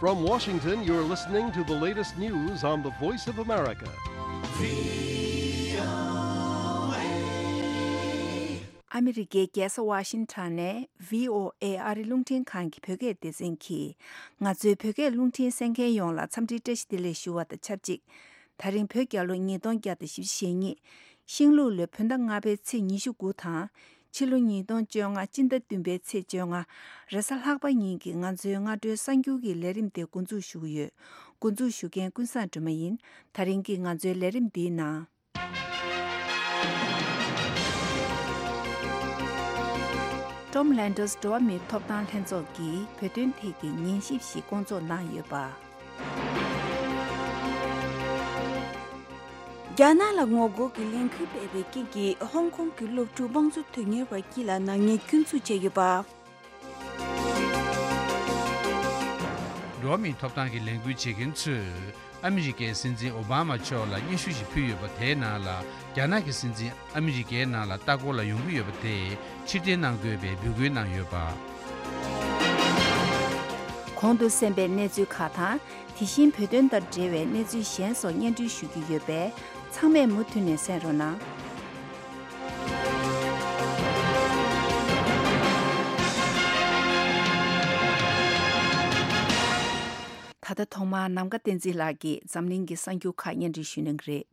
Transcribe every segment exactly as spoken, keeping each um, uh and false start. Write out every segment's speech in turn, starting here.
From Washington, you're listening to the latest news on the Voice of America. ཨ་མི་རི་ཀའི་རྒྱལ་ས་ཝ་ཤིང་ཊོན་ནས་བྷི་ཨོ་ཨེ་ཨ་རི་རླུང་འཕྲིན་ཁང་གི་བོད་སྐད་སྡེ་ཚན་གྱིས། ང་ཚོའི་བོད་སྐད་རླུང་འཕྲིན་གསན་མཁན་ཡོངས་ལ་འཚམས་འདྲིའི་བཀྲ་ཤིས་བདེ་ལེགས་ཞུ་བ་དང་ཆབས་ཅིག་ད་རིང་བོད་རྒྱལ་ལོ་ཉིས་སྟོང་བརྒྱ་དང་བཞི་བཅུ་ཞེ་གཉིས། ཤིང་ལུག་ལོའི་བོད་ཟླ་ལྔ་པའི་ཚེས་ཉི་ཤུ་དགུ་དང་། ཕྱི་ལོ་ཉིས་སྟོང་བཅོ་ལྔ་སྤྱི་ཟླ་བདུན་པའི་ཚེས་བཅོ་ལྔ། རེས་གཟའ་ལྷག་པ་ཉིན་གྱི་ང་ཚོའི་སྔ་དྲོའི་གསར་འགྱུར་གྱི་ལས་རིམ་དེ་འགོ་འཛུགས་ཞུ་གི་ཡོད། འགོ་འཛུགས་ཞུ་མཁན་ཀུན་བཟང་སྒྲོལ་མ་ཡིན། ད་རིང་གི་ང་ཚོའི་ལས་རིམ་འདིའི་ནང་། Tom Lantos འགྲོ་བ་མིའི་ཐོབ་ཐང་ལྷན་ཚོགས་ཀྱིས་བོད་དོན་ཐད་ཀྱི་ཉན་ཞིབ་ཞིག་བསྐོང་ཚོགས་གནང་ཡོད་པ། རྒྱ་ནག་ལ་ངོ་རྒོལ་གྱི་ལས་འགུལ་སྤེལ་བའི་རྐྱེན་གྱིས་ཧོང་ཀོང་གི་སློབ་ཕྲུག་དམངས་གཙོ་དོན་གཉེར་བ་དཀྱིལ་ལ་ནག་ཉེས་སྐྱོན་འཛུགས་བྱས་ཡོད་པ། འགྲོ་བ་མིའི་ཐོབ་ཐང་གི་ལས་འགུལ་བྱེད་མཁན་ཚོས་ཨ་མི་རི་ཀའི་སྲིད་འཛིན་ཨོ་བྷ་མ་མཆོག་ལ་སྙན་ཞུ་ཞིག་ཕུལ་ཡོད་པ་དེའི་ནང་ལ། རྒྱ་ནག་གི་སྲིད་འཛིན་ཨ་མི་རི་ཀའི་ནང་ལ་ལྟ་སྐོར་ལ་ཡོང་གི་ཡོད་པ་དེ་ཕྱིར་འཐེན་གནང་དགོས་པའི་འབོད་སྐུལ་གནང་ཡོད་པ། གོང་དུ་གསན་པའི་གནས་ཚུལ་ཁག་དང་། དེ་བཞིན་བོད་དོན་དང་འབྲེལ་བའི་གནས་ཚུལ་གཞན་སོགས་སྙན་སྒྲོན་ཞུ་རྒྱུ་ཡོད་པས། ཚང་མས་མུ་མཐུད་ནས་གསན་རོགས་གནང་། ད་ལྟ་ཐོག་མར་ནམ་མཁའ་བསྟན་འཛིན་ལགས་ཀྱིས་འཛམ་གླིང་གི་གསར་འགྱུར་ཁག་སྙན་སྒྲོན་ཞུ་གནང་གི་རེད།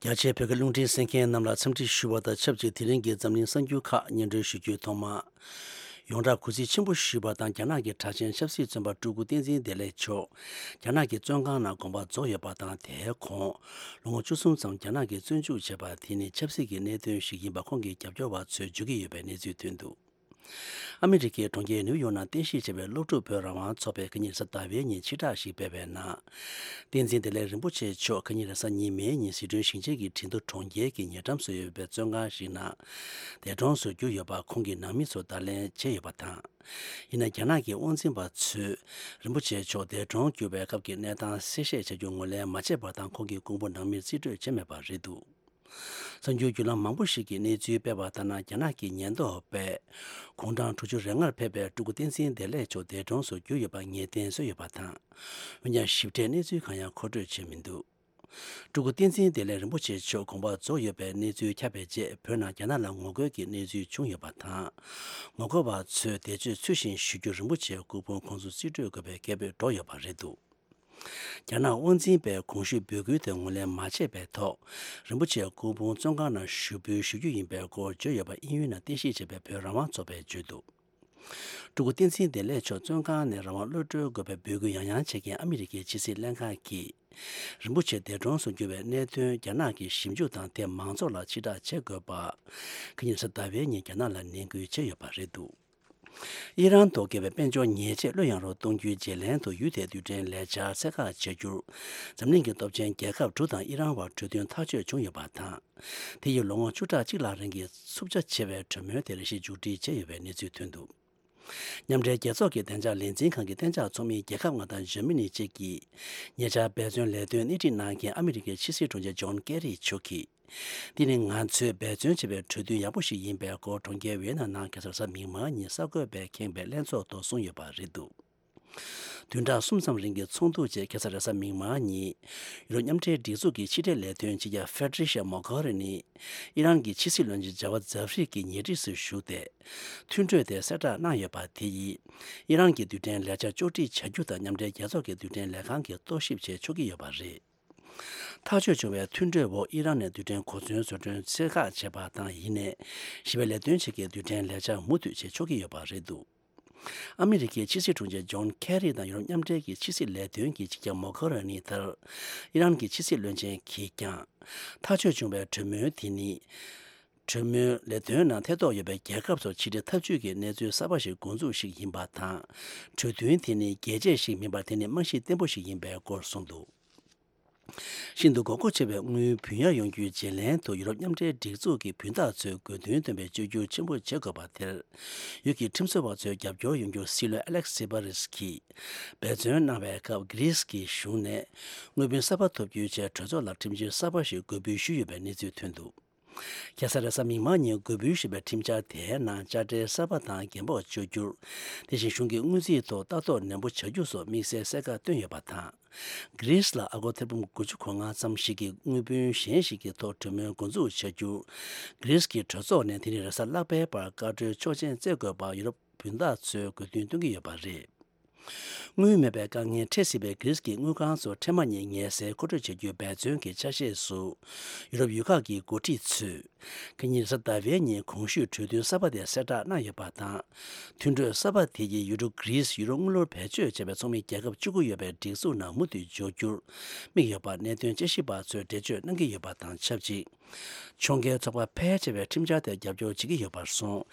རྒྱ་ཆེའི་བོད་སྐད་རླུང་འཕྲིན་གསན་མཁན་རྣམས་ལ་འཚམས་འདྲི་ཞུ་བ་དང་ཆབས་ཅིག་དེ་རིང་གི་འཛམ་གླིང་གསར་འགྱུར་ཁག་སྙན་སྒྲོན་ཞུ་རྒྱུའི་ཐོག་མ། ཡོངས་གྲགས་གུས་བརྩི་ཆེན་པོ་ཞུས་པ་དང་། རྒྱ་ནག་གི་གྲགས་ཅན་ཆབ་སྲིད་བཙོན་པ་སྤྲུལ་སྐུ་བསྟན་འཛིན་བདེ་ལེགས་མཆོག་རྒྱ་ནག་གི་བཙོན་ཁང་ནང་དགོངས་པ་རྫོགས་ཡོད་པ་དང་། དེའི་གོང་ལོ་ངོ་བཅུ་གསུམ་ཙམ་རྒྱ་ནག་གིས་བཙོན་འཇུག་བྱས་པ་དེ་ནི་ཆབ་སྲིད་ཀྱི་གནད་དོན་ཞིག་ཡིན་པ་ཁོང་གི་རྒྱབ་སྐྱོར་བ་ཚོས་བརྗོད་ཀྱི་ཡོད་པའི་གནས་ཚུལ་ཐོན་འདུག་ཨ་མི་རི་ཀའི་གྲོང་ཁྱེར་ནིའུ་ཡོག་ནང་རྟེན་གཞི་བྱས་པའི་སློབ་ཕྲུག་བོད་རང་དབང་ཚོགས་པས་ཁ་ཉིན་རེས་གཟའ་ཟླ་བའི་ཉིན་ཕྱིར་བསྒྲགས་ཤིག་སྤེལ་བའི་ནང་། བསྟན་འཛིན་བདེ་ལེགས་རིན་པོ་ཆེ་མཆོག་ཁ་ཉིན་རེས་གཟའ་ཉི་མའི་ཉིན་ཟི་ཁྲོན་ཞིང་ཆེན་གྱི་ཁྲིན་ཏུ་གྲོང་ཁྱེར་གྱི་ཉེ་འགྲམ་སུ་ཡོད་པའི་བཙོན་ཁང་ཞིག་ནང་འདས་གྲོངས་སུ་གྱུར་ཡོད་པ་ཁོང་གི་ནང་མི་ཚོས་བརྡ་ལན་བྱས་ཡོད་པ་དང་། ཡིན་ན་རྒྱ་ནག་གི་དབང་འཛིན་པ་ཚོས་རིན་པོ་ཆེ་མཆོག་འདས་གྲོངས་གྱུར་བའི་སྐབས་ཀྱི་གནས་སྟངས་གསལ་བཤད་བྱ་རྒྱུ་ངོས་ལེན་མ་བྱས་པ་དང་། ཁོང་གི་སྐུ་ཕུང་ནང་མིར་རྩིས་སྤྲོད་བྱས་མེད་པ་རེད་འདུག་གསར་འགྱུར་བརྒྱུད་ལམ་མང་པོ་ཞིག་གིས་གནས་ཚུལ་སྤེལ་བ་ལྟར་ན། རྒྱ་ནག་གི་ཉེན་རྟོག་པས་དགུང་གྲངས་དྲུག་ཅུ་རེ་ལྔར་ཕེབས་པའི་སྤྲུལ་སྐུ་བསྟན་འཛིན་བདེ་ལེགས་མཆོག་འདས་གྲོངས་སུ་གྱུར་ཡོད་པ་ངེས་གཏན་བཟོས་ཡོད་པ་དང་། འོན་ཀྱང་ཞིབ་ཕྲའི་གནས་ཚུལ་གང་ཡང་མཁོ་སྤྲོད་བྱས་མི་འདུག་སྤྲུལ་སྐུ་བསྟན་འཛིན་བདེ་ལེགས་རིན་པོ་ཆེ་མཆོག་དགོངས་པ་རྫོགས་ཡོད་པའི་གནས་ཚུལ་ཁྱབ་པའི་རྗེས། བོད་ནང་རྒྱ་ནག་ལ་ངོ་རྒོལ་གྱི་གནས་ཚུལ་བྱུང་ཡོད་པ་དང་། ངོ་རྒོལ་བ་ཚོས་འདས་མཆོད་ཚུལ་བཞིན་ཞུ་རྒྱུར་རིན་པོ་ཆེའི་སྐུ་ཕུང་ཁོང་ཚོར་རྩིས་སྤྲོད་དགོས་པའི་སྐད་འབོད་སྒྲོག་ཡོད་པ་རེད་འདུག་རྒྱ་ནག་དབང་འཛིན་པས་གོང་ཞུས་འབོད་སྐུལ་དེ་ངོས་ལེན་མ་བྱས་པའི་ཐོག་རིན་པོ་ཆེའི་སྐུ་ཕུང་བཙོན་ཁང་ནང་ཞུགས་འབུལ་ཞུ་རྒྱུ་ཡིན་པའི་སྐོར་བརྗོད་ཡོད་པ་དབྱིན་ཡུལ་ནང་རྟེན་གཞི་བྱས་པའི་བོད་རང་དབང་ཚོགས་པས་བརྗོད་འདུག་སྤྲུལ་སྐུ་བསྟན་འཛིན་བདེ་ལེགས་མཆོག་བཙོན་ཁང་ནས་རང་དབང་གློད་གྲོལ་དགོས་པའི་འབོད་སྐུལ་ཡང་ཡང་བྱེད་མཁན་ཨ་མི་རི་ཀའི་ཕྱི་སྲིད་ལྷན་ཁང་གིས། རིན་པོ་ཆེ་འདས་གྲོངས་སུ་གྱུར་བའི་གནད་དོན་རྒྱ་ནག་གིས་ཞིབ་འཇུག་དང་། དེ་མང་ཚོགས་ལ་ཕྱིར་བསྒྲགས་བྱེད་དགོས་པ། ཁ་ཉིན་རེས་གཟའ་ཟླ་བའི་ཉིན་རྒྱ་ནག་ལ་ནན་སྐུལ་བྱས་ཡོད་པ་རེད་འདུག་ཨི་རན་ཐོག་བཀལ་བའི་དཔལ་འབྱོར་ཉེས་ཆད་བློས་ཡངས་རོགས་གཏོང་རྒྱུའི་བརྗེ་ལེན་དུ་ཡུལ་དེའི་རྡུལ་ཕྲན་ལས་འཆར་ཚད་བཀག་བྱ་རྒྱུར། འཛམ་གླིང་གི་སྟོབས་ཆེན་རྒྱལ་ཁབ་དྲུག་དང་ཨི་རན་བར་གྲོས་མཐུན་ཐག་གཅོད་བྱུང་ཡོད་པ་དང་། དེ་ཡིས་ལོ་ངོ་བཅུ་ཕྲག་གཅིག་ལྷག་རིང་གི་འཚུབ་ཆ་ཆེ་བའི་གྲོས་མོལ་དེར་གཞི་མཇུག་སྒྲིལ་བྱས་ཡོད་པའི་གནས་ཚུལ་ཐོན་འདུག་མཉམ་འབྲེལ་རྒྱལ་ཚོགས་ཀྱི་བདེ་འཇགས་ལས་འཛིན་ཁང་གི་གཏན་འཇགས་ཚོགས་མིའི་རྒྱལ་ཁབ་ལྔ་དང་འཇར་མ་ནི་བཅས་ཀྱིས་ཉེ་ཆར་འབད་བརྩོན་ལས་དོན་སྣེ་ཁྲིད་གནང་མཁན་ཨ་མི་རི་ཀའི་ཕྱི་སྲིད་དྲུང་ཆེ་ཇོན་ཀེ་རི་མཆོག་གིས། འདི་ནི་ང་ཚོས་འབད་བརྩོན་བྱས་པའི་གྲོས་མཐུན་ཡག་པོ་ཞིག་ཡིན་པའི་སྐོར་གྲོང་ཁྱེར་ཝི་ཡེ་ན་ནང་ཁ་སང་རེས་གཟའ་མིག་དམར་ཉིན་གསར་འགོད་པས་ཁེངས་པའི་ལྷན་ཚོགས་ཐོག་གསུངས་ཡོད་པ་རེད་འདུག་བདུན་ཕྲག་གསུམ་ཙམ་རིང་གི་ཚོགས་འདུ་རྗེས་ཁ་སང་རེས་གཟའ་མིག་དམར་ཉིན་ཡུ་རོབ་མཉམ་འབྲེལ་སྒྲིག་འཛུགས་ཀྱི་ཕྱི་འབྲེལ་ལས་དོན་ཕྱི་རྒྱལ་ཧྥེ་ཏྲི་ཤ་མོ་གྷ་རི་ནི་ཨི་རན་གྱི་ཕྱི་སྲིད་བློན་ཆེན་ཇ་ཝད་ཛ་ཧྥི་རི་གྱི་ཉེ་འཁྲིས་སུ་བཞུགས་ཏེ། མཐུན་གྲོས་དེ་གསལ་བསྒྲགས་གནང་ཡོད་པ་དེ་ཡིས། ཨི་རན་གྱི་རྡུལ་ཕྲན་ལས་འཆར་ཕྱོགས་སྒྲིག་བྱ་རྒྱུ་དང་མཉམ་འབྲེལ་རྒྱལ་ཚོགས་ཀྱི་རྡུལ་ཕྲན་ལས་ཁང་གིས་རྟོག་ཞིབ་བྱེད་ཆོག་གི་ཡོད་པ་རེད། ཐག་གཅོད་བྱུང་བའི་མཐུན་གྲོས་འོག་ཨི་རན་ནས་རྡུལ་ཕྲན་གོ་མཚོན་བཟོ་སྐྲུན་ཚད་བཀག་བྱས་པ་དང་། ཡིན་ནའི་ཞི་བའི་ལས་དོན་བྱེད་མཁན་རྡུལ་ཕྲན་ལས་འཆར་མུ་མཐུད་བྱེད་ཆོག་གི་ཡོད་པ་རེད་འདུག་ཨ་མི་རི་ཀའི་ཕྱི་སྲིད་དྲུང་ཆེ་ཇོན་ཁེ་རི་དང་ཡུ་རོབ་མཉམ་འབྲེལ་གྱི་ཕྱི་སྲིད་ལས་དོན་གྱི་སྤྱི་ཁྱབ་མོ་གྷ་ར་ནི་ལྟར། ཨི་རན་གྱི་ཕྱི་སྲིད་བློན་ཆེན་གྱིས་ཀྱང་། ཐག་གཅོད་བྱུང་བའི་གྲོས་མོལ་དེ་ནི། གྲོས་མོལ་ལས་དོན་ནང་ཐེ་གཏོགས་ཡོད་པའི་རྒྱལ་ཁབ་ཚོར་ཕྱི་འབྲེལ་འཐབ་ཇུས་ཀྱི་གནས་ཚུལ་གསར་པ་ཞིག་འགོ་འཛུགས་ཤིག་ཡིན་པ་དང་། གྲོས་མཐུན་དེ་ནི་རྒྱས་བཅད་ཞིག་མིན་པར། དེ་ནི་རྨང་གཞི་བརྟན་པོ་ཞིག་ཡིན་པའི་སྐོར་གསུངས་འདུག་ཤིན་ཏུ་དགོས་མཁོ་ཆེ་བའི་དངུལ་བུན་གཡར་ཡོང་རྒྱུའི་བརྗེ་ལེན་དུ་ཡུ་རོབ་མཉམ་འབྲེལ་སྒྲིག་འཛུགས་ཀྱི་བུན་བདག་ཚོས་དགོས་འདུན་བཏོན་པའི་བཅོས་བསྒྱུར་ཆེན་པོ་བྱེད་དགོས་པ་དེར། ཡུལ་གྱི་ཁྲིམས་བཟོ་བ་ཚོའི་རྒྱབ་སྐྱོར་ཡོང་རྒྱུར་སྲིད་བློན་ཨ་ལེག་སི་པ་རིས་ཀྱིས་འབད་བརྩོན་གནང་བའི་སྐབས། གྷི་རིས་ཀྱི་གཞུང་ནས་དངུལ་བུན་གསར་པ་ཐོབ་རྒྱུའི་ཆེད་གྲོས་ཚོགས་ལ་ཁྲིམས་སྒྱུར་གསར་པ་ཞིག་འགོད་འབུལ་ཞུས་ཡོད་པའི་གནས་ཚུལ་ཐོན་འདུག་ཁ་སང་རེས་གཟའ་མིག་དམར་ཉིན་འགོ་འབུལ་ཞུས་པའི་ཁྲིམས་འཆར་དེའི་ནང་དཔྱ་ཁྲལ་གསར་པ་དང་འགན་སྤོགས་གཅོག་རྒྱུ། དེ་བཞིན་གཞུང་གི་དངུལ་རྩིས་ཐོག་ལྟ་རྟོག་ནན་པོ་བྱ་རྒྱུ་སོགས་དམིགས་བསལ་གསལ་ཁ་བཏོན་ཡོད་པ་དང་། གྷི་རིས་ལ་ཨ་སྒོར་ཐེར་འབུམ་དགུ་བཅུ་གོ་ལྔ་ཙམ་ཞིག་གི་དངུལ་བུན་གཞན་ཞིག་གི་ཐོག་གྲོས་མོལ་འགོ་འཛུགས་བྱ་རྒྱུ། གྷི་རིས་ཀྱི་གྲོས་ཚོགས་ནས་དེ་རིང་རེས་གཟའ་ལྷག་པའི་བར་བཀའ་འཁྲོལ་ཆོག་མཆན་སྩལ་དགོས་པ་ཡུ་རོབ་བུན་བདག་ཚོས་དགོས་འདུན་བཏོན་གྱི་ཡོད་པ་རེད། དངུལ་མེད་པའི་དཀའ་ངལ་འཕྲད་སྲིད་པའི་གྷི་རིས་ཀྱི་དངུལ་ཁང་ཚོ་འཕྲལ་མ་ཉིད་ངལ་སེལ་མཁོ་སྤྲོད་བྱ་རྒྱུའི་འབད་བརྩོན་གྱི་ཆ་ཤས་སུ། ཡུ་རོབ་ཡུལ་ཁག་གི་འགོ་ཁྲིད་ཚོས། ཁ་ཉིན་རེས་གཟའ་ཟླ་བའི་ཉིན་གོང་ཞུས་གྲོས་མཐུན་གསར་པ་དེ་གསལ་བསྒྲགས་གནང་ཡོད་པ་དང་། མཐུན་གྲོས་གསར་པ་དེ་ཡིས་ཡུ་རོབ་གྷི་རིས་ཡུ་རོ་དངུལ་ལོར་བེད་སྤྱོད་བྱས་པའི་ཚོགས་མི་རྒྱལ་ཁབ་བཅུ་དགུ་ཡོད་པའི་སྒྲིག་འཛུགས་ནང་མུ་མཐུད་འཇོག་རྒྱུར་དམིགས་ཡོད་པ་གནད་དོན་དཔྱད་ཞིབ་པ་ཚོས་འགྲེལ་བརྗོད་གནང་གི་ཡོད་པ་དང་ཆབས་ཅིག་ཕྱོགས་འགལ་ཚོགས་པ་ཕལ་ཆེ་བས་ཁྲིམས་འཆར་དེར་རྒྱབ་སྐྱོར་བྱེད་ཀྱི་ཡོད་པར་སོང་།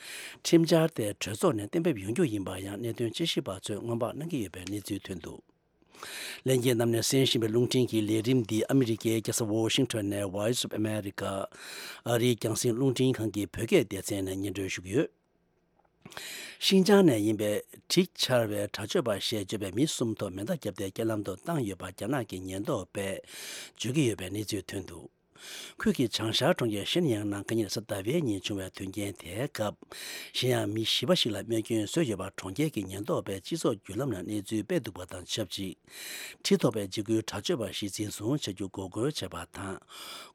ཁྲིམས་འཆར་དེ་གྲོས་ཚོགས་ནས་གཏན་འབེབས་ཡོང་རྒྱུ་ཡིན་པར་ཡང་གནད་དོན་དཔྱད་ཞིབ་པ་ཚོས་སྔོན་དཔག་གནང་གི་ཡོད་པའི་གནས་ཚུལ་ཐོན་འདུག་ལྷན་རྒྱས་རྣམས་ནས་གསན་བཞིན་པའི་རླུང་འཕྲིན་གྱི་ལས་རིམ་འདི་ཨ་མི་རི་ཀའི་རྒྱལ་ས་ཝོ་ཤིང་ཊོན་ནས་Voice of America ཨ་རིའི་རྒྱང་སྲིང་རླུང་འཕྲིན་ཁང་གི་བོད་སྐད་སྡེ་ཚན་ནས་སྙན་སྒྲོན་ཞུ་གི་ཡོད། ཤིན་ཅང་ནས་ཡིན་པའི་གྲི་འཕྱར་བའི་དྲག་སྤྱོད་པ་ཞེས་བརྗོད་པའི་མི་གསུམ་ཐོག་མེ་མདའ་བརྒྱབ་སྟེ་རྐྱེན་ལམ་དུ་བཏང་ཡོད་པ་རྒྱ་ནག་གི་ཉེན་རྟོག་པས་བརྗོད་ཀྱི་ཡོད་པའི་གནས་ཚུལ་ཐོན་འདུག་ཁུལ་གྱི་བྱང་ཤར་གྲོང་ཁྱེར་ཤིན་ཡང་ནང་ཁ་ཉིན་རེས་གཟའ་ཟླ་བའི་ཉིན་བྱུང་བའི་དོན་རྐྱེན་དེའི་སྐབས། གཞན་ཡང་མི་བཞི་པ་ཞིག་ལ་རྨས་སྐྱོན་བཟོས་ཡོད་པ་གྲོང་ཁྱེར་གྱི་ཉེན་རྟོག་པས་སྤྱི་ཚོགས་བརྒྱུད་ལམ་ནང་གནས་ཚུལ་སྤེལ་འདུག་པ་དང་ཆབས་ཅིག་ཁྲི་ཐོག་པའི་འཇིགས་སྐུལ་དྲག་སྤྱོད་པ་ཞིག་འཛིན་བཟུང་བྱ་རྒྱུ་འགོག་རྒོལ་བྱས་པ་དང་།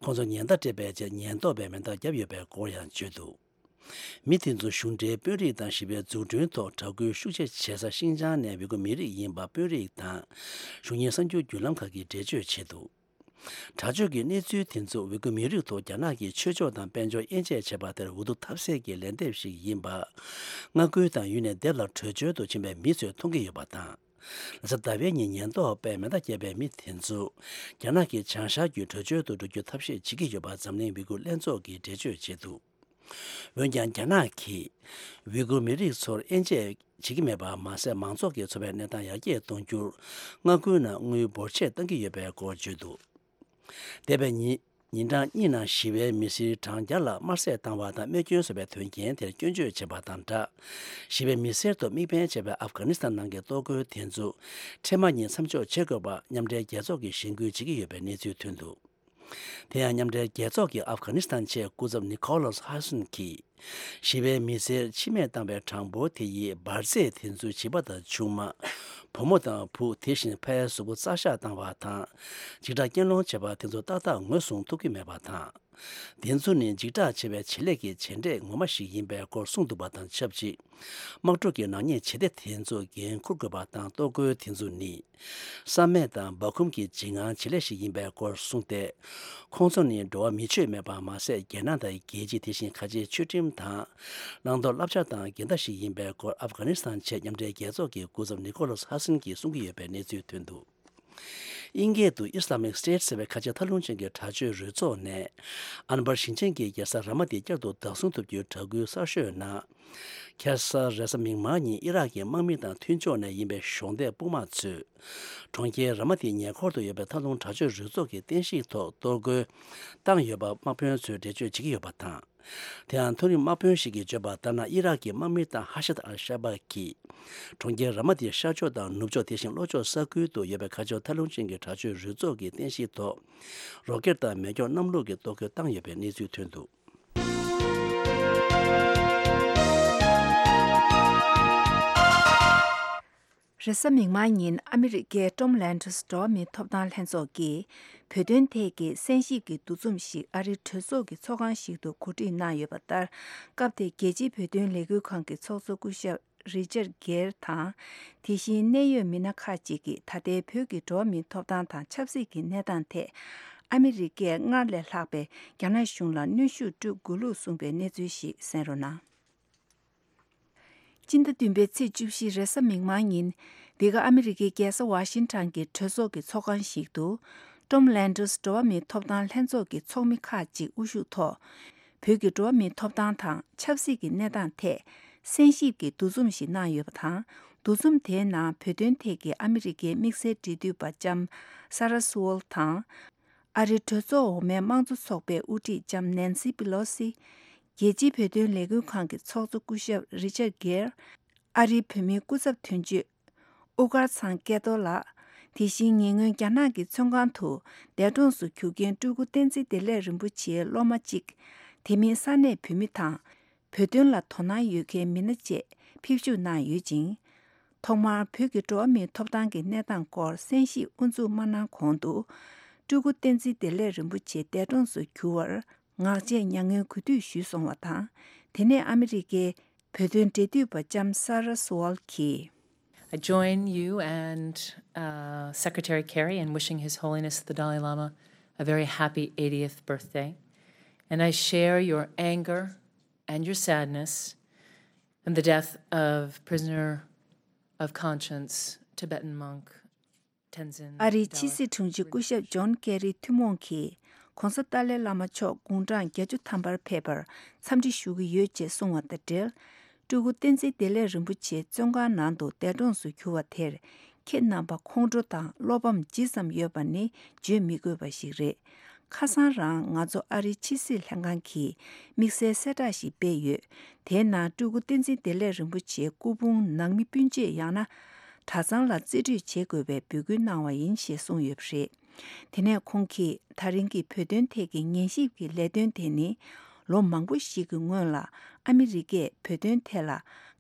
ཁོང་ཚོ་ཉེན་བརྡ་སྤྲད་པའི་རྗེས་ཉེན་རྟོག་པས་མེ་མདའ་བརྒྱབ་ཡོད་པའི་སྐོར་ཡང་བརྗོད་འདུག་མི་དེ་ཚོ་གཞུང་འབྲེལ་དཔོན་རིགས་དང་ཞི་བའི་འཛུགས་སྐྲུན་ཐོག་དྲག་སྐུལ་ཤུགས་ཆེ་བྱེད་ས་ཤིན་ཅང་ནས་ཝི་གུ་མི་རིགས་ཡིན་པ་དཔོན་རིགས་དང་། གཞུང་གཉེར་གསར་འགྱུར་བརྒྱུད་ལམ་ཁག་གིས་འགྲེལ་བརྗོད་བྱས་འདུག་དྲག་སྤྱོད་ཀྱི་གནས་ཚུལ་དེ་ཚོ་ཝི་གུ་མི་རིགས་ཐོག་རྒྱ་ནག་གིས་ཆོས་ཕྱོགས་དང་དཔལ་འབྱོར་དབྱེ་འབྱེད་བྱས་པ་དེར་འུ་ཐུག་ཐབས་ཟད་ཀྱི་ལན་འདེབས་ཤིག་ཡིན་པ། མངའ་ཁུལ་དང་ཡུལ་ནས་སྡེབ་ལ་བྲོས་བྱོལ་དུ་ཕྱིན་པའི་མི་ཚོས་མཐོང་གི་ཡོད་པ་དང་། རེས་གཟའ་ཟླ་བའི་ཉིན་ཉེན་རྟོག་པས་མེ་མདའ་བརྒྱབ་པའི་མི་དེ་ཚོ། རྒྱ་ནག་གི་བྱང་ཤར་བརྒྱུད་བྲོས་བྱོལ་དུ་འགྲོ་རྒྱུ་ཐབས་ཤེས་བྱེད་ཀྱི་ཡོད་པ་འཛམ་གླིང་ཝི་གུ་ལྷན་ཚོགས་ཀྱིས་འགྲེལ་བརྗོད་བྱས་འདུག་འོན་ཀྱང་རྒྱ་ནག་གིས་ཝི་གུར་མི་རིགས་ཚོར་དབྱེ་འབྱེད་བྱེད་ཀྱི་མེད་པ་མ་ཟད། མང་ཚོགས་ཀྱི་འཚོ་བའི་གནས་སྟངས་ཡར་རྒྱས་གཏོང་རྒྱུར་མངའ་ཁུལ་ནང་དངུལ་འབོར་ཆེ་བཏང་གི་ཡོད་པའི་སྐོར་བརྗོད་འདུག་འདས་པའི་ཉིན་ཉིན་གྲངས་གཉིས་ནང་ཞི་བའི་མི་སེར་གྲངས་བརྒྱ་ལྷག་དམར་བསད་བཏང་བ་དང་རྨས་སྐྱོན་བཟོས་པའི་དོན་རྐྱེན་དེར་སྐྱོན་བརྗོད་བྱས་པ་དང་སྦྲགས། ཞི་བའི་མི་སེར་ཐོག་དམིགས་འབེན་བྱས་པའི་ཨབ་གྷ་ནི་སི་ཐན་ནང་གི་གཏོར་རྒོལ་དེ་ཚོ་འཕྲལ་མ་ཉིད་མཚམས་འཇོག་བྱེད་དགོས་པ་མཉམ་འབྲེལ་རྒྱལ་ཚོགས་ཀྱིས་གཞེན་སྐུལ་བྱེད་ཀྱི་ཡོད་པའི་གནས་ཚུལ་ཐོན་འདུག་དེ་ཡང་མཉམ་འབྲེལ་རྒྱལ་ཚོགས་ཀྱིས་ཨབ་གྷ་ནི་སི་ཐན་ཆེད་སྐུ་ཚབ་ནི་ཁོ་ལོས་ཧ་སན་གྱིས། ཞི་བའི་མི་སེར་འཆི་རྨས་བཏང་བའི་གྲངས་འབོར་དེ་ཡིས་འབར་རྫས་དེ་ཚོའི་བྱིས་པ་དང་ཆུང་མ། བུ་མོ་དང་བུ། དེ་བཞིན་ཕའི་གཟུགས་པོ་རྩ་ཤག་བཏང་བ་དང་། འཇིགས་སྐྲག་རྐྱེན་སློང་བྱས་པ་དེ་ཚོ་ཏག་ཏག་ངོས་བཟུང་ཐུབ་ཀྱི་མེད་པ་དང་། དེ་ཚོ་ནི་འཇིགས་སྐྲག་ཆེ་བའི་བྱེད་ལས་ཀྱི་བྱེད་འབྲས་ངོ་མ་ཞིག་ཡིན་པའི་སྐོར་གསུངས་འདུག་པ་དང་ཆབས་ཅིག་དམག་འཁྲུག་གི་ནག་ཉེས་བྱེད་གཏེ་དེ་ཚོ་འགན་འཁུར་དགོས་པ་དང་གཏོར་རྒོལ་དེ་ཚོ་ནི། བསམ་མེད་དང་སྦ་ཁུམ་གྱི་འཇིགས་དངངས་བྱེད་ལས་ཤིག་ཡིན་པའི་སྐོར་གསུངས་ཏེ། ཁོང་ཚོ་ནི་འགྲོ་བ་མི་ཆོས་མེད་པ་མ་ཟད། རྒྱལ་ནང་དང་རྒྱལ་སྤྱི། དེ་བཞིན་ཁ་ཆེའི་ཆོས་ཁྲིམས་དང་། བླང་དོར་བསླབ་བྱ་དང་འགལ་ཟླ་ཞིག་ཡིན་པའི་སྐོར་ཨབ་གྷ་ནི་སི་ཐན་ཆེད་མཉམ་འབྲེལ་རྒྱལ་ཚོགས་ཀྱི་སྐུ་ཚབ་ནི་ཁོ་ལོས་ཧ་སན་གྱིས་གསུང་གི་ཡོད་པའི་གནས་ཚུལ་ཐོན་འདུག་དབྱིན་སྐད་དུ་Islamic State ཟེར་བའི་ཁ་ཆེ་ཐལ་རླུང་ཅན་གྱི་དྲག་སྤྱོད་རུ་ཚོགས་ནས། ཨན་བར་ཞིང་ཆེན་གྱི་རྒྱལ་ས་ར་མ་ཏི་བསྐྱར་དུ་བདག་བཟུང་ཐུབ་རྒྱུའི་གྲགས་འགུལ་གསར་ཤོས་ནང་། ཁ་སང་རེས་གཟའ་མིག་དམར་ཉིན་ཨི་རག་གི་དམག་མི་དང་མཐུན་ཕྱོགས་ནས་ཡིན་པའི་གཞོགས་འདེགས་དཔུང་དམག་ཚོས། གྲོང་ཁྱེར་ར་མ་ཏིའི་ཉེ་འཁོར་དུ་ཡོད་པའི་ཐལ་རླུང་དྲག་སྤྱོད་རུ་ཚོགས་ཀྱི་རྟེན་གཞི་ཐོག་གཏོར་རྒོལ་བཏང་ཡོད་པ་དམག་དཔོན་ཚོས་འགྲེལ་བརྗོད་བྱེད་ཀྱི་ཡོད་པ་དང་། དེ་ཡང་མཐོ་རིམ་དམག་དཔོན་ཞིག་གིས་བརྗོད་པ་ལྟར་ན། ཨི་རག་གི་དམག་མི་དང་ཧ་ཤད་ཨལ་ཤ་བ་གིས། གྲོང་ཁྱེར་ར་མ་ཏིའི་ཤར་ཕྱོགས་དང་ནུབ་ཕྱོགས། དེ་བཞིན་ལྷོ་ཕྱོགས་ས་ཁུལ་དུ་ཡོད་པའི་ཁ་ཕྱོགས་ཐལ་རླུང་ཅན་གྱི་དྲག་སྤྱོད་རུ་ཚོགས་ཀྱི་རྟེན་གཞི་ཐོག་རོ་ཀེད་དང་མེ་སྒྱོགས་གནམ་གླུ་གི་གཏོར་རྒོལ་བཏང་ཡོད་པའི་གནས་ཚུལ་ཐོན་འདུག་རེས་གཟའ་མིག་དམར་ཉིན་ཨ་མི་རི་ཀའི་ཊོམ་ལན་ཌར་འགྲོ་བ་མིའི་ཐོབ་ཐང་ལྷན་ཚོགས་ཀྱིས་བོད་དོན་ཐད་ཀྱི་གསན་ཞིབ་ཀྱི་འདུ་འཛོམས་ཤིག་ཨ་རིའི་གྲོས་ཚོགས་ཀྱི་ཚོགས་ཁང་ཞིག་ཏུ་གོ་སྒྲིག་གནང་ཡོད་པ་ལྟར། སྐབས་དེར་རྒྱལ་སྤྱིའི་བོད་དོན་ལས་འགུལ་ཁང་གི་ཚོགས་གཙོ་སྐུ་ཞབས་རི་ཅར་གྷེར་དང་། དེ་བཞིན་གནད་ཡོད་མི་སྣ་ཁག་ཅིག་གིས་ད་ལྟའི་བོད་ཀྱི་འགྲོ་བ་མིའི་ཐོབ་ཐང་དང་ཆབ་སྲིད་ཀྱི་གནས་སྟངས་ཐད། ཨ་མི་རི་ཀས་སྔར་ལས་ལྷག་པའི་རྒྱ་ནག་གཞུང་ལ་གནོན་ཤུགས་སྤྲོད་དགོས་ལུགས་གསུངས་པའི་གནས་ཚུལ་ཞིག་གསན་རོགས་གནང་། སྤྱི་ཟླ་བདུན་པའི་ཚེས་བཅུ་བཞི་རེས་གཟའ་མིག་དམར་ཉིན། འདི་ག་ཨ་མི་རི་ཀའི་རྒྱལ་ས་ཝ་ཤིང་ཊོན་གྱི་གྲོས་ཚོགས་ཀྱི་ཚོགས་ཁང་ཞིག་ཏུ། ཊོམ་ལན་ཌར་འགྲོ་བ་མིའི་ཐོབ་ཐང་ལྷན་ཚོགས་ཀྱི་ཚོགས་མི་ཁག་ཅིག་དབུ་བཞུགས་ཐོག་བོད་ཀྱི་འགྲོ་བ་མིའི་ཐོབ་ཐང་དང་ཆབ་སྲིད་ཀྱི་གནས་སྟངས་ཐད་གསན་ཞིབ་ཀྱི་འདུ་འཛོམས་ཤིག་གནང་ཡོད་པ་དང་། འདུ་འཛོམས་དེའི་ནང་བོད་དོན་ཐད་ཀྱི་ཨ་མི་རི་ཀའི་དམིགས་བསལ་འབྲེལ་མཐུད་པ་ལྕམ་སཱ་ར་སུ་ཝོལ་དང་། ཨ་རིའི་གྲོས་ཚོགས་འོག་མའི་དམངས་གཙོ་ཚོགས་པའི་དབུ་ཁྲིད་ལྕམ་ནན་སི་པི་ལོ་སི། རྒྱལ་སྤྱིའི་བོད་དོན་ལས་འགུལ་ཁང་གི་ཚོགས་གཙོ་སྐུ་ཞབས་རི་ཅར་གྷེར། ཨ་རིའི་བོད་མིའི་སྐུ་ཚབ་དོན་གཅོད། དབུ་དཀར་ཚང་སྐལ་རྡོར་ལགས། དེ་བཞིན་ཉེ་སྔོན་རྒྱ་ནག་གི་བཙོན་ཁང་དུ་འདས་གྲོངས་སུ་གྱུར་མཁན་སྤྲུལ་སྐུ་བསྟན་འཛིན་བདེ་ལེགས་རིན་པོ་ཆེའི་སློབ་མ་གཅིག་དེ་མིན་ས་གནས་བོད་མི་དང་། བོད་དོན་ལ་དོ་སྣང་ཡོད་མཁན་མི་སྣ་བཅས་ཕེབས་ཞུགས་གནང་ཡོད་ཅིང་། ཐོག་མར་བོད་ཀྱི་འགྲོ་བ་མིའི་ཐོབ་ཐང་གི་གནས་སྟངས་སྐོར་གསན་ཞིབ་དབུ་འཛུགས་མ་གནང་གོང་དུ། སྤྲུལ་སྐུ་བསྟན་འཛིན་བདེ་ལེགས་རིན་པོ་ཆེ་འདས་གྲོངས་སུ་གྱུར་བར་ངག་བཅད་མྱ་ངན་གུས་འདུད་ཞུས་སོང་བ་དང་། དེ་ནས་ཨ་མི་རི་ཀའི་བོད་དོན་འབྲེལ་མཐུད་པ་ལྕམ་Sarah Sewall གྱིས། I join you and uh, Secretary Kerry in wishing His Holiness the Dalai Lama a very happy eightieth birthday. And I share your anger and your sadness in the death of prisoner of conscience, Tibetan monk Tenzin. ཨ་རིའི་ཕྱི་སྲིད་དྲུང་ཆེ་སྐུ་ཞབས་ཇོན་ཀེ་རི་ཐུན་མོང་གིས་༧གོང་ས་ཏཱ་ལའི་བླ་མ་མཆོག་དགུང་གྲངས་བརྒྱད་ཅུ་ཐམ་པར་ཕེབས་པར་འཚམས་འདྲི་ཞུ་གི་ཡོད་ཅེས་གསུངས་བ་དང་འབྲེལ། སྤྲུལ་སྐུ་བསྟན་འཛིན་བདེ་ལེགས་རིན་པོ་ཆེ་བཙོན་ཁང་ནང་དུ་འདས་གྲོངས་སུ་གྱུར་བ་དེར་ཁྱེད་རྣམ་པ་ཁོང་ཁྲོ་དང་བློ་ཕམ་ཇི་ཙམ་ཡོད་པ་ནི་བརྗོད་མི་དགོས་པ་ཞིག་རེད། ཁ་སང་རང་ང་ཚོ་ཨ་རིའི་ཕྱི་སྲིད་ལྷན་ཁང་གིས་དམིགས་བསལ་གསལ་བསྒྲགས་ཤིག་སྤེལ་ཡོད། དེའི་ནང་སྤྲུལ་སྐུ་བསྟན་འཛིན་བདེ་ལེགས་རིན་པོ་ཆེའི་སྐུ་ཕུང་ནང་མི་སྤུན་མཆེད་ཡང་ན་གྲྭ་ཚང་ལ་རྩིས་སྤྲོད་བྱེད་དགོས་པའི་འབོད་སྐུལ་གནང་བ་ཡིན་ཞེས་གསུངས་ཡོད་པ་རེད། དེ་ནས་ཁོང་གིས་ད་རིང་གི་བོད་དོན་ཐད་ཀྱི་ཉན་ཞིབ་ཀྱི་ལས་དོན་དེ་ནི་ལོ་མང་པོ་ཞིག་གི་སྔོན་ལ་ཨ་མི་རི་ཀས་བོད་དོན་ཐད་ལ་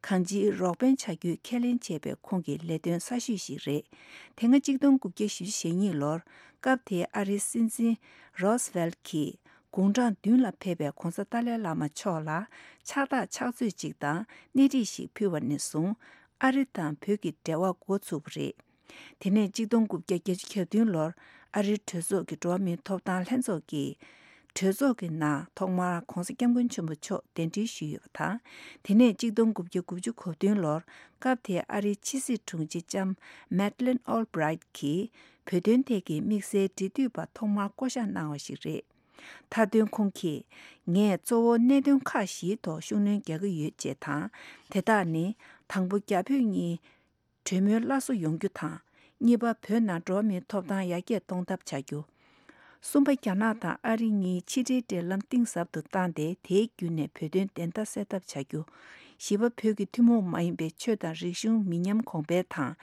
གང་ཅིའི་རོགས་ཕན་བྱ་རྒྱུའི་ཁས་ལེན་བྱས་པའི་ཁོང་གི་ལས་དོན་གསར་ཤོས་ཤིག་རེད། དེ་སྔ་གཅིག་སྟོང་དགུ་བརྒྱ་བཞི་བཅུ་ཞེ་གཉིས་ལོར་སྐབས་དེའི་ཨ་རིའི་སྲིད་འཛིན་རོ་སི་ཝེལ་གྱིས་དགུང་གྲངས་བདུན་ལ་ཕེབས་པའི་༧གོང་ས་ཏཱ་ལའི་བླ་མ་མཆོག་ལ་ཕྱག་རྟགས་ཕྱག་ཚོད་ཅིག་དང་སྣེ་ཁྲིད་ཞིག་ཕུལ་བ་ནས་བཟུང་ཨ་རི་དང་བོད་ཀྱི་འབྲེལ་བ་འགོ་ཚུགས་པ་རེད། དེ་ནས་གཅིག་སྟོང་དགུ་བརྒྱ་བརྒྱད་ཅུ་གྱ་བདུན་ལོར་ཨ་རིའི་གྲོས་ཚོགས་ཀྱི་འགྲོ་བ་མིའི་ཐོབ་ཐང་ལྷན་ཚོགས་ཀྱིས་གྲོས་ཚོགས་ཀྱི་ནང་ཐོག་མར་༧གོང་ས་༧སྐྱབས་མགོན་ཆེན་པོ་མཆོག་གདན་འདྲེན་ཞུས་ཡོད་པ་དང་། དེ་ནས་གཅིག་སྟོང་དགུ་བརྒྱ་དགུ་བཅུ་གོ་བདུན་ལོར་སྐབས་དེའི་ཨ་རིའི་ཕྱི་སྲིད་དྲུང་ཆེ་ལྕམ་Madeleine Albright གྱིས་བོད་དོན་ཐད་ཀྱི་དམིགས་བསལ་འབྲེལ་མཐུད་པ་ཐོག་མར་བསྐོ་གཞག་གནང་བ་ཞིག་རེད། མཐའ་དོན་ཁོང་གིས་ངས་གཙོ་བོ་གནད་དོན་ཁག་བཞིའི་ཐོག་ཤུགས་སྣོན་རྒྱག་གི་ཡོད་ཅེས་དང་། དེ་དག་ནི། དང་པོ། རྒྱ་བོད་གཉིས་གྲོས་མོལ་སླར་གསོ་ཡོང་རྒྱུ་དང་། གཉིས་པ། བོད་ནང་འགྲོ་བ་མིའི་ཐོབ་ཐང་ཡར་རྒྱས་གཏོང་ཐབས་བྱ་རྒྱུ། གསུམ་པ། རྒྱ་ནག་དང་ཨ་རི་གཉིས་ཕྱི་འབྲེལ་འབྲེལ་ལམ་གཏིང་ཟབ་ཏུ་བཏང་སྟེ་དེའི་བརྒྱུད་ནས་བོད་དོན་བདེན་མཐའ་གསལ་ཐབས་བྱ་རྒྱུ། བཞི་པ། བོད་ཀྱི་ཐུན་མོང་མ་ཡིན་པའི་ཆོས་དང་རིག་གཞུང་མི་ཉམས་གོང་འཕེལ་དང་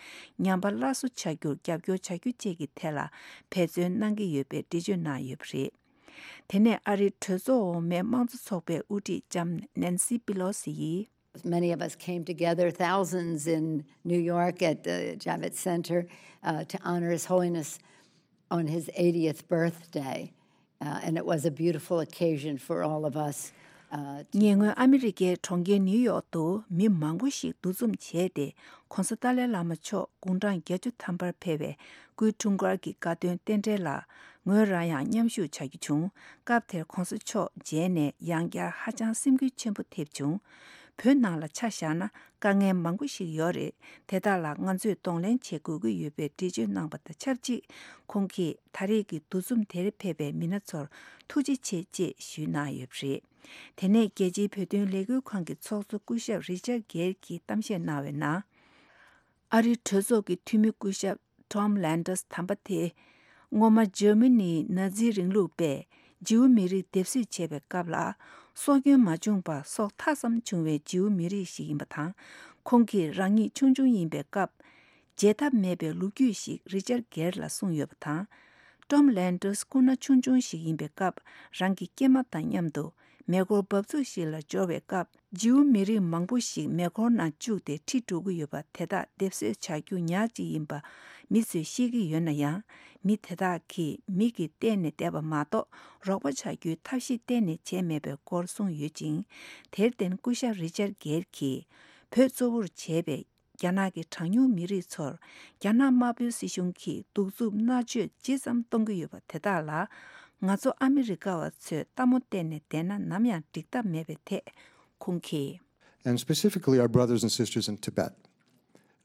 ཉམས་པ་སླར་གསོ་བྱ་རྒྱུར་རྒྱབ་སྐྱོར་བྱ་རྒྱུ་བཅས་ཀྱི་ཐད་ལ་འབད་བརྩོན་གནང་གི་ཡོད་པའི་འགྲེལ་བརྗོད་གནང་ཡོད་པ་རེད། དེ་ནས་ཨ་རིའི་གྲོས་ཚོགས་འོག་མའི་དམངས་གཙོ་ཚོགས་པའི་དབུ་ཁྲིད་ལྕམ་Nancy Pelosi ཡིས། Many of us came together, thousands in New York at the Javits Center, uh, to honor His Holiness on his eightieth birthday. Uh, and it was a beautiful occasion for all of us. Uh, to- ཉེ་སྔོན་ཨ་མི་རི་ཀའི་གྲོང་ཁྱེར་ནིའུ་ཡོག་ཏུ་མི་མང་པོ་ཞིག་འདུ་འཛོམས་བྱས་ཏེ། ༸གོང་ས་ཏཱ་ལའི་བླ་མ་མཆོག་དགུང་གྲངས་བརྒྱད་ཅུ་ཐམ་པར་ཕེབས་པའི་སྐུའི་འཁྲུངས་སྐར་གྱི་དགའ་སྟོན་རྟེན་འབྲེལ་ལ་ངོས་རང་ཡང་མཉམ་ཞུགས་བྱ་རྒྱུ་བྱུང་། སྐབས་དེར་༸གོང་ས་མཆོག་མཇལ་ནས་ཡང་བསྐྱར་ཧ་ཅང་སེམས་འགུལ་ཆེན་པོ་ཐེབས་བྱུང་། བོད་ནང་ལ་ཆ་བཞག་ན། དཀའ་ངལ་མང་པོ་ཞིག་ཡོད་རེད། དེ་དག་ལ་ང་ཚོས་གདོང་ལེན་བྱེད་དགོས་ཀྱི་ཡོད་པའི་འགྲེལ་བརྗོད་གནང་བ་དང་ཆབས་ཅིག་ཁོང་གིས་ད་རེས་ཀྱི་འདུ་འཛོམས་དེར་ཕེབས་པའི་མི་སྣ་ཚོར་ཐུགས་རྗེ་ཆེ་ཅེས་ཞུས་གནང་ཡོད་པ་རེད། དེ་ནས་རྒྱལ་སྤྱིའི་བོད་དོན་ལས་འགུལ་ཁང་གི་ཚོགས་གཙོ་སྐུ་ཞབས་རི་ཅར་གེར་གྱིས་གཏམ་བཤད་གནང་བའི་ནང་། ཨ་རིའི་གྲོས་ཚོགས་ཀྱི་འཐུས་མི་སྐུ་ཞབས་Tom Lantos དམ་པ་དེ། སྔོན་མ་འཇར་མ་ནིའི་ན་ཛི་རིང་ལུགས་པས་ཇིའུ་མི་རིགས་སྡེབ་གསོད་བྱས་པའི་སྐབས་ལ། སྲོག་སྐྱོན་མ་བྱུང་བར་སྲོག་ཐག་ཙམ་བྱུང་བའི་ཇིའུ་མི་རིགས་ཤིག་ཡིན་པ་དང་། ཁོང་གིས་རང་ཉིད་ཆུང་ཆུང་ཡིན་པའི་སྐབས། བརྗེད་ཐབས་མེད་པའི་ལོ་རྒྱུས་ཤིག་རི་ཅར་གེར་ལ་གསུངས་ཡོད་པ་དང་། Tom Lantos སྐུ་ན་ཆུང་ཆུང་ཞིག་ཡིན་པའི་སྐབས། རང་གི་སྐྱེས་མ་དང་མཉམ་དུ་མེ་འཁོར་འབབ་ཚུགས་ཤིག་ལ་འབྱོར་བའི་སྐབས། ཇིའུ་མི་རིགས་མང་པོ་ཞིག་མེ་འཁོར་ནང་བཅུག་སྟེ་ཁྲིད་འགྲོ་གི་ཡོད་པ་དེ་དག་སྡེབ་གསོད་བྱ་རྒྱུ་ཉག་ཅིག་ཡིན་པ་མི་ཚོས་ཤེས་ཀྱི་ཡོད་ན་ཡང་། མི་དེ་དག་གིས་མིག་གིས་བལྟས་ནས་བསྡད་པ་མ་གཏོགས་རོགས་པ་བྱ་རྒྱུའི་ཐབས་ཤེས་གཏན་ནས་བྱས་མེད་པའི་སྐོར་གསུངས་ཡོད་ཅིང་། དེར་བརྟེན་སྐུ་ཞབས་རི་ཅར་གེར་གྱིས་བོད་གཙོ་བོར་བྱས་པའི་རྒྱ་ནག་གི་གྲངས་ཉུང་མི་རིགས་ཚོར་རྒྱ་ནག་དམར་པོའི་སྲིད་གཞུང་གིས་གདུག་རྩུབ་མནར་གཅོད་ཇི་ཙམ་གཏོང་གི་ཡོད་པ་དེ་དག་ལ། ང་ཚོ་ཨ་མི་རི་ཀ་བ་ཚོས་ལྟད་མོ་བལྟས་ནས་བསྡད་ན་ནམ་ཡང་འགྲིག་ཐབས་མེད་པའི་ཐད་ཁོང་གིས། And specifically our brothers and sisters in Tibet.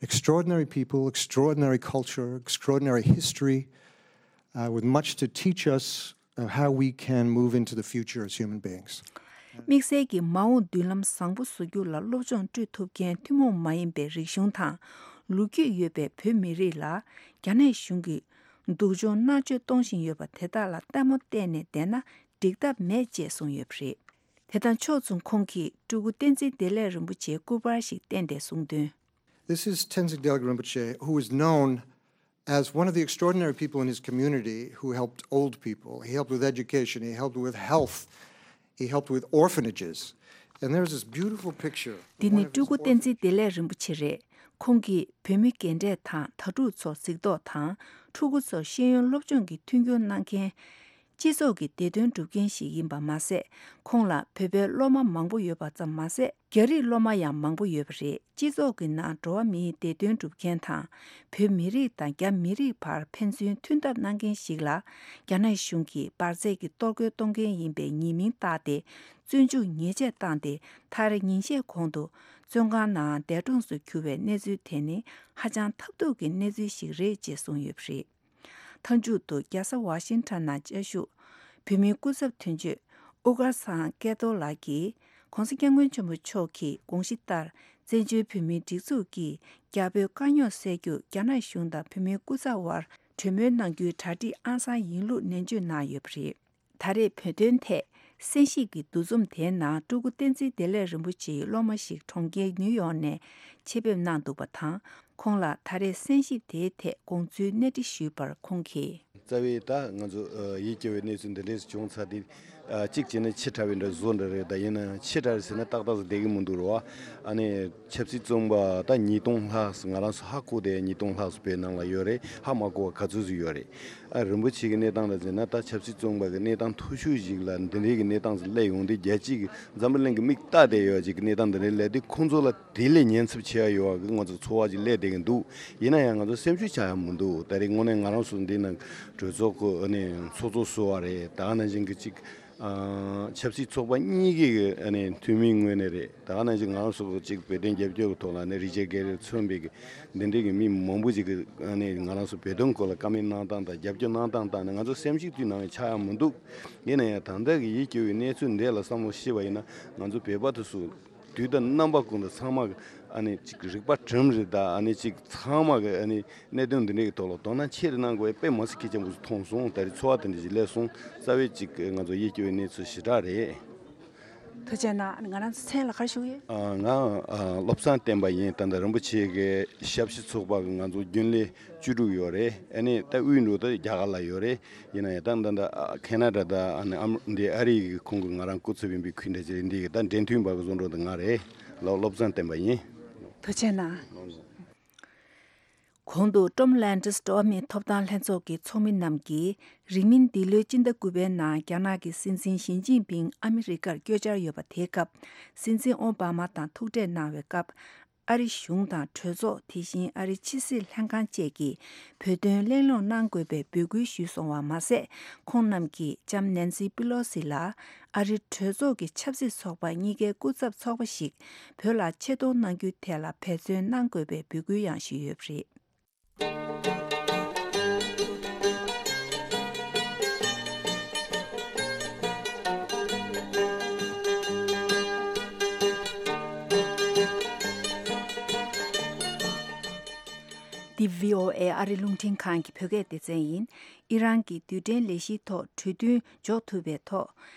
Extraordinary people, extraordinary culture, extraordinary history, uh, with much to teach us, uh, how we can move into the future as human beings. དམིགས་བསལ་གྱིས་མ་འོངས་མདུན་ལམ་བཟང་པོ་བཟོ་རྒྱུ་ལ་སློབ་སྦྱོང་སྤྲོད་ཐུབ་མཁན་ཐུན་མོང་མ་ཡིན་པའི་རིག་གཞུང་དང་ལོ་རྒྱུས་ཡོད་པའི་བོད་མི་རིགས་ལ་རྒྱ་ནག་གཞུང་གིས་སྡུག་སྦྱོང་མནར་གཅོད་གཏོང་བཞིན་ཡོད་པ་དེ་དག་ལ་ལྟད་མོ་བལྟས་ནས་བསྡད་ན་འགྲིག་ཐབས་མེད་ཅེས་གསུངས་ཡོད་པ་རེད། དེ་དང་ཕྱོགས་མཚུངས་ཁོང་གིས་སྤྲུལ་སྐུ་བསྟན་འཛིན་བདེ་ལེགས་རིན་པོ་ཆེའི་སྐུ་པར་ཞིག་བསྟན་ཏེ་གསུངས་དོན། This is Tenzin Delek Rinpoche, who is known as one of the extraordinary people in his community who helped old people. He helped with education, he helped with health. He helped with orphanages. And there's this beautiful picture. འདི་ནི་སྤྲུལ་སྐུ་བསྟན་འཛིན་བདེ་ལེགས་རིན་པོ་ཆེ་རེད། ཁོང་གིས་བོད་མི་རྒན་གྲས་དང་དྭ་ཕྲུག་ཚོར་གཟིགས་རྟོག་དང་། ཕྲུ་གུ་ཚོར་ཤེས་ཡོན་སློབ་སྦྱོང་གི་མཐུན་འགྱུར་གནང་མཁན། སྤྱི་ཚོགས་ཀྱི་བདེ་དོན་སྒྲུབ་མཁན་ཞིག་ཡིན་པ་མ་ཟད། ཁོང་ལ་བོད་པའི་སློབ་མ་མང་པོ་ཡོད་པ་ཙམ་མ་ཟད། རྒྱ་རིགས་སློབ་མ་ཡང་མང་པོ་ཡོད་པ་རེད། སྤྱི་ཚོགས་ཀྱི་ནང་འགྲོ་བ་མིའི་བདེ་དོན་སྒྲུབ་མཁན་དང་། བོད་མི་རིགས་དང་རྒྱ་མི་རིགས་བར་ཕན་ཚུན་མཐུན་ཐབས་གནང་མཁན་ཞིག་ལ། རྒྱ་ནག་གཞུང་གིས་འབར་རྫས་ཀྱི་གཏོར་རྒོལ་གཏོང་མཁན་ཡིན་པའི་ཉེས་མིང་བཏགས་ཏེ། བཙོན་འཇུག་ཉེས་ཆད་བཏང་སྟེ། མཐར་ཉིན་ཤས་གོང་དུ་བཙོན་ཁང་ནང་འདས་གྲོངས་སུ་གྱུར་བའི་གནས་ཚུལ་དེ་ནི་ཧ་ཅང་ཐབས་སྡུག་གི་གནས་ཚུལ་ཞིག་རེད་ཅེས་གསུངས་ཡོད་པ་རེད། མཐའ་མཇུག་ཏུ་རྒྱལ་ས་ཝ་ཤིང་ཊོན་ནང་བཅའ་བཞུགས་བོད་མིའི་སྐུ་ཚབ་དོན་གཅོད་ཨུ་དཀར་ཚང་སྐལ་རྡོར་ལགས་ཀྱིས། ༸གོང་ས་༸སྐྱབས་མགོན་ཆེན་པོ་མཆོག་གི་དགོངས་གཞི་ལྟར། བཙན་བྱོལ་བོད་མིའི་སྒྲིག་འཛུགས་ཀྱིས་རྒྱ་བོད་དཀའ་རྙོག་སེལ་རྒྱུར་རྒྱ་ནག་གཞུང་དང་བོད་མིའི་སྐུ་ཚབ་དབར་གྲོས་མོལ་གནང་རྒྱུའི་གྲ་སྒྲིག་ཨང་གསར་ཡིན་ལུགས་ནན་བརྗོད་གནང་ཡོད་པ་རེད། ད་རེས་བོད་དོན་ཐད་གསན་ཞིབ་ཀྱི་འདུ་འཛོམས་དེའི་ནང་སྤྲུལ་སྐུ་བསྟན་འཛིན་བདེ་ལེགས་རིན་པོ་ཆེའི་སློབ་མ་ཞིག་གྲོང་ཁྱེར་ནིའུ་ཡོག་ནས་ཆེད་ཕེབས་གནང་འདུག་པ་དང་། ཁོང་ལ་ད་རེས་གསན་ཞིབ་དེའི་ཐད་དགོངས་ཚུལ་གནས་འདྲི་ཞུས་པར་ཁོང་གིས། རྩ་བའི་ད་ང་ཚོ་ཡིད་སྐྱོ་བའི་གནས་ཚུལ་འདི་འདྲས་བྱུང་ཚར་དུས། གཅིག་བྱས་ན་ཕྱི་དྲགས་པའི་འདྲ་བཟོ་འདྲ་རེད། ད་ཡིན་ན་ཕྱི་དྲགས་རེད་ཟེར་ན་ཏག་ཏག་ཙམ་བསྡད་ཀྱི་མི་འདུག་རེད་བ། ཨ་ནི་ཆབ་སྲིད་བཙོན་པ་ད་ཉིས་སྟོང་ལྷག་ཙམ་ང་རང་ཚོ་ཧ་གོ་བསྡད། ཉིས་སྟོང་ལྷག་ཙམ་བོད་ནང་ལ་ཡོད་རེད། ཧ་མ་གོ་བ་ག་ཚོད་ཙམ་ཡོད་རེད། ཨ་རིན་པོ་ཆེ་གི་གནས་སྟངས་ལ་བརྩིས་ན་ད་ཆབ་སྲིད་བཙོན་པ་གི་གནས་སྟངས་མཐོ་ཤོས་ཤིག་ལ་འདི་འདྲའི་གི་གནས་སྟངས་ཙམ་སླེབས་ཡོང་དུས། རྒྱལ་སྤྱི་གི་འཛམ་བུ་གླིང་གི་མིག་ལྟ་བསྡད་ཡོད་ཅིག་གི་གནས་སྟངས་འདི་འདྲའི་སླེབས་དུས། ཁོང་ཚོ་ལ་དེ་ལས་ཉེན་ཚབས་ཆེ་བ་ཡོད་པ་གི་ང་ཚོ་ཚོར་བ་ཅིག་སླེབས་བསྡད་ཀྱི་འདུག་ཡིན་ན་ཡང་ང་ཚོ་སེམས་ཤུགས་ཆག་ཡ་མི་འདུག་ད་རེས་དངོས་གནས་ང་རང་ཚོ་འདི་ནང་གྲོས་ཚོགས་ཀྱི་ཨ་ནི་ཚོགས་གཙོ་བཟོ་བ་རེད། ད་ག་ནང་བཞིན་གྱི་ཅིག་ཨ་ཆབ་སྲིད་ཚོགས་པ་གཉིས་ཀྱི་ཨ་ནི་འཐུས་མིའི་ངོས་ནས་རེད། ད་ག་ནང་བཞིན་ང་རང་ཚོ་ཅིག་བོད་དོན་རྒྱབ་སྐྱོར་གྱི་ཐོག་ལ་ནི་རི་ཅར་གྷེ་རེ་མཚོན་པའི་གི་འདི་འདྲའི་གི་མི་མང་པོ་ཅིག་གི་ཨ་ནི་ང་རང་ཚོ་བོད་དོན་སྐོར་ལ་བཀའ་མོལ་གནང་སྟངས་དང་རྒྱབ་སྐྱོར་གནང་སྟངས་བལྟས་ན། ང་ཚོ་སེམས་ཤུགས་དུས་ནང་ཆག་ཡ་མི་འདུག་ཡིན་ན་ཡང་ད་ལྟ་གི་ཡིད་སྐྱོ་བའི་གནས་ཚུལ་འདི་ལ་བསམ་བློ་ཤེས་པ་ཡིན་ན། ང་ཚོ་བོད་པ་དེ་ཚོ་དུས་དང་རྣམ་པ་ཀུན་ཏུ་ཚང་མ་གི་ཨ་ནི་ཅིག་རིག་པ་གྲིམ་རེད། ད་ཨ་ནི་ཅིག་ཚང་མ་གི་ཨ་ནི་གནད་དོན་འདི་འདྲའི་གི་ཐོག་ལ་དོ་སྣང་ཆེ་རུ་གནང་དགོས་པའི་དཔེ་མི་སྲིད་གལ་ཆེན་པོ་ཞིག་མཐོང་སོང་། ད་རེས་ཚོར་བ་དེ་འདྲ་ཞིག་སླེབས་སོང་། རྩ་བའི་ཅིག་ང་ཚོ་ཡིད་སྐྱོ་བའི་གནས་ཚུལ་ཞེ་དྲག་རེད། ཐུགས་རྗེ་གནང་། ང་རང་ཚོ་མཚན་ལ་ག་རེ་ཞུ་གི་ཡོད། ཨ་ང་ཨ་བློ་བཟང་བསྟན་པ་ཡིན། ད་ལྟ་རིན་པོ་ཆེ་གི་ཞབས་ཕྱི་ཚོགས་པ་གི་ང་ཚོ་རྒྱུན་ལས་བཅུ་དྲུག་ཡོད་རེད། ཨ་ནི་ད་དབུས་འགྲོ་ད་རྒྱ་གར་ལ་ཡོད་རེད། ཡིན་ན་ཡང་ད་ད་ད་ཨ་ཁེ་ན་ཌ་དང་ཨ་ནི་ཨམ་འདི་ཨ་རི་གི་ཁོང་གི་ང་རང་སྐུ་ཚབ་ཡིན་པའི་ཁུལ་འདྲ་ཅིག་རེད། འདི་གི་ད་འབྲེལ་མཐུད་པ་གི་བཟོ་འདྲ་ད་ང་རེད། ལགས། བློ་བཟང་བསྟན་པ་ཡིན། ཐུགས་རྗེ་གནང་། གོང་དུ་ཀྲོམ་ལན་ཌིས་འགྲོ་བ་མིའི་ཐོབ་ཐང་ལྷན་ཚོགས་ཀྱི་ཚོགས་མི་རྣམས་ཀྱིས། རིང་མིན་འདི་ལོའི་སྤྱི་ཟླ་དགུ་པའི་ནང་རྒྱ་ནག་གི་སྲིད་འཛིན་ཞི་ཅིན་ཕིང་ཨ་མི་རི་ཀར་བསྐྱོད་འཆར་ཡོད་པ་དེའི་སྐབས། སྲིད་འཛིན་ཨོ་བྷ་མ་དང་ཐུག་འཕྲད་གནང་བའི་སྐབས། ཨ་རི་གཞུང་དང་གྲོས་ཚོགས། དེ་བཞིན་ཨ་རི་ཕྱི་སྲིད་ལྷན་ཁང་བཅས་ཀྱིས་བོད་དོན་གླེང་སློང་གནང་དགོས་པའི་འབོད་སྐུལ་ཞུས་སོང་བ་མ་ཟད། ཁོང་རྣམས་ཀྱིས་ལྕམ་ནན་སི་པི་ལོ་སི་ལ་ཨ་རི་གྲོས་ཚོགས་ཀྱི་ཆབ་སྲིད་ཚོགས་པ་གཉིས་ཀའི་སྐུ་ཚབ་ཚོགས་པ་ཞིག་བོད་ལ་ཆེད་གཏོང་གནང་རྒྱུའི་ཐད་ལ་འབད་བརྩོན་གནང་དགོས་པའི་འབོད་སྐུལ་ཡང་ཞུས་ཡོད་པ་རེད། འདི་བྷི་ཨོ་ཨེ་ཨ་རི་རླུང་འཕྲིན་ཁང་གི་བོད་སྐད་སྡེ་ཚན་ཡིན། ཨི་རན་གྱི་རྡུལ་ཕྲན་ལས་གཞིའི་ཐོག་གྲོས་མཐུན་འཇོག་ཐུབ་པའི་ཐོག་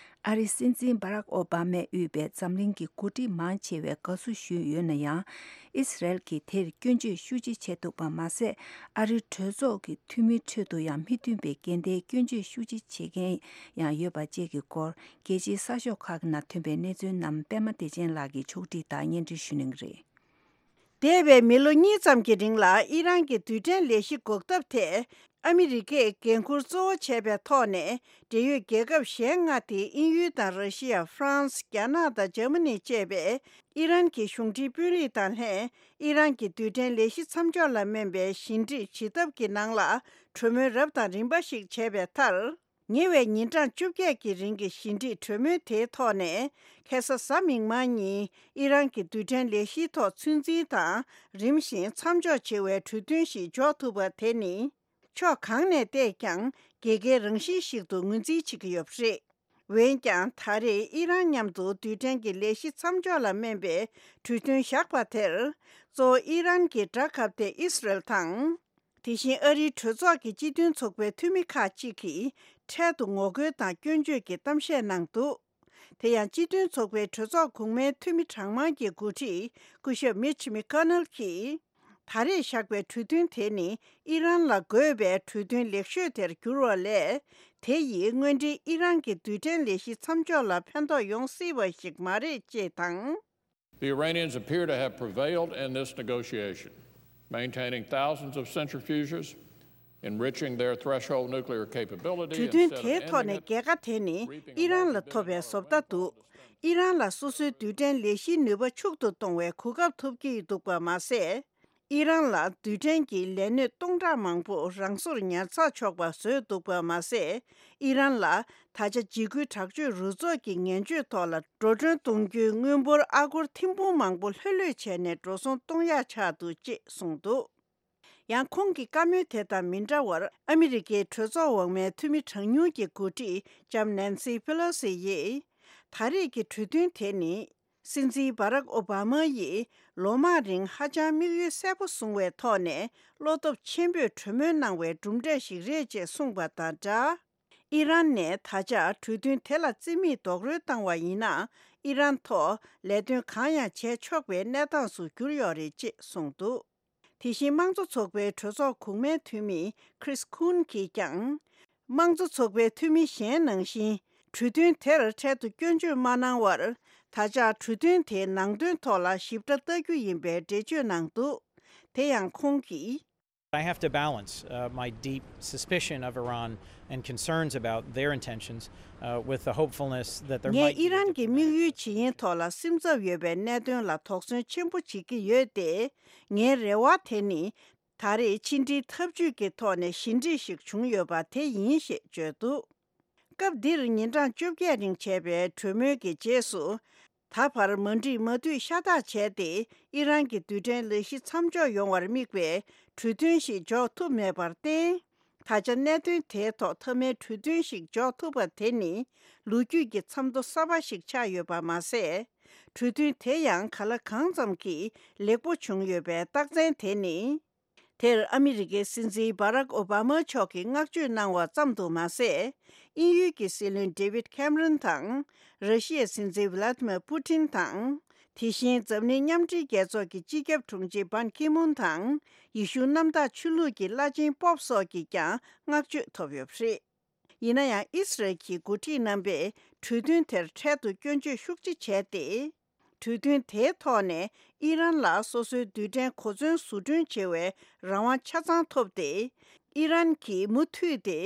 ཨ་རིའི་སྲིད་འཛིན་སྦ་རག་ཨོ་བྷ་མས་དབུས་པའི་འཛམ་གླིང་གི་འགོ་ཁྲིད་མང་ཆེ་བས་དགའ་བསུ་ཞུས་ཡོད་ན་ཡང་། ཨི་སི་རལ་གྱིས་དེར་སྐྱོན་བརྗོད་ཤུགས་ཆེ་བྱས་འདུག་པ་མ་ཟད། ཨ་རིའི་གྲོས་ཚོགས་ཀྱི་འཐུས་མིའི་ཁྲོད་དུ་ཡང་མི་མཐུན་པའི་འགལ་ཟླའི་སྐྱོན་བརྗོད་ཤུགས་ཆེ་བྱེད་མཁན་ཡང་ཡོད་པ་བཅས་ཀྱི་སྐོར། རྒྱལ་སྤྱིའི་གསར་ཤོག་ཁག་ནང་ཐོན་པའི་གནས་ཚུལ་རྣམས་པད་མ་བདེ་ཆེན་ལགས་ཀྱིས་ཕྱོགས་སྒྲིག་དང་སྙན་སྒྲོན་ཞུ་གནང་གི་རེད། འདས་པའི་མི་ལོ་གཉིས་ཙམ་གྱི་རིང་ལ་ཨི་རན་གྱི་རྡུལ་ཕྲན་ལས་གཞི་འགོག་ཐབས་ཐད་ཨ་མི་རི་ཀས་འགན་འཁུར་གཙོ་བོ་བྱས་པའི་ཐོག་ནས། འབྲེལ་ཡོད་རྒྱལ་ཁབ་གཞན་ལྔ་སྟེ། དབྱིན་ཡུལ་དང་། ར་ཤི་ཡ། ཧྥ་རན་སི། རྒྱ་ནག་དང་། འཇར་མ་ནི་བཅས་པས་ཨི་རན་གྱི་གཞུང་འབྲེལ་དཔོན་རིགས་དང་ལྷན། ཨི་རན་གྱི་རྡུལ་ཕྲན་ལས་གཞི་མཚམས་འཇོག་ལ་སྨན་པའི་ཞི་འགྲིག་བྱེད་ཐབས་ཀྱི་ནང་ལ་གྲོས་མོལ་རབ་དང་རིམ་པ་ཞིག་བྱས་པའི་མཐར། ཉེ་བའི་ཉིན་གྲངས་བཅོ་བརྒྱད་ཀྱི་རིང་གི་ཞི་འགྲིག་གྲོས་མོལ་དེའི་ཐོག་ནས། ཁ་སང་གཟའ་མིག་དམར་ཉིན་ཨི་རན་གྱི་རྡུལ་ཕྲན་ལས་གཞིའི་ཐོག་ཚོད་འཛིན་དང་། རིམ་བཞིན་མཚམས་འཇོག་བྱེད་པའི་གྲོས་མཐུན་ཞིག་འཇོག་ཐུབ་པ་དེ་ནི། ཕྱོགས་གང་ནས་བལྟས་ཀྱང་། རྒྱལ་ཁའི་རང་བཞིན་ཞིག་ཏུ་ངོས་འཛིན་བྱེད་ཀྱི་ཡོད་པ་རེད། འོན་ཀྱང་། ད་རེས་ཨི་རན་མཉམ་དུ་རྡུལ་ཕྲན་གྱི་ལས་གཞི་མཚམས་འཇོག་ལ་སྨན་པའི་གྲོས་མཐུན་བཞག་པ་དེར། གཙོ་བོ་ཨི་རན་གྱི་དགྲ་ཁ་གཏད་ཨི་སི་རལ་དང་། དེ་བཞིན་ཨ་རིའི་གྲོས་ཚོགས་ཀྱི་སྤྱི་མཐུན་ཚོགས་པའི་འཐུས་མི་ཁག་ཅིག་གིས་འཕྲལ་དུ་ངོ་རྒོལ་དང་སྐྱོན་བརྗོད་ཀྱི་གཏམ་བཤད་གནང་འདུག་དེ་ཡང་སྤྱི་མཐུན་ཚོགས་པའི་གྲོས་ཚོགས་གོང་མའི་འཐུས་མི་གྲངས་མང་གི་འགོ་ཁྲིད་སྐུ་ཞབས་མིཆ་མི་ཀོ་ནལ་གྱིས། ད་རེས་བཞག་པའི་གྲོས་མཐུན་དེ་ནི་ཨི་རན་ལ་དགོས་པའི་གྲོས་མཐུན་ལེགས་ཤོས་དེར་གྱུར་བ་ལས། དེ་ཡིས་དངོས་འབྲེལ་ཨི་རན་གྱི་རྡུལ་ཕྲན་ལས་གཞི་མཚམས་འཇོག་ལ་ཕན་ཐོགས་ཡོང་སྲིད་པ་ཞིག་མ་རེད་ཅེས་དང་། The Iranians appear to have prevailed in this negotiation, maintaining thousands of centrifuges, enriching their threshold nuclear capability གྲོས་མཐུན་དེའི་ཐོག་ནས་རྒྱལ་ཁ་དེ་ནི་ཨི་རན་ལ་ཐོབ་པའི་བཟོ་ལྟ་འདུག་ཨི་རན་ལ་སོ་སོའི་རྡུལ་ཕྲན་ལས་གཞིའི་ནུས་པ་ཕྱུག་ཏུ་གཏོང་བའི་གོ་སྐབས་ཐོབ་ཀྱི་འདུག་པ་མ་ཟད། ཨི་རན་ལ་རྡུལ་ཕྲན་གྱི་ལས་སྣོན་སྟོང་ཕྲག་མང་པོ་རང་སོར་ཉར་ཚགས་ཆོག་པ་བཟོས་འདུག་པ་མ་ཟད། ཨི་རན་ལ་ད་ཆ་འཇིགས་སྐུལ་དྲག་སྤྱོད་རུ་ཚོགས་ཀྱི་ངན་སྤྱོད་ཐོག་ལ་འགྲོ་གྲོན་གཏོང་རྒྱུའི་དངུལ་འབོར་ཨ་སྒོར་ཐེར་འབུམ་མང་པོ་ལྷོད་ལྷོད་བྱས་ནས་འགྲོ་སོང་གཏོང་ཡག་ཆགས་འདུག་ཅེས་གསུངས་འདུག་ཡང་ཁོང་གི་བཀའ་མོལ་དེ་དང་མི་འདྲ་བར་ཨ་མི་རི་ཀའི་གྲོས་ཚོགས་འོག་མའི་འཐུས་མི་གྲངས་ཉུང་གི་འགོ་ཁྲིད་ལྕམ་ནན་སི་ཕེ་ལོ་སི་ཡིས། ད་རེས་ཀྱི་གྲོས་མཐུན་དེ་ནི། སྲིད་འཛིན་བྷ་རག་ཨོ་བྷ་མ་ཡིས་ལོ་མང་རིང་ཧ་ཅང་དམིགས་ཡུལ་གསལ་པོ་བཟུང་བའི་ཐོག་ནས་བློ་སྟོབས་ཆེན་པོས་གྲོས་མོལ་གནང་བའི་གྲུབ་འབྲས་ཤིག་རེད་ཅེས་གསུངས་པ་དང་སྦྲགས། ཨི་རན་ནས་ད་ཆ་གྲོས་མཐུན་དེ་ལ་རྩིས་མེད་རྡོག་རོལ་བཏང་བ་ཡིན་ན། ཨི་རན་ཐོག་ལས་དོན་གང་ཡང་བྱས་ཆོག་པའི་གནས་སྟངས་སུ་གྱུར་ཡོད་རེད་ཅེས་གསུངས་འདུག་དེ་བཞིན་དམངས་གཙོ་ཚོགས་པའི་གྲོས་ཚོགས་གོང་མའི་འཐུས་མི་Chris Coons གྱིས་ཀྱང་། དམངས་གཙོ་ཚོགས་པའི་འཐུས་མི་གཞན་ནང་བཞིན་གྲོས་མཐུན་དེར་འཕྲལ་དུ་སྐྱོན་བརྗོད་མ་གནང་བར། ད་ཆ་གྲོས་མཐུན་དེའི་ནང་དོན་ཐོག་ལ་ཞིབ་ཕྲ་ལྟ་རྒྱུ་ཡིན་པའི་འགྲེལ་བརྗོད་གནང་འདུག་དེ་ཡང་ཁོང་གིས། I have to balance, uh, my deep suspicion of Iran and concerns about their intentions, uh, with the hopefulness that there ངས་might be ཨི་རན་གྱི་དམིགས་ཡུལ་ཇི་ཡིན་ཐོག་ལ་སེམས་འཚབ་ཡོད་པའི་གནད་དོན་ལ་དོགས་ཟོན་ཆེན་པོ་བྱེད་ཀྱི་ཡོད་དེ། ངའི་རེ་བ་དེ་ནི། ད་རེས་ཕྱི་འབྲེལ་ཐབས་ཇུས་ཀྱི་ཐོག་ནས་ཞི་འགྲིག་ཞིག་བྱུང་ཡོད་པ་དེ་ཡིན་ཞེས་བརྗོད་འདུག་སྐབས་འདིར་ཉིན་གྲངས་བཅོ་བརྒྱད་རིང་བྱས་པའི་གྲོས་མོལ་གྱི་རྗེས་སུ། ད་བར་མ་འགྲིག་མ་འདུས་ཤ་སྟག་བྱས་ཏེ་ཨི་རན་གྱི་རྡུལ་ཕྲན་ལས་གཞི་མཚམས་འཇོག་ཡོང་བར་དམིགས་པའི་གྲོས་མཐུན་ཞིག་འཇོག་ཐུབ་མེད་པར་བརྟེན། ད་ཆ་གནད་དོན་དེའི་ཐོག་མཐའ་མའི་གྲོས་མཐུན་ཞིག་འཇོག་ཐུབ་པ་དེ་ནི་ལོ་རྒྱུས་ཀྱི་མཚམས་ཐོ་གསར་པ་ཞིག་ཆགས་ཡོད་པ་མ་ཟད། གྲོས་མཐུན་དེ་ཡང་ག་ལ་གང་ཙམ་གྱིས་ལེགས་པོ་བྱུང་ཡོད་པའི་རྟགས་མཚན་དེ་ནི། དེར་ཨ་མི་རི་ཀའི་སྲིད་འཛིན་བྷ་རག་ཨོ་བྷ་མ་མཆོག་གིས་བསྔགས་བརྗོད་གནང་བ་ཙམ་དུ་མ་ཟད། དབྱིན་ཡུལ་གྱི་སྲིད་བློན་David Cameron དང་། ར་ཤི་ཡའི་སྲིད་འཛིན་Vladimir Putin དང་། དེ་བཞིན་འཛམ་གླིང་མཉམ་འབྲེལ་རྒྱལ་ཚོགས་ཀྱི་སྤྱི་ཁྱབ་དྲུང་ཆེ་Ban Ki-moon དང་། ཡེ་ཤུ་གནམ་བདག་ཆོས་ལུགས་ཀྱི་བླ་ཆེན་པོབ་སོགས་ཀྱིས་ཀྱང་བསྔགས་བརྗོད་ཐོབ་ཡོད་པ་རེད། ཡིན་ན་ཡང་ཨི་སི་རལ་གྱི་འགོ་ཁྲིད་རྣམ་པས་གྲོས་མཐུན་དེར་འཕྲལ་དུ་སྐྱོན་བརྗོད་ཤུགས་ཆེ་བྱས་ཏེ། གྲོས་མཐུན་དེའི་ཐོག་ནས་ཨི་རན་ལ་སོ་སོའི་རྡུལ་ཕྲན་གོ་མཚོན་བཟོ་སྐྲུན་བྱེད་པའི་རང་དབང་ཆ་ཚང་ཐོབ་སྟེ། ཨི་རན་གྱིས་མུ་མཐུད་དེ་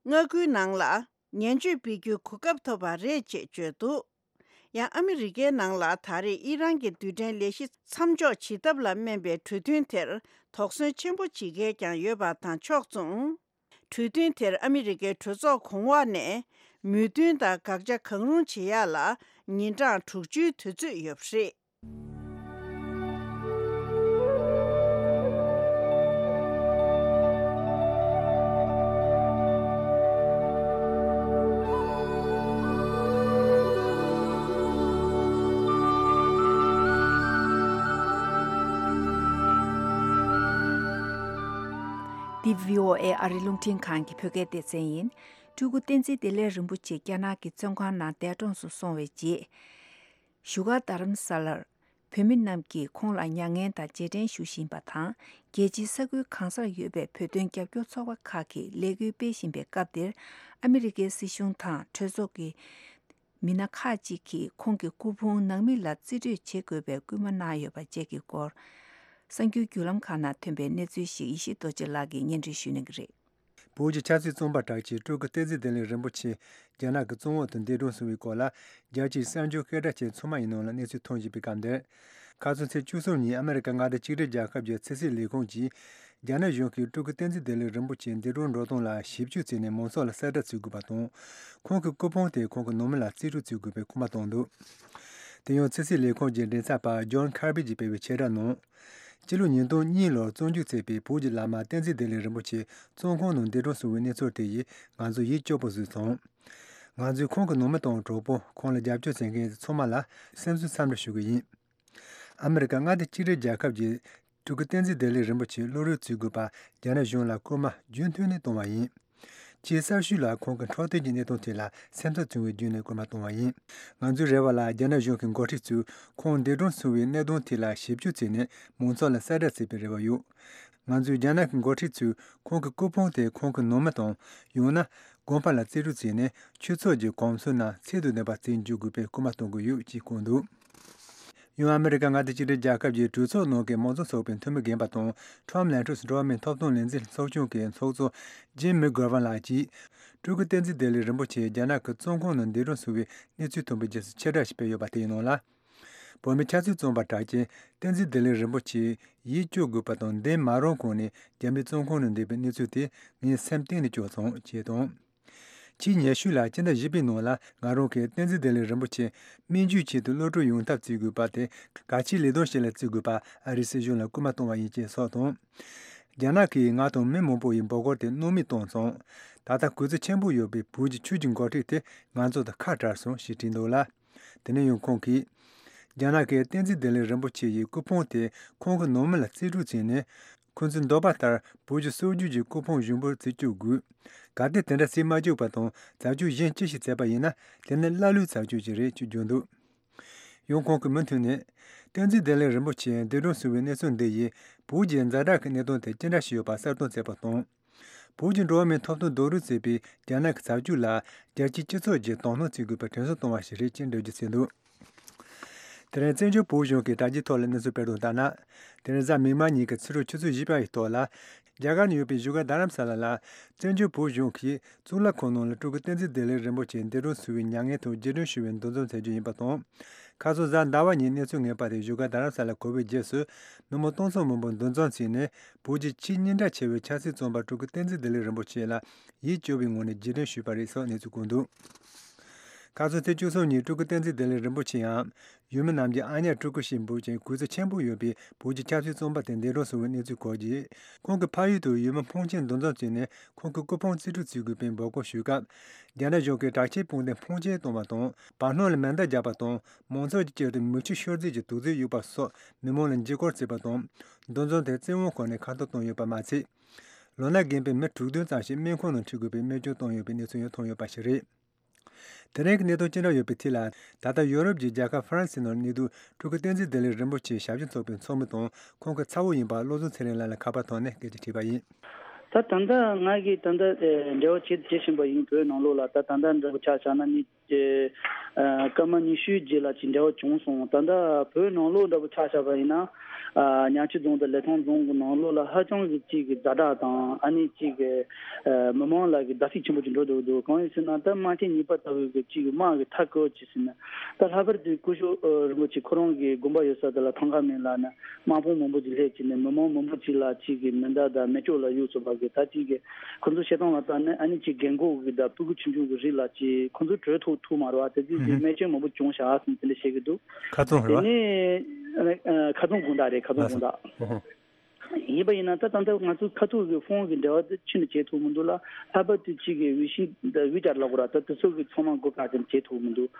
མངའ་ཁུལ་ནང་ལ་ངན་སྤྱོད་སྤེལ་རྒྱུའི་གོ་སྐབས་ཐོབ་པ་རེད་ཅེས་བརྗོད་འདུག་ཡང་ཨ་མི་རི་ཀའི་ནང་ལ་ད་རེས་ཨི་རན་གྱི་རྡུལ་ཕྲན་ལས་གཞི་མཚམས་འཇོག་བྱེད་ཐབས་ལ་སྨན་པའི་གྲོས་མཐུན་དེར་དོགས་ཟོན་ཆེན་པོ་བྱེད་མཁན་ཀྱང་ཡོད་པ་དང་ཕྱོགས་མཚུངས། གྲོས་མཐུན་དེར་ཨ་མི་རི་ཀའི་གྲོས་ཚོགས་གོང་འོག་ནས་མོས་མཐུན་དང་དགག་བྱ་གང་རུང་བྱེད་ཡག་ལ་ཉིན་གྲངས་དྲུག་ཅུའི་དུས་ཚོད་ཡོད་པ་རེད། འདི་བྷི་ཨོ་ཨེ་ཨ་རིའི་རླུང་འཕྲིན་ཁང་གི་བོད་སྐད་སྡེ་ཚན་ཡིན། སྤྲུལ་སྐུ་བསྟན་འཛིན་བདེ་ལེགས་རིན་པོ་ཆེ་རྒྱ་ནག་གི་བཙོན་ཁང་ནང་འདས་གྲོངས་སུ་སོང་བའི་རྗེས། བཞུགས་སྒར་རྡ་རམ་ས་ལར་བོད་མི་རྣམས་ཀྱིས་ཁོང་ལ་མྱ་ངན་དང་རྗེས་དྲན་ཞུ་བཞིན་པ་དང་། རྒྱལ་སྤྱིའི་ས་ཁུལ་གང་སར་ཡོད་པའི་བོད་དོན་རྒྱབ་སྐྱོར་ཚོགས་པ་ཁག་གིས་ལས་འགུལ་སྤེལ་བཞིན་པའི་སྐབས་འདིར། ཨ་མི་རི་ཀའི་སྲིད་གཞུང་དང་གྲོས་ཚོགས་ཀྱི་མི་སྣ་ཁག་ཅིག་གིས་ཁོང་གི་སྐུ་ཕུང་ནང་མི་ལ་རྩིས་སྤྲོད་བྱེད་དགོས་པའི་སྐུལ་མ་གནང་ཡོད་པ་བཅས་ཀྱི་སྐོར། གསར་འགྱུར་བརྒྱུད་ལམ་ཁག་ནང་ཐོན་པའི་གནས་ཚུལ་ཞིག་ཡེ་ཤེས་རྡོ་རྗེ་ལགས་ཀྱིས་སྙན་སྒྲོན་ཞུ་གནང་གི་རེད། བོད་ཀྱི་ཆབ་སྲིད་བཙོན་པ་གྲགས་ཅན་སྤྲུལ་སྐུ་བསྟན་འཛིན་བདེ་ལེགས་རིན་པོ་ཆེ་རྒྱ་ནག་གི་བཙོན་འོག་ཏུ་འདས་གྲོངས་སོང་བའི་སྐོར་ལ། རྒྱལ་སྤྱིའི་གསར་འགྱུར་སྐད་གྲགས་ཅན་ཚང་མ་ཡི་ནང་ལ་གནས་ཚུལ་ཐོན་བཞིན་པའི་སྐབས་འདིར། ཁ་སང་ཚེས་བཅུ་གསུམ་ཉིན་ཨ་མི་རི་ཀ་མངའ་སྡེ་གཅིག་སྒྲིལ་རྒྱལ་ཁབ་ཀྱི་ཕྱི་སྲིད་ལས་ཁུངས་ཀྱིས། རྒྱ་ནག་གཞུང་གིས་སྤྲུལ་སྐུ་བསྟན་འཛིན་བདེ་ལེགས་རིན་པོ་ཆེ་འདས་གྲོངས་འགྲོ་སྟངས་ལ་ཞིབ་དཔྱོད་བྱས་ནས་མང་ཚོགས་ལ་གསལ་བསྒྲགས་བྱེད་དགོས་པ་དང་། ཁོང་གི་སྐུ་ཕུང་དེ་ཁོང་གི་ནང་མི་ལ་རྩིས་སྤྲོད་བྱེད་དགོས་པའི་སྐུལ་མ་བཏང་འདུག་དེ་ཡང་ཕྱི་སྲིད་ལས་ཁུངས་ཀྱི་མགྲིན་ཚབ་པ་ཇོན་ཁར་བི་གྱིས་སྤེལ་བའི་ཆེད་བསྒྲགས་ནང་། སྤྱི་ལོ་ཉིས་སྟོང་གཉིས་ལོར་བཙོན་འཇུག་བྱས་པའི་བོད་ཀྱི་བླ་མ་བསྟན་འཛིན་བདེ་ལེགས་རིན་པོ་ཆེ་བཙོན་ཁང་ནང་འདས་གྲོངས་སོང་བའི་གནས་ཚུལ་དེ་ཡིས་ང་ཚོ་ཡིད་སྐྱོ་པོ་བཟོས་སོང་། ང་ཚོས་ཁོང་གི་ནང་མི་དང་གྲོགས་པོ། ཁོང་ལ་རྒྱབ་སྐྱོར་བྱེད་མཁན་ཚང་མ་ལ་སེམས་གསོ་འཚམས་འདྲི་ཞུ་གི་ཡིན། ཨ་མི་རི་ཀ་མངའ་སྡེ་གཅིག་སྒྲིལ་རྒྱལ་ཁབ་ཀྱིས་སྤྲུལ་སྐུ་བསྟན་འཛིན་བདེ་ལེགས་རིན་པོ་ཆེའི་གློག་རིན་བཙུགས་དགོས་པ་རྒྱ་ནག་གཞུང་ལ་སྐུལ་མ་རྒྱུན་མཐུད་ནས་བཏང་བ་ཡིན། ཆེས་གསར་ཤོས་ལ་ཁོང་གི་འཕྲོད་བསྟེན་གྱི་གནས་སྟངས་ཐད་ལ་སེམས་འཚབ་བྱུང་བའི་བརྒྱུད་ནས་སྐུལ་མ་བཏང་བ་ཡིན། ང་ཚོའི་རེ་བ་ལ་རྒྱ་ནག་གཞུང་གི་འགོ་ཁྲིད་ཚོས་ཁོང་འདས་གྲོངས་སོང་བའི་གནད་དོན་ཐད་ལ་ཞིབ་དཔྱོད་བྱས་ནས་མང་ཚོགས་ལ་གསལ་བསྒྲགས་བྱེད་པའི་རེ་བ་ཡོད། ང་ཚོས་རྒྱ་ནག་གི་འགོ་ཁྲིད་ཚོས་ཁོང་གི་སྐུ་ཕུང་དེ་ཁོང་གི་ནང་མི་དང་། ཡང་ན། དགོན་པ་ལ་རྩིས་སྤྲོད་བྱས་ནས་ཆོས་ཚོགས་ཀྱི་གོམས་སྲོལ་རྣམས་ཚད་དང་ལྡན་པ་བརྩི་འཇོག་དགོས་པའི་སྐུལ་མ་གཏོང་གི་ཡོད་ཅེས་བཀོད་འདུག་ཡང་ཨ་མི་རི་ཀ་མངའ་སྡེ་གཅིག་སྒྲིལ་རྒྱལ་ཁབ་ཀྱི་གྲོས་ཚོགས་ནང་གི་མང་གཙོ་ཚོགས་པའི་འཐུས་མི་རྒན་པ་དང་ཁྲོམ་ལན་ཁྲོས་འགྲོ་བ་མིའི་ཐོབ་ཐང་ལས་འཛིན་ཚོགས་ཆུང་གི་ཚོགས་གཙོ་ཇིམ་མི་གྷར་ཝན་ལགས་ཀྱིས། སྤྲུལ་སྐུ་བསྟན་འཛིན་བདེ་ལེགས་རིན་པོ་ཆེ་རྒྱ་ནག་གི་བཙོན་ཁང་ནང་འདས་གྲོངས་སོང་བའི་གནས་ཚུལ་ཐོན་པའི་རྗེས་སུ་ཕྱིར་བསྒྲགས་ཤིག་སྤེལ་ཡོད་པ་དེའི་ནང་ལ། བོད་མི་ཆབ་སྲིད་བཙོན་པ་གྲགས་ཅན་བསྟན་འཛིན་བདེ་ལེགས་རིན་པོ་ཆེ་ཡིད་སྐྱོ་དགོས་པ་དང་འདས་མ་རུང་གོང་ནས་རྒྱ་མིའི་བཙོན་ཁང་ནང་འདས་པའི་གནས་ཚུལ་དེ་ངའི་སེམས་གཏིང་ནས་སྐྱོ་སོང་ཅེས་དང་། ཕྱིའི་ཉེ་ཤོས་ལ་སྤྱི་ཟླ་བཞི་པའི་ནང་ལ་ང་རང་གིས་བསྟན་འཛིན་བདེ་ལེགས་རིན་པོ་ཆེ་སྨན་བཅོས་ཆེད་དུ་གློད་གྲོལ་ཡོང་ཐབས་བརྩི་དགོས་པ་དེ་གལ་ཆེའི་ལས་དོན་ཞིག་ལ་བརྩི་དགོས་པ་ཨ་རིའི་སྲིད་གཞུང་ལ་སྐུལ་མ་གཏོང་བ་ཡིན་ཅེས་སོགས་དང་། རྒྱ་ནག་གིས་ང་དང་མི་མང་པོ་ཡི་འབོད་སྐུལ་དེ་སྣང་མེད་བཏང་སོང་། ད་ལྟ་གུས་བརྩི་ཆེན་པོ་ཡོད་པའི་བོད་ཀྱི་ཆོས་ཀྱི་འགོ་ཁྲིད་དེ་ང་ཚོ་དང་ཁ་བྲལ་སོང་ཞེས་བྲིས་འདུག་ལ། དེ་ནས་ཡང་ཁོང་གིས། རྒྱ་ནག་གིས་བསྟན་འཛིན་བདེ་ལེགས་རིན་པོ་ཆེ་ཡི་སྐུ་ཕུང་དེ་ཁོང་གི་ནང་མི་ལ་རྩིས་སྤྲོད་བྱས་ནས། ཁོང་ཚོའི་འདོད་པ་ལྟར་བོད་ཀྱི་སྲོལ་རྒྱུན་གྱི་སྐུ་ཕུང་གཞུང་བར་རྩིས་སྤྲོད་དགོས། གལ་ཏེ་དེ་འདྲ་རྩིས་མ་བཅོས་པ་དང་བྱ་སྤྱོད་གཞན་ཅི་ཞིག་བྱས་པ་ཡིན་ན་དེ་ནི་ཀླ་ཀློའི་བྱ་སྤྱོད་ཅིག་རེད་ཅེས་བརྗོད་འདུག་ཡང་ཁོང་གིས་མུ་མཐུད་ནས། བསྟན་འཛིན་བདེ་ལེགས་རིན་པོ་ཆེ་འདས་གྲོངས་སོང་བའི་གནས་ཚུལ་འདི་ཡིས་བོད་ཀྱི་ཛ་དྲག་གི་གནད་དོན་དེ་ཅི་འདྲ་ཞིག་ཡོད་པ་གསལ་སྟོན་བྱས་པ་དང་། བོད་ཀྱི་འགྲོ་བ་མིའི་ཐོབ་ཐང་རྡོག་རོལ་བྱེད་པའི་རྒྱ་ནག་གི་བྱ་སྤྱོད་ལ་རྒྱལ་སྤྱིའི་སྤྱི་ཚོགས་ཀྱིས་དོ་སྣང་བྱེད་དགོས་པའི་དྲན་གསོ་གཏོང་བ་ཞིག་རེད་ཅེས་འགྲེལ་བརྗོད་བྱས་འདུག་དེ་རིང་བཙན་བྱོལ་བོད་གཞུང་གི་དྲ་རྒྱའི་ཐོག་ལ་གནས་ཚུལ་སྤེལ་དོན་ལྟར་ན། དེ་རིང་གཟའ་མིག་དམར་ཉིན་གྱི་ཕྱི་དྲོ་ཆུ་ཚོད་བཞི་པ་ཡི་ཐོག་ལ། རྒྱ་གར་ནང་ཡོད་པའི་བཞུགས་སྒར་རྡ་རམ་ས་ལ་ལ། བཙན་བྱོལ་བོད་གཞུང་གིས་གཙུག་ལག་ཁང་ནང་ལ་སྤྲུལ་སྐུ་བསྟན་འཛིན་བདེ་ལེགས་རིན་པོ་ཆེ་འདས་གྲོངས་སོང་བའི་མྱ་ངན་དང་རྗེས་དྲན་ཞུ་བའི་འདུ་འཛོམས་མཛད་རྒྱུ་ཡིན་པ་དང་། ཁ་སང་གཟའ་ཟླ་བ་ཉིན་གནས་ཚུལ་ངེས་པ་དེ་བཞུགས་སྒར་རྡ་རམ་ས་ལ་གོ་བའི་རྗེས་སུ། མི་མང་སྟོང་ཚོ་མང་པོ་འདུ་འཛོམས་བྱས་ནས་བོད་ཀྱི་ཆེས་སྙིང་གྲགས་ཆེ་བའི་ཆབ་སྲིད་བཙོན་པ་སྤྲུལ་སྐུ་བསྟན་འཛིན་བདེ་ལེགས་རིན་པོ་ཆེ་ལ་ཡིད་སྐྱོ་བའི་ངང་ནས་རྗེས་དྲན་ཞུས་པ་རེད་སོགས་གནས་ཚུལ་བཀོད་འདུག་ཁ་སང་ཚེས་བཅུ་གསུམ་ཉིན་སྤྲུལ་སྐུ་བསྟན་འཛིན་བདེ་ལེགས་རིན་པོ་ཆེའམ་ཡུལ་མི་རྣམས་ཀྱིས་ཨ་ཉག་སྤྲུལ་སྐུ་ཞེས་འབོད་ཅིང་གུས་བརྩི་ཆེན་པོ་ཡོད་པའི་བོད་ཀྱི་ཆབ་སྲིད་བཙོན་པ་དེ་འདས་གྲོངས་སོང་བའི་གནས་ཚུལ་གོ་རྗེས། ཁོང་གི་ཕ་ཡུལ་དུ་ཡུལ་མི་ཕོན་ཆེན་འདུ་འཛོམས་བྱས་ནས་ཁོང་གི་སྐུ་ཕུང་རྩིས་སྤྲོད་བྱེད་དགོས་པའི་འབོད་སྐུལ་ཞུས་སྐབས། རྒྱ་ནག་གཞུང་གིས་དྲག་ཆས་དཔུང་སྡེ་ཕོན་ཆེན་བཏང་བ་དང་བར་སྣང་ལ་མེ་མདའ་བརྒྱབ་པ་དང་མང་ཚོགས་ཀྱི་དཀྱིལ་དུ་མིག་ཆུ་ཤོར་རྫས་ཀྱི་དུག་རྫས་གཡུགས་པ་སོགས་མི་མང་ལ་འཇིགས་སྐུལ་བྱས་པ་དང་། འདུ་འཛོམས་དེ་བཙན་དབང་ཁང་ནས་ཁ་འཐོར་བཏང་ཡོད་པ་མ་ཚད། ལོ་ན་རྒན་པའི་མི་དྲུག་བདུན་ཙམ་ཞིག་སྨན་ཁང་ནང་ཁྲིད་དགོས་པའི་རྨས་སྐྱོན་བཏང་ཡོད་པའི་གནས་ཚུལ་ཡང་ཐོན་ཡོད་པ་ཞིག་རེད། དེ་རིང་གི་གནད་དོན་ཅི་འདྲ་ཡོད་པའི་ཐད་ལ། ད་ལྟ་ཡོ་རོབ་ཀྱི་རྒྱལ་ཁབ་ཧྥ་རན་སིའི་ནང་གནས་སྡོད་སྤྲུལ་སྐུ་བསྟན་འཛིན་བདེ་ལེགས་རིན་པོ་ཆེའི་ཞབས་ཞུ་ཚོགས་པའི་ཚོགས་མི་དང་ཁོང་གི་ཚ་བོ་ཡིན་པ་བློ་བཟང་ཚེ་རིང་ལགས་ལ་ཁ་པར་ཐོག་ནས་སྐད་ཆ་དྲིས་པ་ཡིན། ད་ད་ལྟ་ང་གིས་ད་ལྟ་ཨེ་འབྲེལ་བ་བྱེད་བྱེད་བཞིན་པ་ཡིན། བོད་ནང་ལོགས་ལ་ད་ད་ལྟ་འདྲ་པོ་ཆ་བཞག་ན་ནི་ཨེ་ཨ་སྐར་མ་ཉི་ཤུའི་རྗེས་ལ་ཅིག་འབྲེལ་བ་བྱུང་སོང་། ད་ལྟ་བོད་ནང་ལོགས་འདྲ་པོ་ཆ་བཞག་པ་ཡིན་ན་ཨ་ཉང་ཆུ་རྫོང་དང་ལི་ཐང་རྫོང་གི་ནང་ལོགས་ལ་ཧ་ཅང་གི་ཅིག་གི་ཛ་དྲག་དང་ཨ་ནི་ཅིག་གི་ཨ་མི་མང་ལ་གི་བརྡབ་གསིག་ཆེན་པོ་ཅིག་འགྲོ་འདུག་འདུག་གང་ཡིན་ཟེར་ན་ད་དམག་ཆེན་གཉིས་པ་ལྟ་བུའི་གི་ཅིག་གི་དམག་གི་མཐའ་བསྐོར་ཅིག་ཟེར་ན། ད་ལྷག་པར་དུ་སྐུ་ཞབས་ཨ་རིན་པོ་ཆེ་ཁོ་རང་གི་དགོན་པ་ཡོད་ས་དེ་ལ་ཐང་ཁ་མིན་ལ་ནི་དམག་དཔུང་མང་པོ་ཅིག་སླེབས་ཀྱི་ནི་མི་མང་མང་པོ་ཅིག་ལ་ཅིག་གི་མེ་མདའ་དང་མེ་སྒྱོགས་ལ་གཡུག་ཚུགས་པ་གི་ད་ཅིག་གི་ཁོ་ཚོ་བཤད་སྟངས་ལ་ལྟ་ནི་ཨ་ནི་ཅིག་རྒན་གོག་གི་དང་སྤུ་གུ་ཆུང་ཆུང་གི་རིགས་ལ་ཅིག་ཁོ་ཚོ་བྲོས་ཐུབ་ཐུབ་མ་རེད་བ། དེ་ཚོ་ཅིག་ཨུ་ཧུ། རྨས་སྐྱོན་མང་པོ་བྱུང་བཞག་ཟེར་ནས་དེ་འདྲ་བཤད་ཀྱི་འདུག་ཁ་རྫོང་རེད་དེ་བ། ནི་ཨ་ཁ་རྫོང་དགོང་དག་རེད། ཁ་རྫོང་ལགས་དགོང་སོ། དག་ཨུ་ཧུ། ཡིན་པ་ཡིན་ན་ད་ད་ལྟ་ང་ཚོ་ཁ་ཐུག་གི་ཕོན་གྱི་འབྲེལ་བ་དེ་ཕྱི་ནས་བྱེད་ཐུབ་མི་འདུག་ལ། ལྷག་པར་དུ་གཅིག་གི་ཝི་ཤིང་དང་ཝི་ཅར་ལབ་དགོས་ར། ད་དེ་ཚོ་གི་ཚང་མ་སྒོ་བཀག་ཅིག་བྱེད་ཐུབ་མི་འདུག་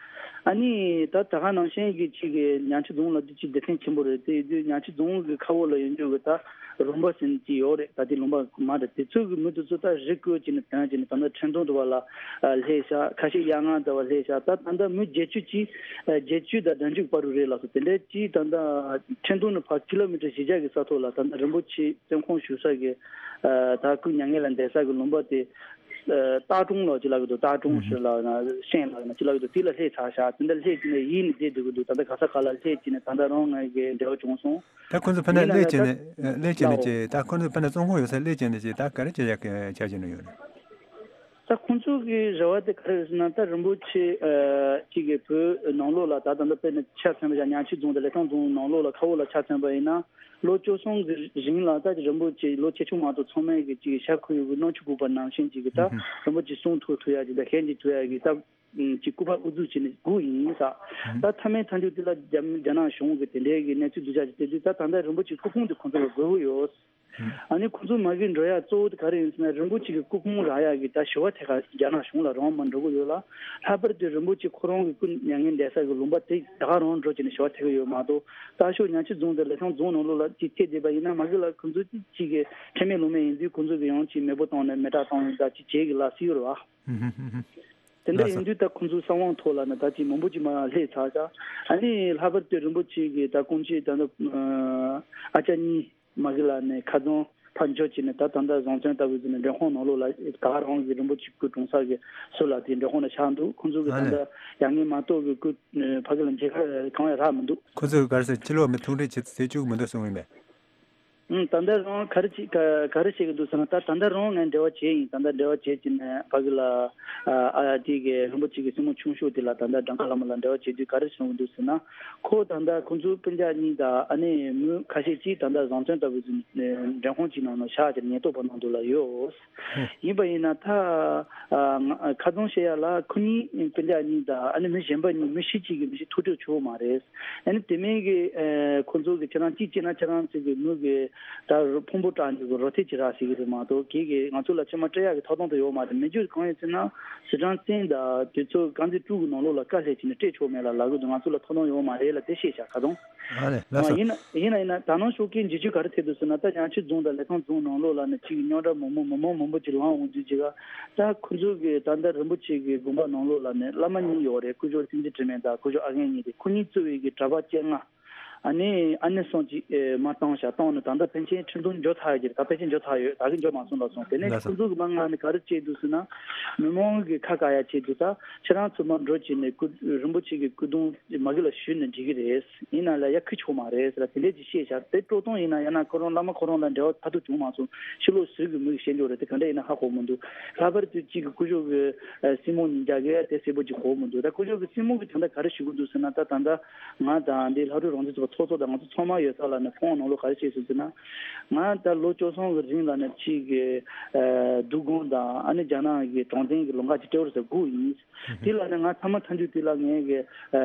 ཨ་ནི་ད་ད་ག་ནང་བཞིན་གྱི་གཅིག་གི་ཉང་ཆུ་རྫོང་ལ་དེ་གཅིག་སྡེ་ཚན་ཆེན་པོ་རེད། དེ་ཡིན་དུས་ཉང་ཆུ་རྫོང་གི་ཁ་འོག་ལ་ཡོད་རྒྱུ་གི་ད་རོང་པ་ཟེར་ནས་གཅིག་ཡོད་རེད། ད་དེ་ལུང་པ་མ་རེད། དེ་ཚོ་གི་མི་དེ་ཚོ་ད་རི་བརྐོས་བྱས་ནས་དོན་བྱས་ནས་ད་ལྟ་ཁྲེང་ཏུང་དུ་བ་ལ་སླེབས་ཤག་ཁ་ཤས་གཡག་རྔ་དུ་བ་སླེབས་ཤག་ད་ད་ལྟ་མི་བརྒྱད་ཅུ་གཅིག་བརྒྱད་ཅུ་དང་བདུན་ཅུ་བར་དུ་རེད་ལགས་སོ། དེ་འདྲའི་གཅིག་ད་ལྟ་ཁྲེང་ཏུང་ནས་ཕར་ཀི་ལོ་མི་ཊར་བཞི་བརྒྱ་གི་ས་ཐོག་ལ་ད་ལྟ་རིན་པོ་ཆེ་བཙོན་ཁང་བཞུགས་ས་གི་ད་སྐུ་མྱ་ངན་ལ་འདས་ས་གི་ལུང་པ་དེ། སྟག་གྲོང་ལ་ཅི་ལབ་ཀྱི་འདུག་སྟག་གྲོང་ཧུམ་ཧུམ། ཟེར་ལབ་ན་ཤན་ལབ་ན་ཅི་ལབ་ཀྱི་འདུག་དེ་ལ་སླེབས་ཚར་ཤག་དེ་འདྲ་སླེབས་ཀྱི་ནས་ཡིད་ནས་བསྡད་སྡོད་ཀྱི་འདུག་ད་ལྟ་ག་ས་ག་ལ་སླེབས་ཀྱི་ནས་ད་ལྟ་རང་ང་གི་འབྲེལ་བ་བྱུང་སོང་། ད་ཁོང་ཚོ་ཕ་ནས་ཡིན་ན་སླེབས་ནས་ཀྱི་ད་ནས་སླེབས་ཀྱི་ནས་ལའོ། ཀྱི་ད་ཁོང་ཚོ་ཕ་ནས་བཙོན་ཁང་ཡོད་ས་སླེབས་ཀྱི་ནས་ཀྱི་ད་ག་རེ་བྱེད་ཡག་གི་འཆར་གཞི་ནང་ཡོད་རེད། ད་ཁོང་ཚོ་གི་རེ་བ་དེ་ག་རེ་རེད་ཟེར་ན་ད་རིན་པོ་ཆེ་གཅིག་གི་བོད་ནང་ལོགས་ལ་ད་ད་ལྟ་དཔེར་ན་ཆ་མཚོན་པ་ཡང་ཉང་ཆུ་རྫོང་དང་ལི་ཐང་རྫོང་ནང་ལོགས་ལ་ཁ་འོག་ལ་ཆ་མཚོན་པ་ཡིན་ན། ལོ་བཅུ་གསུམ་གྱི་རིང་ལ་ད་རིན་པོ་ཆེ་ལོ་ཆེ་ཆུང་མ་གཏོགས་ཚང་མས་ཀྱི་ཅིག་ཤ་ཁུ་ཡུ་གི་རྣམ་ཅོ་གུག་པ་ནང་བཞིན་ཅིག་གི་ད་ཧུམ་ཧུམ། རིན་པོ་ཆེ་གསུང་ཐུབ་ཐུབ་ཡ་ཅིག་ད་ཤན་ཅིག་ཐུབ་ཡ་གི་ད་ཅིག་སྐུ་པར་དབུ་འཛུགས་བྱས་ནས་སྒུག་ཡིན་ས། ཧུམ། ད་མཐའ་མའི་མཐའ་མཇུག་དེ་ལ་རྒྱ་རྒྱ་ནག་གཞུང་གི་དེ་འདྲའི་གི་གནས་ཚུལ་སྡུག་ཅག་ཅིག་དེ་དུས་ད་ད་ལྟ་རིན་པོ་ཆེ་སྐུ་ཕུང་དེ་ཁོང་ཚོ་ལ་དགོས་ཀྱི་ཡོད། ཧུམ། ཨ་ནི་ཁོང་ཚོ་མ་གི་འགྲོ་ཡ་གཙོ་བོ་དེ་ག་རེ་ཡིན་ཟེར་ན་རིན་པོ་ཆེ་གི་སྐུ་ཕུང་རག་ཡ་གི་ད་ཞུ་བ་ཐད་ཀ་རྒྱ་ནག་གཞུང་ལ་རང་མ་འགྲོ་གི་ཡོད་ལ། ལྷག་པར་དུ་རིན་པོ་ཆེ་ཁོ་རང་གི་སྐུ་མྱ་ངན་འདས་ས་གི་ལུང་པ་དེ་ད་ག་རང་འགྲོ་བྱས་ནས་ཞུ་བ་ཐད་ཀྱི་ཡོད་མ་གཏོགས། ད་ཤོག་ཉང་ཆུ་རྫོང་དང་ལི་ཐང་རྫོང་ནང་ལོགས་ལ་ཅིག་ཐད་བསྡད་པ་ཡིན་ན་མ་གི་ལ་ཁོང་ཚོ་ཅིག་ཅིག་གི་ཁྲེལ་མེད་ལོང་མེད་ཡིན་དུས་ཁོང་ཚོ་གི་ཡང་ཅིག་མེས་པོ་བཏང་ནས་མེ་སྲེག་བཏང་ཡིན་ད་ཅིག་བྱེད་གི་ལ་སྲིད་ཡོད་རེད་བ། ཧུམ་ཧུམ་ཧུམ་ཧུམ། དེ་འདྲ་ལགས་སོ། ཡིན་དུས་ད་ཁོང་ཚོའི་གསང་བའི་ཐོག་ལ་ནི་ད་ཅིག་མང་པོ་ཅིག་མར་སླེབས་ཚར་ཤག་ཨ་ནི་ལྷག་པར་དུ་རིན་པོ་ཆེ་གི་ད་སྐུ་མཆེད་ད་ནི་ཨ་ཅག་གཉིས་མ་གི་ལ་ནི་ཁ་རྫོང་ ཕར་འབྱོར་བྱས་ནས་ད་ད་ལྟ་བཟང་བཙོན་ལྟ་བུ་ཟེར་ནས་མགྲོན་ཁང་ནང་ལོགས་ལ་ད་ག་རང་གི་རིན་པོ་ཆེ་སྐུ་གྲོངས་ས་གི་ཟུར་ལ་དེ་མགྲོན་ཁང་ནང་བཞག་འདུག་ཁོང་ཚོ་གི་ད་ལྟ་ཡ་ངའི་མ་གཏོགས་གི་སྐུ་ཕ་གི་ལ་མཇལ་ཁ་གང་ཡང་རག་མི་འདུག་ཁོ་ཚོས་ག་རེ་ཟེར། ཕྱི་ལོགས་མི་ཐུག་འཕྲད་བྱེད་ཟེར་བཅུག་མི་འདུག་གསུངས་ཡིན་པས། ཨང་། ད་ལྟ་རང་ག་རེ་བྱེད་ག་ག་རེ་བྱེད་ཀྱི་འདུག་ཟེར་ན། ད་ད་ལྟ་རང་ངས་འབྲེལ་བ་བྱས་ཡིན། ད་ལྟ་འབྲེལ་བ་བྱས་ཀྱི་ནས་ཕ་གི་ལ་ཨ་ཨ་དེ་གི་རིན་པོ་ཆེ་གི་སྲིང་མོ་ཆུང་ཤོས་དེ་ལ་ད་ལྟ་གྲངས་ཀ་བླ་མ་ལ་འབྲེལ་བ་བྱས་དུས་ག་རེ་གསུངས་ཀྱི་འདུག་ཟེར་ན། ཁོ་ད་ལྟ་ཁོང་ཚོ་སྤུན་ཀྱག་གཉིས་དང་ཨ་ནི་མི་ཁ་ཤས་ཀྱིས་ད་ལྟ་བཟང་བཙོན་ལྟ་བུ་ཟིན་མགྲོན་ཁང་གཅིག་ནང་ན་བཞག་སྟེ་ཉེན་རྟོག་པ་ནང་དུ་ལ་ཡོད། ཡིན་པ་ཡིན་ན་ད་ཨ་ང་ཁ་རྡུང་བཤད་ཡ་ལ་ཁོ་གཉིས་སྤུན་ཀྱག་གཉིས་དང་ཨ་ནི་མི་གཞན་པ་གཉིས་མི་ཤི་གཅིག་གིས་མི་ཤི་ཐུག་འཕྲད་བྱུང་མ་རེད། ཨ་ནི་དེ་མིན་གྱི་ཨ་ཁོ་ཚོ་གི་ཁྱེད་རང་གཅིག་བྱས་ན་ཁྱེད་རང་ཚོ་གི་མི་གི་ད་ཕུང་པོ་བཀྲག་འགྱུར་གི་རོ་ཐེ་ཅིག་རག་ཟེར་གི་རེད་མ་གཏོགས་གི་གི་ང་ཚོ་ལ་ཕྱི་མ་སྤྲད་ཡག་གི་ཐོབ་ཐང་དུ་ཡོད་མ་རེད། མི་རྒྱུ་གང་ཡིན་ཟེར་ན་ཟི་ཁྲོན་བཙོན་དང་དེ་ཚོ་རྐང་འཛིན་དཀྲུག་གི་ནང་ལོགས་ལ་དཀའ་ལས་བྱས་ནས་སྤྲད་ཆོག་མེད་ལ་ལབ་གི་འདུག་ང་ཚོ་ལ་ཐོབ་ཐང་ཡོད་མ་རེད་ལ་དེ་བཤད་བཞག་ཁ་རྡུང་། ཨ་ལས་ལགས་སོ། ཡིན་ན་ཡིན་ན་ཡིན་ན་ད་ནང་ཤོག་གི་འཇིགས་སྐུལ་ག་རེ་ཐེབས་འདུག་ཟེར་ན། ད་ཡང་ཆི་རྫོང་དང་ལི་ཐང་རྫོང་ནང་ལོགས་ལ་ནི་ཅིག་རྙོག་དྲ་མང་པོ་མི་མང་མང་པོ་ཅིག་ལངས་འོང་དུས་ཅིག་ག་ད་ཁོ་ཚོ་གི་ད་ལྟ་རིན་པོ་ཆེ་གི་དགོན་པ་ནང་ལོགས་ལ་ནི་བླ་མ་གཉིས་ཡོད་རེད། སྐུ་ཞབས་སྲིད་འཛིན་དྲི་མེད་དང་སྐུ་ཞབས་ཨ་རྒན་གཉིས་དེ། ཁོ་གཉིས་གཙོས་པའི་གི་གྲྭ་པ་བཅོ་ལྔ། ཨ་ནི་ཨ་ནེ་སོང་ཅིག་ཨེ་མ་བཏང་བཞག་བཏང་ནས་ད་ལྟ་ཕན་ཆད་ཁྲིམས་དོན་འཇོག་ཚར་ཡོད་ཀྱི་རེད། ད་ཕན་ཆད་འཇོག་ཚར་ཡོད། ད་གི་འཇོག་མ་སོང་ལབ་སོང་། དེ་ནས་ལགས་སོ། ཁོ་ཚོ་གི་མ་ང་ནི་ག་རེ་བྱས་འདུག་ཟེར་ན། མི་མང་གི་ཁ་བཀག་ཡ་ཆེད་དུ་ད་ཁྱེད་རང་ཚོ་མར་འགྲོ་བྱས་ནས་སྐུ་རིན་པོ་ཆེ་གི་སྐུ་གདུང་མ་གི་ལ་ཞུས་ནས་འགྲིག་གི་རེད། ཡིན་ན་ལ་ཡ་ཁི་ཆོག་མ་རེད་ཟེར་ལ་དེ་འདྲས་ཀྱི་བཤད་བཞག་དེ་སྤྲོ་སྟོང་ཡིན་ན་ཡང་ན་ཁོ་རང་བླ་མ་ཁོ་རང་ལ་འབྲེལ་བ་ཐ་དུ་བྱུང་མ་སོང་། ཕྱི་ལོགས་ཟུར་གི་མི་གི་བཤད་འཇོག་རེད། དེ་ག་འདྲ་ཡིན་ན་ཧ་གོ་མི་འདུག་ལྷག་པར་དུ་གཅིག་གི་སྐུ་ཞབས་གི་སྲིང་མོ་གཉིས་རྒྱ་གི་དེ་གསལ་པོ་ཅིག་གོ་མི་འདུག་ད་སྐུ་ཞབས་གི་སྲིང་མོ་གི་དོན་དག་ག་རེ་ཞུ་གི་འདུག་ཟེར་ན། ད་ད་ལྟ་ང་དང་འདི་ལྷ་སྒྲོལ་རང་བཙན་ཚོགས་པ་ཚོགས་གཙོ་དང་ང་ཚོ་ཚང་མ་ཡོད་ས་ལ་ནས་ཁོང་ནང་ལོགས་ག་རེ་བཤད་སོང་ཟེར་ན། ང་ད་ལོ་བཅུ་གསུམ་གི་རིང་ལ་ནས་གཅིག་གི་ཨ་འདུ་ཁང་དང་ཨ་ནི་རྒྱ་ནག་གི་གྲོང་བརྡལ་གི་ལུང་པ་ཅིག་སྤྲེའུ་རུ་ཟེར་སྒུག་ཡིན། དེ་ལ་ནི་ང་ཚང་མ་ཐམས་ཅད་དེ་ལ་ངས་གི་ཨ་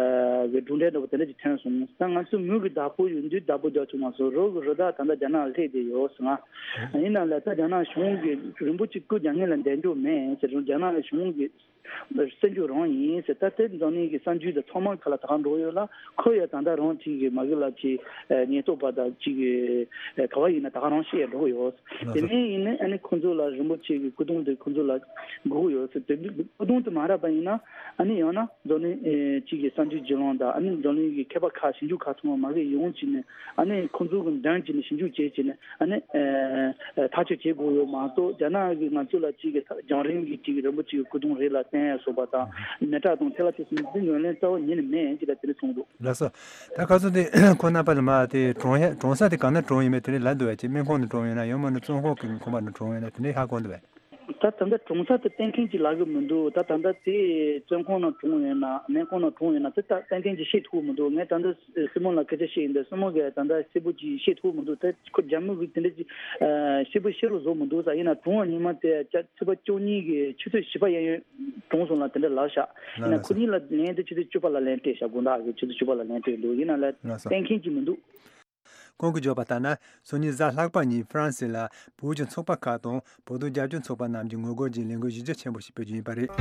གི་གྲུབ་འབྲས་འདྲ་པོ་དེ་འདྲ་ཅིག་ཐོན་སོང་། ད་ང་ཚོ་མི་གི་བདག་པོ་ཡོད་དུས་བདག་པོ་རྒྱག་ཆོག་མ་སོང་། རོགས་གི་རི་དྭགས་ད་ལྟ་རྒྱ་ནག་ལ་སླེབས་བསྡད་ཡོད་ཟེར། ང་ཡིན་ན་ལ་ད་རྒྱ་ནག་གཞུང་གི་རིན་པོ་ཆེ་སྐུ་རྒྱ་ངན་ལ་འདེད་འཇོག་མེད་ཟེར། རྒྱ་ནག་གཞུང་གི་སྲིད་འཇུག་རང་ཡིན་ཟེར། ད་དེ་འཛམ་གླིང་གི་གསར་འགྱུར་དང་ཚང་མ་ཁ་ལ་ད་ག་འགྲོ་ཡོད་ལ། ཁོ་ཡ་ད་ལྟ་རང་གཅིག་གི་མ་གི་ལ་གཅིག་ཉེན་རྟོག་པ་དང་གཅིག་གི་ག་བ་ཡིན་ན་ད་ག་རང་བཤད་འགྲོ་ཡོད། དེ་ནས་ཡིན་ནའི་ཨ་ནི་ཁོ་ཚོ་ལ་རིན་པོ་ཆེ་གི་སྐུ་གདུང་དེ་ཁོ་ཚོ་ལ་དགོས་ཡོད་ཟེར། དེ་སྐུ་གདུང་དེ་མ་རག་པ་ཡིན་ན་ཨ་ནི་ཡང་ན་འཛམ་གླིང་གཅིག་གི་གསར་འགྱུར་བརྒྱུད་ལམ་དང་ཨ་ནི་འཛམ་གླིང་གི་མཁས་པ་ཁག་ཞིབ་འཇུག་ཁག་ཚང་མ་མ་གི་ཡོང་བྱས་ནས་ཨ་ནི་ཁོ་ཚོ་གི་འདོན་བྱས་ནས་ཞིབ་འཇུག་བྱས་བྱས་ནས། ཨ་ནི་ཨ་ཐག་གཅོད་བྱེད་དགོས་ཡོད་མ་གཏོགས། རྒྱ་ནག་གིས་ང་ཚོ་ལ་གཅིག་གི་རྒྱང་རིང་གི་གཅིག་གི་རིན་པོ་ཆེ་གི་སྐུ་གདུང་རེད་ལ་བསྟན་ཡ་སོགས་པ་དང་། མེ་སྲེག་དང་དེ་ལ་དེ་ཚོ་འདི་ངོས་ལེན་རྩ་བ་ཉིད་ནས་མེད་ཅེས་ལ་དེ་ནས་གསུངས་འདུག་ལགས་སོ། ད་ཁ་སང་དེ་ཁོང་རྣམ་པ་ལ་མ་དེ་གྲོངས་ཡ་གྲོངས་ས་དེ་གང་ན་གྲོངས་ཡིན་མེད་དེ་འདྲ་ལབ་འདུག་བས། ཅིག་སྨན་ཁང་ནས་གྲོངས་ཡོད་ན་ཡང་མིན་ན་བཙོན་ཁང་གི་ཁང་པ་ནས་གྲོངས་ཡོད་ན་དེ་འདྲ་ཧ་གོ་འདུག་བས། ད་ད་ལྟ་གྲོངས་ས་དེ་གཏན་འཁེལ་ཅིག་ལབ་གི་མི་འདུག་ད་ད་ལྟ་དེ་བཙོན་ཁང་ནང་གྲོངས་ཡོད་ན་སྨན་ཁང་ནང་གྲོངས་ཡོད་ན་དེ་ད་གཏན་འཁེལ་ཅིག་བཤད་ཐུབ་མི་འདུག་ངས་ད་ལྟ་སྲིང་མོ་ལ་སྐད་ཆ་བཤད་ཡིན་དུས་སྲིང་མོ་གིས་ད་ལྟ་གསལ་པོ་ཅིག་བཤད་ཐུབ་མི་འདུག་ད་ཁོ་རྒྱ་མི་གི་དེ་འདྲ་ཅིག་གསལ་པོ་བཤད་རོགས་བཟོ་མི་འདུག་ས། ཡིན་ན་གྲོངས་པ་ཉི་མ་དེ་ཆ་ཚེས་པ་བཅུ་གཉིས་གི་ཆུ་ཚོད་བཞི་པ་གཡས་གཡོན་གྲོངས་སོང་ལ་དེ་འདྲ་ལབ་ཤག་ཡིན་ན་ཁོ་གཉིས་ལ་ལན་དེ་ཆུ་ཚོད་བཅུ་པ་ལ་ལན་སྤྲད་ཤག་དགོང་དག་གི་ཆུ་ཚོད་བཅུ་པ་ལ་ལན་སྤྲད་འདུག་ཡིན་ན་ལ་གཏན་འཁེལ་ཅིག་མི་འདུག་ཁོང་གིས་བརྗོད་པ་ལྟར་ན། སང་ཉིན་གཟའ་ལྷག་པ་ཉིན་ཧྥ་རན་སི་ལ་བོད་ཀྱི་ཚོགས་པ་ཁག་དང་བོད་དོན་རྒྱབ་སྐྱོར་ཚོགས་པ་རྣམས་ཀྱིས་ངོ་རྒོལ་གྱི་ལས་འགུལ་གཞི་རྒྱ་ཆེན་པོ་ཞིག་སྤེལ་རྒྱུ་ཡིན་པ་རེད།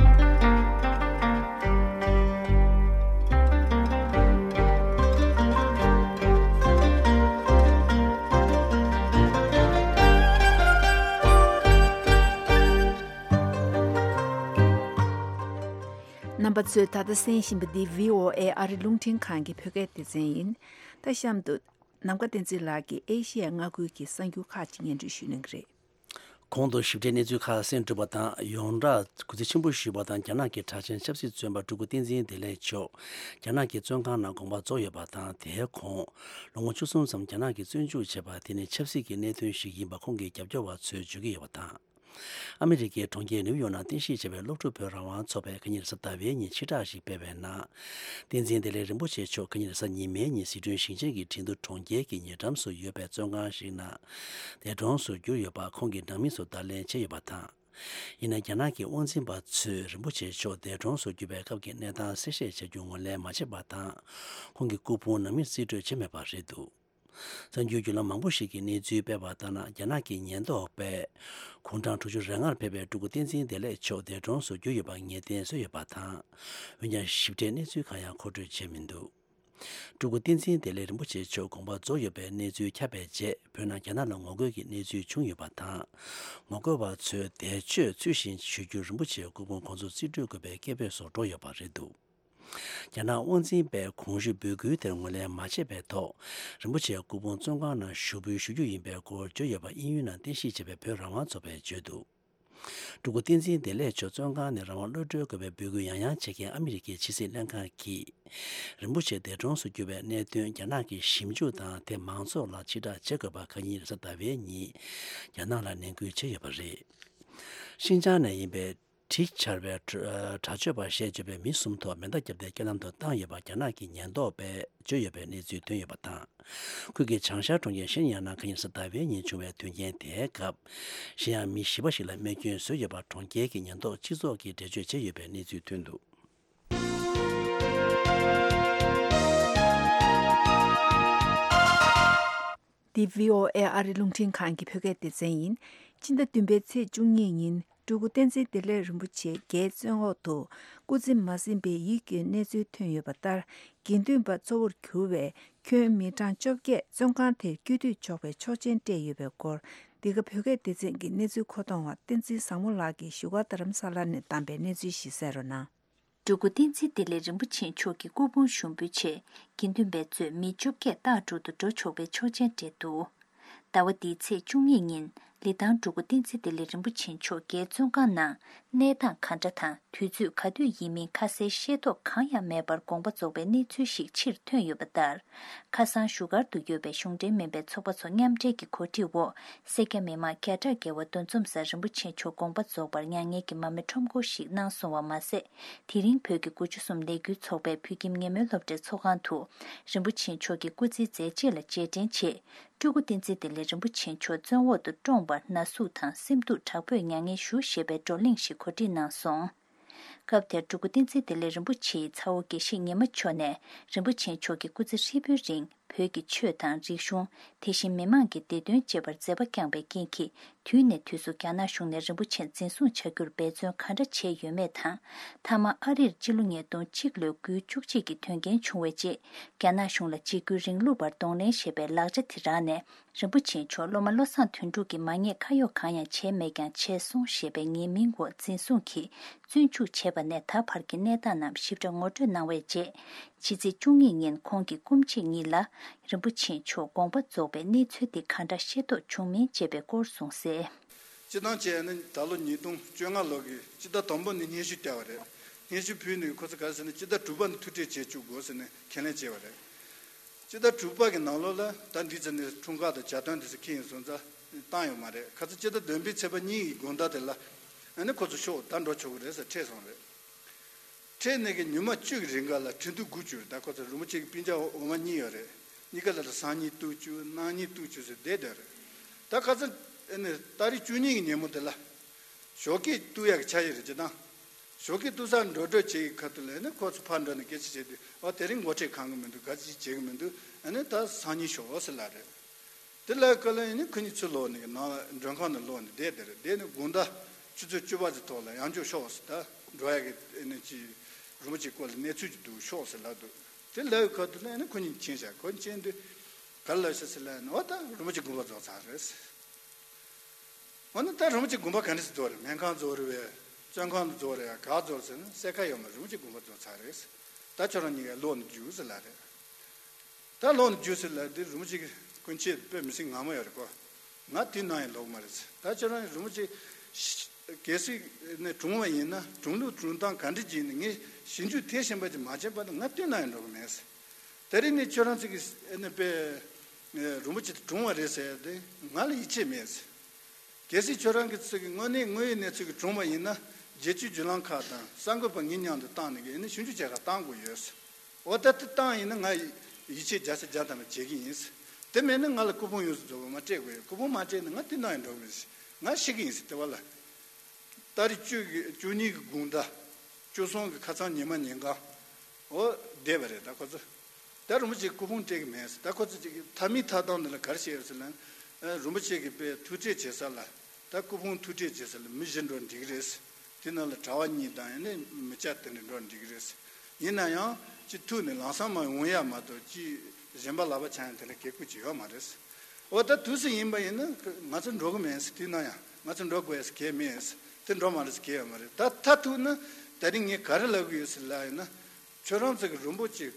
རྣམ་པ་ཚོས་ད་ལྟ་གསན་བཞིན་པ་འདི་བྷི་ཨོ་ཨེ་ཨ་རི་རླུང་འཕྲིན་ཁང་གི་བོད་སྐད་སྡེ་ཚན་ཡིན། ད་གཤམ་དུ། ནམ་མཁའ་བསྟན་འཛིན་ལགས་ཀྱིས་ཨེ་ཤེ་ཡ་མངའ་ཁུལ་གྱི་གསར་འགྱུར་ཁག་ཅིག་སྙན་སྒྲོན་ཞུ་གནང་གི་རེད། གོང་དུ་ཞིབ་ཕྲའི་གནས་ཚུལ་ཁག་གསན་གྲུབ་པ་དང་། ཡོངས་གྲགས་གུས་བརྩི་ཆེན་པོ་ཞུས་པ་དང་། རྒྱ་ནག་གི་གྲགས་ཅན་ཆབ་སྲིད་བཙོན་པ་སྤྲུལ་སྐུ་བསྟན་འཛིན་བདེ་ལེགས་མཆོག་རྒྱ་ནག་གི་བཙོན་ཁང་ནང་དགོངས་པ་རྫོགས་ཡོད་པ་དང་། དེའི་གོང་ལོ་ངོ་བཅུ་གསུམ་ཙམ་རྒྱ་ནག་གིས་བཙོན་འཇུག་བྱས་པ་དེ་ནི་ཆབ་སྲིད་ཀྱི་གནད་དོན་ཞིག་ཡིན་པ་ཁོང་གི་རྒྱབ་སྐྱོར་བ་ཚོས་བརྗོད་ཀྱི་ཡོད་པ་དང་། ཨ་མི་རི་ཀའི་གྲོང་ཁྱེར་ནིའུ་ཡོག་ནང་རྟེན་གཞི་བྱས་པའི་སློབ་ཕྲུག་བོད་རང་དབང་ཚོགས་པས་ཁ་ཉིན་རེས་གཟའ་ཟླ་བའི་ཉིན་ཕྱིར་བསྒྲགས་ཤིག་སྤེལ་བའི་ནང་། བསྟན་འཛིན་བདེ་ལེགས་རིན་པོ་ཆེ་མཆོག་ཁ་ཉིན་རེས་གཟའ་ཉི་མའི་ཉིན་ཟི་ཁྲོན་ཞིང་ཆེན་གྱི་ཁྲིན་ཏུ་གྲོང་ཁྱེར་གྱི་ཉེ་འགྲམ་དུ་ཡོད་པའི་བཙོན་ཁང་ཞིག་ནང་འདས་གྲོངས་སུ་གྱུར་ཡོད་པ་ཁོང་གི་ནང་མི་ཚོ་བརྡ་ལན་བྱས་ཡོད་པ་དང་། ཡིན་ན་རྒྱ་ནག་གི་དབང་འཛིན་པ་ཚོས་རིན་པོ་ཆེ་མཆོག་འདས་གྲོངས་སུ་གྱུར་པའི་སྐབས་ཀྱི་གནས་སྟངས་གསལ་བཤད་བྱ་རྒྱུ་ངོས་ལེན་མ་བྱས་པ་དང་། ཁོང་གི་སྐུ་ཕུང་ནང་མིར་རྩིས་སྤྲོད་བྱས་མེད་པ་རེད་འདུག་གསར་འགྱུར་བརྒྱུད་ལམ་མང་པོ་ཞིག་གིས་གནས་ཚུལ་སྤེལ་བ་ལྟར་ན། རྒྱ་ནག་གི་ཉེན་རྟོག་པས་དགུང་གྲངས་དྲུག་ཅུ་རེ་ལྔར་ཕེབས་པའི་སྤྲུལ་སྐུ་བསྟན་འཛིན་བདེ་ལེགས་མཆོག་འདས་གྲོངས་སུ་གྱུར་ཡོད་པར་ངེས་གཏན་བཟོས་ཡོད་པ་དང་། འོན་ཀྱང་ཞིབ་ཕྲའི་གནས་ཚུལ་གང་ཡང་མཁོ་སྤྲོད་བྱས་མི་འདུག་སྤྲུལ་སྐུ་བསྟན་འཛིན་བདེ་ལེགས་རིན་པོ་ཆེ་མཆོག་དགོངས་པ་རྫོགས་ཡོད་པའི་གནས་ཚུལ་ཁྱབ་པའི་རྗེས། བོད་ནང་རྒྱ་ནག་ལ་ངོ་རྒོལ་གྱི་གནས་ཚུལ་བྱུང་ཡོད་པ་དང་། ངོ་རྒོལ་བ་ཚོས་འདས་མཆོད་ཚུལ་བཞིན་ཞུ་རྒྱུར་རིན་པོ་ཆེའི་སྐུ་ཕུང་ཁོང་ཚོར་རྩིས་སྤྲོད་དགོས་པའི་སྐད་འབོད་སོགས་འགྲོ་ཡོད་པ་རེད་འདུག་རྒྱ་ནག་དབང་འཛིན་པས་གོང་ཞུས་འབོད་སྐུལ་དེར་ངོས་ལེན་མ་བྱས་པའི་ཐོག་རིན་པོ་ཆེ་སྐུ་ཕུང་བཙོན་ཁང་ནང་ཞུགས་འབུལ་ཞུ་རྒྱུ་ཡིན་པའི་སྐོར་བརྗོད་ཡོད་པ་དབྱིན་ཡུལ་ནང་རྟེན་གཞི་བྱས་པའི་བོད་རང་དབང་ཚོགས་པས་བརྗོད་འདུག་སྤྲུལ་སྐུ་བསྟན་འཛིན་བདེ་ལེགས་མཆོག་བཙོན་ཁང་ནས་རང་དབང་གློད་གྲོལ་དགོས་པའི་འབོད་སྐུལ་ཡང་ཡང་བྱེད་མཁན་ཨ་མི་རི་ཀའི་ཕྱི་སྲིད་ལྷན་ཁང་གིས། རིན་པོ་ཆེ་འདས་གྲོངས་སུ་གྱུར་བའི་གནད་དོན་རྒྱ་ནག་གིས་ཞིབ་འཇུག་དང་དེ་མང་ཚོགས་ལ་ཕྱིར་བསྒྲགས་བྱེད་དགོས་པ་ཁ་ཉིན་རེས་གཟའ་ཟླ་བའི་ཉིན་རྒྱ་ནག་ལ་ནན་སྐུལ་བྱས་ཡོད་པ་རེད། ཤིན་ཅང་ནས་ཡིན་པའི་གྲི་འཕྱར་བའི་དྲག་སྤྱོད་པ་ཞེས་བརྗོད་པའི་མི་གསུམ་ཐོག་མེ་མདའ་བརྒྱབ་སྟེ་རྐྱེན་ལམ་དུ་བཏང་ཡོད་པ་རྒྱ་ནག་གི་ཉེན་རྟོག་པས་བརྗོད་ཡོད་པའི་གནས་ཚུལ་ཐོན་ཡོད་པ་དང་། ཁུལ་གྱི་བྱང་ཤར་གྲོང་ཁྱེར་ཤིན་ཡང་ནང་ཁ་ཉིན་རེས་གཟའ་ཟླ་བའི་ཉིན་བྱུང་བའི་དོན་རྐྱེན་དེའི་སྐབས། ཤིན་ཡང་མི་བཞི་པ་ཞིག་ལ་རྨས་སྐྱོན་བཟོས་ཡོད་པ་གྲོང་ཁྱེར་གྱི་ཉེན་རྟོག་སྤྱི་ཚོགས་ཀྱིས་འགྲེལ་བརྗོད་བྱས་ཡོད་པའི་གནས་ཚུལ་ཐོན་འདུག་འདི་བྷི་ཨོ་ཨེ་ཨ་རི་རླུང་འཕྲིན་ཁང་གི་བོད་སྐད་སྡེ་ཚན་ཡིན། སྤྱི་ཟླ་བདུན་པའི་ཚེས་བཅུ་གཉིས་ཉིན་སྤྲུལ་སྐུ་བསྟན་འཛིན་བདེ་ལེགས་རིན་པོ་ཆེ་རྒྱའི་བཙོན་འོག་ཏུ་སྐུ་ཚེ་མ་ཟིན་པའི་ཡིད་སྐྱོའི་གནས་ཚུལ་ཐོན་ཡོད་པ་ལྟར། དགེ་འདུན་པ་གཙོ་བོར་གྱུར་བའི་ཁྱོན་མི་གྲངས་བཅོ་བརྒྱད་བཙོན་ཁང་དེར་སྐྱོད་དུ་ཆོག་པའི་ཆོག་མཆན་སྤྲད་ཡོད་པའི་སྐོར། འདི་ག་བོད་སྐད་སྡེ་ཚན་གྱི་གནས་ཚུལ་མཁོ་གཏོང་བ་བསྟན་འཛིན་བཟང་མོ་ལགས་ཀྱིས་བཞུགས་སྒར་རྡ་རམ་ས་ལ་ནས་བདམས་པའི་གནས་ཚུལ་ཞིག་གསན་རོགས་གནང་། སྤྲུལ་སྐུ་བསྟན་འཛིན་བདེ་ལེགས་རིན་པོ་ཆེ་མཆོག་གི་སྐུ་ཕུང་ཞུགས་འབུལ་ཆེད་དགེ་འདུན་པའི་གཙོས་མི་བཅོ་བརྒྱད་སྟག་ཕྲུག་ཏུ་འགྲོ་ཆོག་པའི་ཆོག་མཆན་སྤྲད་འདུག་ཟླ་བ་འདིའི་ཚེས་བཅུ་གཉིས་ཉིན་ལི་ཐང་སྤྲུལ་སྐུ་བསྟན་འཛིན་བདེ་ལེགས་རིན་པོ་ཆེ་མཆོག་རྒྱའི་བཙོན་ཁང་ནང་གནས་སྟངས་ག་འདྲ་དང་དུས་ཚོད་ག་དུས་ཡིན་མིན་ཁ་གསལ་ཤེས་རྟོགས་གང་ཡང་མེད་པར་དགོངས་པ་རྫོགས་པའི་གནས་ཚུལ་ཞིག་ཕྱིར་ཐོན་ཡོད་པ་ལྟར། ཁ་སང་བཞུགས་སྒར་དུ་ཡོད་པའི་གཞུང་འབྲེལ་མིན་པའི་ཚོགས་པ་ཚོ་མཉམ་འབྲེལ་གྱི་གོ་སྒྲིག་འོག་སེར་སྐྱ་མི་མང་བརྒྱ་ཕྲག་བརྒལ་བ་འདུ་འཛོམས་སར་རིན་པོ་ཆེ་མཆོག་དགོངས་པ་རྫོགས་པར་མྱ་ངན་གྱི་མར་མེ་ཁྲོམ་སྐོར་ཞིག་གནང་སོང་བ་མ་ཟད། དེ་རིང་བོད་ཀྱི་དགུ་བཅུ་གསུམ་ལས་འགུལ་ཚོགས་པའི་བོད་ཁྱིམ་ཉེ་མོའི་སློབ་གྲྭའི་ཚོགས་ཁང་དུ་རིན་པོ་ཆེ་མཆོག་གི་སྐུ་ཚེའི་མཛད་རྗེས་ལ་རྗེས་དྲན་ཆེད། སྤྲུལ་སྐུ་བསྟན་འཛིན་བདེ་ལེགས་རིན་པོ་ཆེ་མཆོག་བཙོན་འོག་ཏུ་བཀྲོངས་པར་ན་ཟུག་དང་སེམས་སྡུག་དྲག་པོས་མྱ་ངན་ཞུ་ཞེས་པའི་བགྲོ་གླེང་ཞིག་གོ་སྒྲིག་གནང་སོང་། སྐབས་དེར་སྤྲུལ་སྐུ་བསྟན་འཛིན་བདེ་ལེགས་རིན་པོ་ཆེའི་ཚ་བོ་དགེ་བཤེས་ཉི་མ་མཆོག་ནས་རིན་པོ་ཆེ་མཆོག་གི་སྐུ་ཚེ་ཧྲིལ་པོའི་རིང་བོད་ཀྱི་ཆོས་དང་རིག་གཞུང་། དེ་བཞིན་མི་མང་གི་བདེ་དོན་གཅེས་པར་མཛད་པ་བསྐྱངས་པའི་རྐྱེན་གྱིས། དུས་ནས་དུས་སུ་རྒྱ་ནག་གཞུང་ནས་རིན་པོ་ཆེ་འཛིན་བཟུང་བྱ་རྒྱུར་འབད་བརྩོན་ག་འདྲ་བྱས་ཡོད་མེད་དང་། མཐའ་མ་ཨ་རིར་སྤྱི་ལོ་ཉིས་སྟོང་གཅིག་ལོའི་དགུའི་བཅུ་གཅིག་གི་དོན་རྐྱེན་བྱུང་བའི་རྗེས། རྒྱ་ནག་གཞུང་ལ་འཇིགས་སྐུལ་རིང་ལུགས་པར་གདོང་ལེན་ཞེས་པའི་ལག་ཆ་དེ་རག་ནས། རིན་པོ་ཆེ་མཆོག་སློབ་མ་བློ་བཟང་དོན་གྲུབ་ཀྱིས་མ་ཉེས་ཁ་གཡོགས་གང་ཡང་བྱས་མེད་ཀྱང་བྱས་སོང་ཞེས་པའི་ངའི་མིང་འོག་འཛིན་བཟུང་གིས་བཙོན་འཇུག་བྱས་པ་ནས་ད་བར་གྱི་གནས་སྟངས་རྣམས་ཞིབ་ཕྲ་ངོ་སྤྲོད་གནང་བའི་རྗེས། ཕྱི་ཚེས་བཅུ་གཉིས་ཉིན་ཁོང་གི་སྐུ་མཆེད་གཉིས་ལ་རིན་པོ་ཆེ་མཆོག་དགོངས་པ་རྫོགས་པའི་གནས་ཚུལ་དེ་ག་འདྲ་ཤེས་རྟོགས་བྱུང་མིན་བཅས་པའི་སྐོར་གསུངས་གསལ། སྤྱིར་བཏང་བྱས་ན་ད་ལོ་ཉིས་སྟོང་བཅོ་ལྔ་ལོ་གི་སྤྱི་ཟླ་དང་པོ་ནས་སྙན་ཞུ་བསྐྱལ་བ་རེད། སྙན་ཞུ་ཕུལ་ནས་ཁོ་ཚོ་ག་རེ་ཟེར་ན་སྤྱི་ཟླ་དྲུག་པ་ནས་ཐུག་འཕྲད་བྱེད་བཅུག་དགོས་ཟེར་ནས་ཁས་ལེན་བྱས་པ་རེད། སྤྱི་ཟླ་དྲུག་པ་གི་ནང་ལོགས་ལ་ད་འདི་ཚོ་ནས་འཁྲུངས་སྐར་དང་གྱ་སྟོན་དེ་ཚོ་འཁེལ་ཡིན་སོང་ཙང་བཏང་ཡོད་མ་རེད། ཁ་ཚ་སྤྱི་ཟླ་བདུན་པའི་ཚེས་པ་གཉིས་ཀྱི་དགོང་དག་དེ་ལ་ཨ་ནི་ཁོ་ཚོ་ཤོག་ད་འགྲོ་ཆོག་གི་རེད་ཟེར་ཁྲིད་སོང་རེད། ཁྲིད་ནས་ཀྱི་ཉི་མ་བཅུ་གི་རིང་ག་ལ་ཁྲིན་ཏུའུ་སྒུག་བཅུག་རེད། ད་ཁོ་ཚོ་རིན་པོ་ཆེ་གི་སྤུན་ཀྱག་འོ་མ་གཉིས་ཡོད་རེད། གཉིས་ཀ་ལ་ད་སང་ཉིན་གཏུག་བཅུག་གནངས་ཉིན་གཏུག་བཅུག་ཟེར་བསྡད་བསྡད་རེད། ད་ཁ་ཚ་ཨ་ནི་ཏ་རིག་བཅུ་གཉིས་ཀྱི་ཉིན་མོ་དེ་ལ། ཞོགས་ཀས་གཏུག་ཡག་གི་འཆར་གཞི་རེད་ཅེས་དང་། ཞོགས་ཀས་གཏུག་སར་འགྲོ་གྲོན་བྱེད་ཀྱི་ཁ་ཐུག་ལ་ཨ་ནི་ཁོ་ཚོ་ཕར་འགྲོ་ནས་སྐད་ཆ་བྱས་དུས་ཨ་དེ་རིང་འགོ་ཁྲིད་གང་གི་མི་འདུག་ག་ཅི་བྱེད་ཀྱི་མི་འདུག་ཨ་ནི་ད་སང་ཉིན་ཞོགས་ཟེར་ལབ་རེད། དེ་ལབ་སྐབས་ལ་ཨ་ནི་ཁོ་གཉིས་ཚུར་ལོག་ནས་ནང་ལ་མགྲོན་ཁང་ནང་ལོག་ནས་བསྡད་བསྡད་རེད། བསྡད་ནས་དགོང་དག་ཆུ་ཚོད་བཅུ་པ་ཙམ་ཐོག་ལ་ཡང་བསྐྱར་ཤོག་ཟེར། ད་འགྲོ་ཡག་གི་ཨ་ནི་ཅི་རིན་པོ་ཆེའི་སྐོར་ལ་གནས་ཚུལ་ཅིག་འདུག་ཤོག་ཟེར་ལབ་འདུག་དེ་ལབ་ཡོད་ཁ་ཐུག་ལ་ཨ་ནི་ཁོ་གཉིས་ཕྱིན་བཞག་ཁོ་གཉིས་ཕྱིན་དུས་ག་རེ་ལབ་ཤག་ཟེར་ལབ་ན་འོ་ད་རིན་པོ་ཆེ་དགོངས་པ་རྫོགས་ཚར་རེད་ཟེར། འོ་ན་ད་རིན་པོ་ཆེ་དགོངས་པ་ག་འདྲ་ཞིག་རྫོགས་རེད། སྨན་ཁང་རྫོགས་རེད་པས། བཙོན་ཁང་དུ་རྫོགས་རེད་ཡ་ག་རྫོགས་ཟེར་ན་གསལ་ཁ་ཡོད་མ་རེད། རིན་པོ་ཆེ་དགོངས་པ་རྫོགས་ཚར་རེད་ཟེར། ད་ཁྱོད་རང་གཉིས་ཀ་ལོག་ནས་རྒྱུགས་ཟེར་ལབ་རེད། ད་ལོག་ནས་རྒྱུགས་ཟེར་ལབ་དུས་རིན་པོ་ཆེ་གི་སྐུ་མཆེད་དཔེ་མི་སྲིད་ངར་མ་ཡོད་རེད་ཁོ། ང་དུས་ནམ་ཡང་ལོག་གི་མ་རེད་ཟེར། ད་ཁྱོད་རང་རིན་པོ་ཆེ་གལ་སྲིད་ནས་གྲོངས་པ་ཡིན་ན་གྲོངས་ལུགས་གྲོངས་སྟངས་ག་འདྲ་ཅིག་ཡིན་ན་ངས་ཞིབ་འཇུག་དེ་བཞིན་པ་ཅིག་མ་བྱས་པ་ན་ང་དུས་ནམ་ཡང་འགྲོ་གི་མེད་ཟེར། དེ་རིང་ནས་ཁྱོད་རང་ཚོ་གི་ཨ་ནི་དཔེ་རིན་པོ་ཆེ་དེ་གྲོངས་པ་རེད་ཟེར་ཡ་དེ་ང་ལ་ཡིད་ཆེས་མེད་ཟེར། གལ་སྲིད་ཁྱོད་རང་གི་ཚོ་གི་དངོས་གནས་དངོས་ཡོད་གནས་ཚུལ་གྱི་གྲོངས་པ་ཡིན་ན་རྒྱལ་སྤྱིའི་བརྒྱུད་ལམ་ཁག་དང་གསར་འགོད་པ་ངའི་མཉམ་དུ་བཏང་ནས་ཀྱི་ཨ་ནི་ཞིབ་འཇུག་བྱེད་གར་བཏང་དགོས་ཡོད་ཟེར། འོ་ད་དེ་བཏང་ཡིན་ན་ང་ཡིད་ཆེས་བརྒྱ་ཆ་བརྒྱ་ཐམ་པ་བྱེད་ཀྱི་ཡིན་ཟེར། དེ་མེད་ན་ང་ལ་སྐུ་ཕུང་ཡོངས་སུ་རྫོགས་པ་མ་སྤྲད་དགོས་ཡོད། སྐུ་ཕུང་མ་སྤྲད་ན་ང་དེ་ན་ཡང་འགྲོ་གི་མེད་ཟེར། ང་ཤི་གི་ཡིན་ཟེར། དེ་བ་ལ། ཏ་རིག་བཅུ་གི་བཅུ་གཉིས་ཀྱི་དགོང་དག་བཅུ་གསུམ་གྱི་ཁ་སང་ཉི་མ་ཉིན་གང་། འོ་བསྡད་པ་རེད་ད་ཁོ་ཚོ། ད་རིན་པོ་ཆེ་སྐུ་ཕུང་སྤྲད་ཀྱི་མེད་ཟེར། ད་ཁོ་ཚོ་ཅིག་མཐའ་མའི་མཐའ་སྟངས་འདི་ལ་ག་རེ་བྱས་ཡོད་ཟེར་ན། ཨ་རིན་པོ་ཆེ་གི་དཔེ་ཐུག་འཕྲད་བྱེད་ས་ལ། ད་སྐུ་ཕུང་ཐུག་འཕྲད་བྱེད་ས་ལ་མི་བཞི་འགྲོ་འགྲིག་གི་རེད་ཟེར། དེ་ནང་ལ་གྲྭ་པ་གཉིས་དང་ཡང་ན་མི་སྐྱ་དེ་འདྲ་འགྲོ་འགྲིག་གི་རེད་ཟེར། ཡིན་ན་ཡང་ཅིག་ཐུག་ནས་ལམ་སང་མར་འོང་ཡ་མ་གཏོགས་ཅིག་གཞན་པ་ལག་པ་འཆང་ཡ་དེ་འདྲ་གེ་ཁུལ་ཅིག་ཡོད་མ་རེད་ཟེར། འོ་ད་དུས་སུ་ཡིན་པ་ཡིན་ན་ང་ཚོ་འགྲོ་གི་མེད་ཟེར། དེ་ན་ཡང་ང་ཚོ་འགྲོ་དགོས་ཟེར་གལ་མེད་ཟེར། དེ་འགྲོ་མ་རེད་ཟེར་གལ་ཡོད་མ་རེད། ད་མཐའ་ཐུག་ན་ད་རིང་ངས་ག་རེ་ལབ་གི་ཡོད་ཟེར་ལབ་ཡིན་ན། ཁྱོད་རང་ཚོ་གི་རིན་པོ་ཆེ་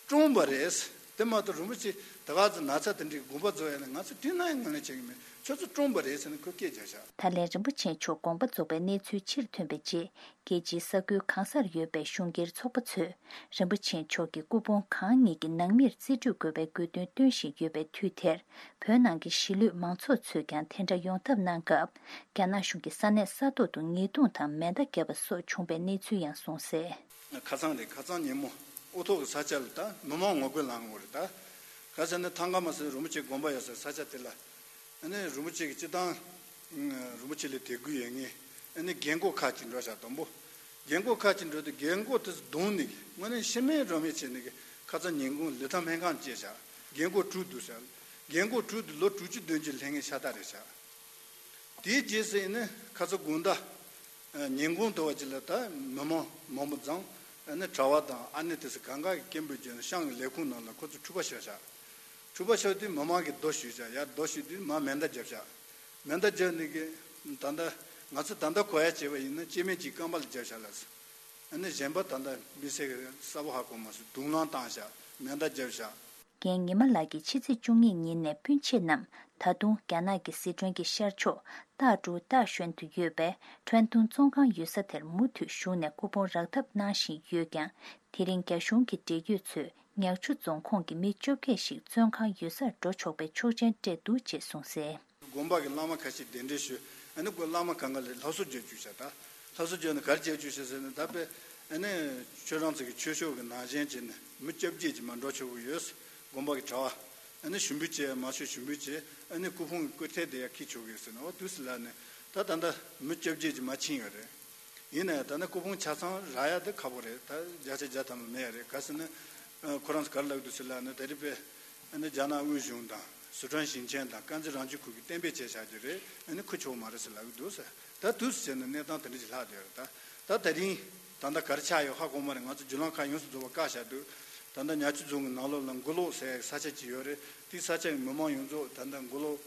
བཀྲོངས་པ་རེད། དེ་མ་གཏོགས་རིན་པོ་ཆེ་ད་ག་ཚོད་ན་ཚ་དེ་འདྲའི་དགོངས་པ་རྫོགས་ཡ་ལ་ང་ཚོ་དུས་ནམ་ཡང་ངོས་ལེན་བྱེད་ཀྱི་མེད། ཁྱོད་ཚོ་བཀྲོངས་པ་རེད་ཟེར་ནས་ཁོས་སྐད་རྒྱབ་ཤག་ད་ལན་རིན་པོ་ཆེ་མཆོག་དགོངས་པ་རྫོགས་པའི་གནས་ཚུལ་ཕྱིར་ཐོན་པའི་རྗེས། རྒྱལ་སྤྱིའི་ས་ཁུལ་གང་སར་ཡོད་པའི་གཞུང་སྒེར་ཚོགས་པ་ཚོས་རིན་པོ་ཆེ་མཆོག་གི་སྐུ་ཕུང་གང་ཉིད་ཀྱི་ནང་མིར་རྩིས་སྤྲོད་དགོས་པའི་དགོས་འདུན་བཏོན་བཞིན་ཡོད་པའི་དུས་དེར། བོད་ནང་གི་གཞིས་ལུས་མང་ཚོགས་ཚོས་ཀྱང་དེ་འདྲ་ཡོང་ཐབས་གནང་སྐབས། རྒྱ་ནག་གཞུང་གིས་ས་གནས་ས་ཐོག་ཏུ་ཉེས་རྡུང་དང་མེ་མདའ་བརྒྱབ་པ་སོགས་བྱུང་པའི་གནས་ཚུལ་ཡང་གསུངས་གསལ། ཁ་སང་རེད། ཁ་སང་ཉིན་མོ་ཨོ་ཐོག་གི་ས་ཆ་ལ་ད་མི་མང་ངོ་རྒོལ་ལངས་ཡོད་རེད་ད། ག་ཟེར་ན་ཐང་ག་མ་ཟེར་རིན་པོ་ཆེ་དགོན་པ་ཡོད་སའི་ས་ཆ་དེ་ལ། ཨ་ནི་རིན་པོ་ཆེ་གི་སྤྱི་བཏང་། རིན་པོ་ཆེ་ལ་དད་གུས་ཡོད་མཁན། ཨ་ནི་རྒན་གོག་ཁ་ཅིག་འགྲོ་ཤག་དང་པོ། རྒན་གོག་ཁ་ཅིག་འགྲོ་དུས་རྒན་གོག་དེ་ཚོ་རྡུང་ནས་དངོས་གནས་ཤི་མེད་རོ་མེད་བྱས་ནས་ཁ་ཚ་ཉིན་གུང་ལི་ཐང་སྨན་ཁང་བསྐྱལ་ཤག་རྒན་གོག་དཀྲུགས་འདུག་ཟེར། རྒན་གོག་དཀྲུགས་དུས་ལོ་དྲུག་ཅུ་བདུན་ཅུ་སླེབས་མཁན་ཤ་སྟག་རེད་ཤག་དེའི་རྗེས་སུ་ཡིན་ན་ཁ་ཚ་དགོང་དག་ཉིན་གུང་དུ་བ་ཅིག་ལ་ད་མི་མང་མང་པོ་འཛོམས། ཨ་ནི་གྲྭ་བ་དང་ཨ་ནེ་དེ་ཚོ་གང་ག་གི་སྐད་འབོད་བརྒྱབ་ནས་ཤང་གི་ལས་ཁུངས་ནང་ལ་ཁོ་ཚོ་འཁྲུག་པ་ཤོར་ཤག་འཁྲུག་པ་ཤོར་དུས་མི་མང་གིས་རྡོ་གཞུས་ཤག་ཡར་རྡོ་གཞུས་དུས་མར་མེ་མདའ་བརྒྱབ་ཤག་མེ་མདའ་བརྒྱབ་ནས་གི་ད་ལྟ་ང་ཚོ་ད་ལྟ་གོ་ཡ་བྱས་པ་ཡིན་ན་སྐྱེ་དམན་གཅིག་རྐང་པ་ལ་བརྒྱབ་ཤག་ལབ་སོང་། ཨ་ནི་གཞན་པ་ད་ལྟ་མི་ཚེ་གི་གསལ་པོ་ཧ་གོ་མ་སོང་། རྡུང་ལངས་བཏང་ཤག་མེ་མདའ་བརྒྱབ་ཤག་རྒན་ཉི་མ་ལགས་ཀྱིས་ཕྱི་ཚེས་བཅུ་གཉིས་ཉིན་ནས་སྤུན་མཆེད་རྣམས་ད་དུང་རྒྱ་ནག་གི་ཟི་ཁྲོན་གྱི་ཤར་ཕྱོགས་ཏཱ་ཀྲུའུ་ཏཱ་ཞོན་དུ་ཡོད་པའི་ཁྲོན་ཏུང་བཙོན་ཁང་ཡོད་ས་དེར་མུ་མཐུད་བཞུགས་ནས་སྐུ་ཕུང་རག་ཐབས་གནང་བཞིན་ཡོད་ཀྱང་། དེ་རིང་རྒྱ་གཞུང་གི་འབྲེལ་ཡོད་ཚོས་ཉག་ཆུ་རྫོང་ཁོངས་ཀྱི་མི་བཅོ་བརྒྱད་ཞིག་བཙོན་ཁང་ཡོད་སར་འགྲོ་ཆོག་པའི་ཆོག་མཆན་སྤྲད་འདུག་ཅེས་གསུངས་གསལ། དགོན་པ་གི་བླ་མ་ཁ་ཤས་གདན་འདྲེན་ཞུས། ཨ་ནི་ཁོ་བླ་མ་གང་ག་ལ་སླར་གསོ་བརྒྱབ་བཅུག་ཤག་ད་སླར་གསོ་བརྒྱབ་ནས་ག་རེ་བྱས་བཅུག་ཤག་ཟེར་ན། ད་དཔེ་ཨ་ནི་ཁྱོད་རང་ཚོ་གི་ཆོས་ཕྱོགས་ཀྱི་ནང་བཞིན་བྱས་ནས་མི་བཅོ་བརྒྱད་ཅིག་མར་འགྲོ་ཆོག་གི་ཡོད། དགོན་པ་གི་གྲྭ་བ། ཨ་ནི་ཞུ་འབུལ་བྱས་མ་ཆོག་ཞུ་འབུལ་བྱས། ཨ་ནི་སྐུ་ཕུང་གི་སྐུ་ཐལ་དེ་ཡར་འཁྱེར་ཆོག་གི་ཡོད་ཟེར་ནས། འོ་དུས་སུ་ལ་ནི་ད་ད་ལྟ་མི་བཅོ་བརྒྱད་ཅིག་མར་ཕྱིན་ཡོད་རེད། ཡིན་ན་ཡང་ད་ནི་སྐུ་ཕུང་ཆ་ཚང་རག་ཡ་དེ་ཁག་པོ་རེད། ད་བརྒྱ་ཆ་བརྒྱ་ཐམ་པ་མེད་ཡ་རེད། ག་ཟེར་ན། ཨ། ཁོ་རང་ཚོ་ག་རེ་ལབ་ཀྱི་འདུག་ཟེར་ལབ་ན། ད་རེས་པས་ཨ་ནི་རྒྱ་ནག་དབུས་གཞུང་དང་སི་ཁྲོན་ཞིང་ཆེན་དང་དཀར་མཛེས་རང་སྐྱོང་ཁུལ་གྱིས་གཏན་འབེབས་བྱས་བཞག་རྒྱུ་རེད། ཨ་ནི་འཁུར་ཆོག་མ་རེད་ཟེར་ལབ་ཀྱི་འདུག་ཟེར། ད་དུས་སུ་བྱས་ན་གནས་སྟངས་དེ་འདྲ་ཞིག་ལྷག་བསྡད་ཡོད་རེད། ད་ད་དེ་རིང་ད་ལྟ་ག་རེ་ཆགས་ཡོད་ཧ་གོ་མ་རེད། ང་ཚོ་བརྒྱུད་ལམ་ཁག་ཡོངས་སུ་རྫོགས་པ་བཀག་བཞག་འདུག་ད་ལྟ་ཉག་ཆུ་རྫོང་གི་ནང་ལོགས་ལ་མགོ་ལོག་ཟེར་ཡ་གི་ས་ཆ་ཅིག་ཡོད་རེད། དེའི་ས་ཆ་གི་མི་མང་ཡོངས་རྫོགས་ད་ལྟ་མགོ་ལོག་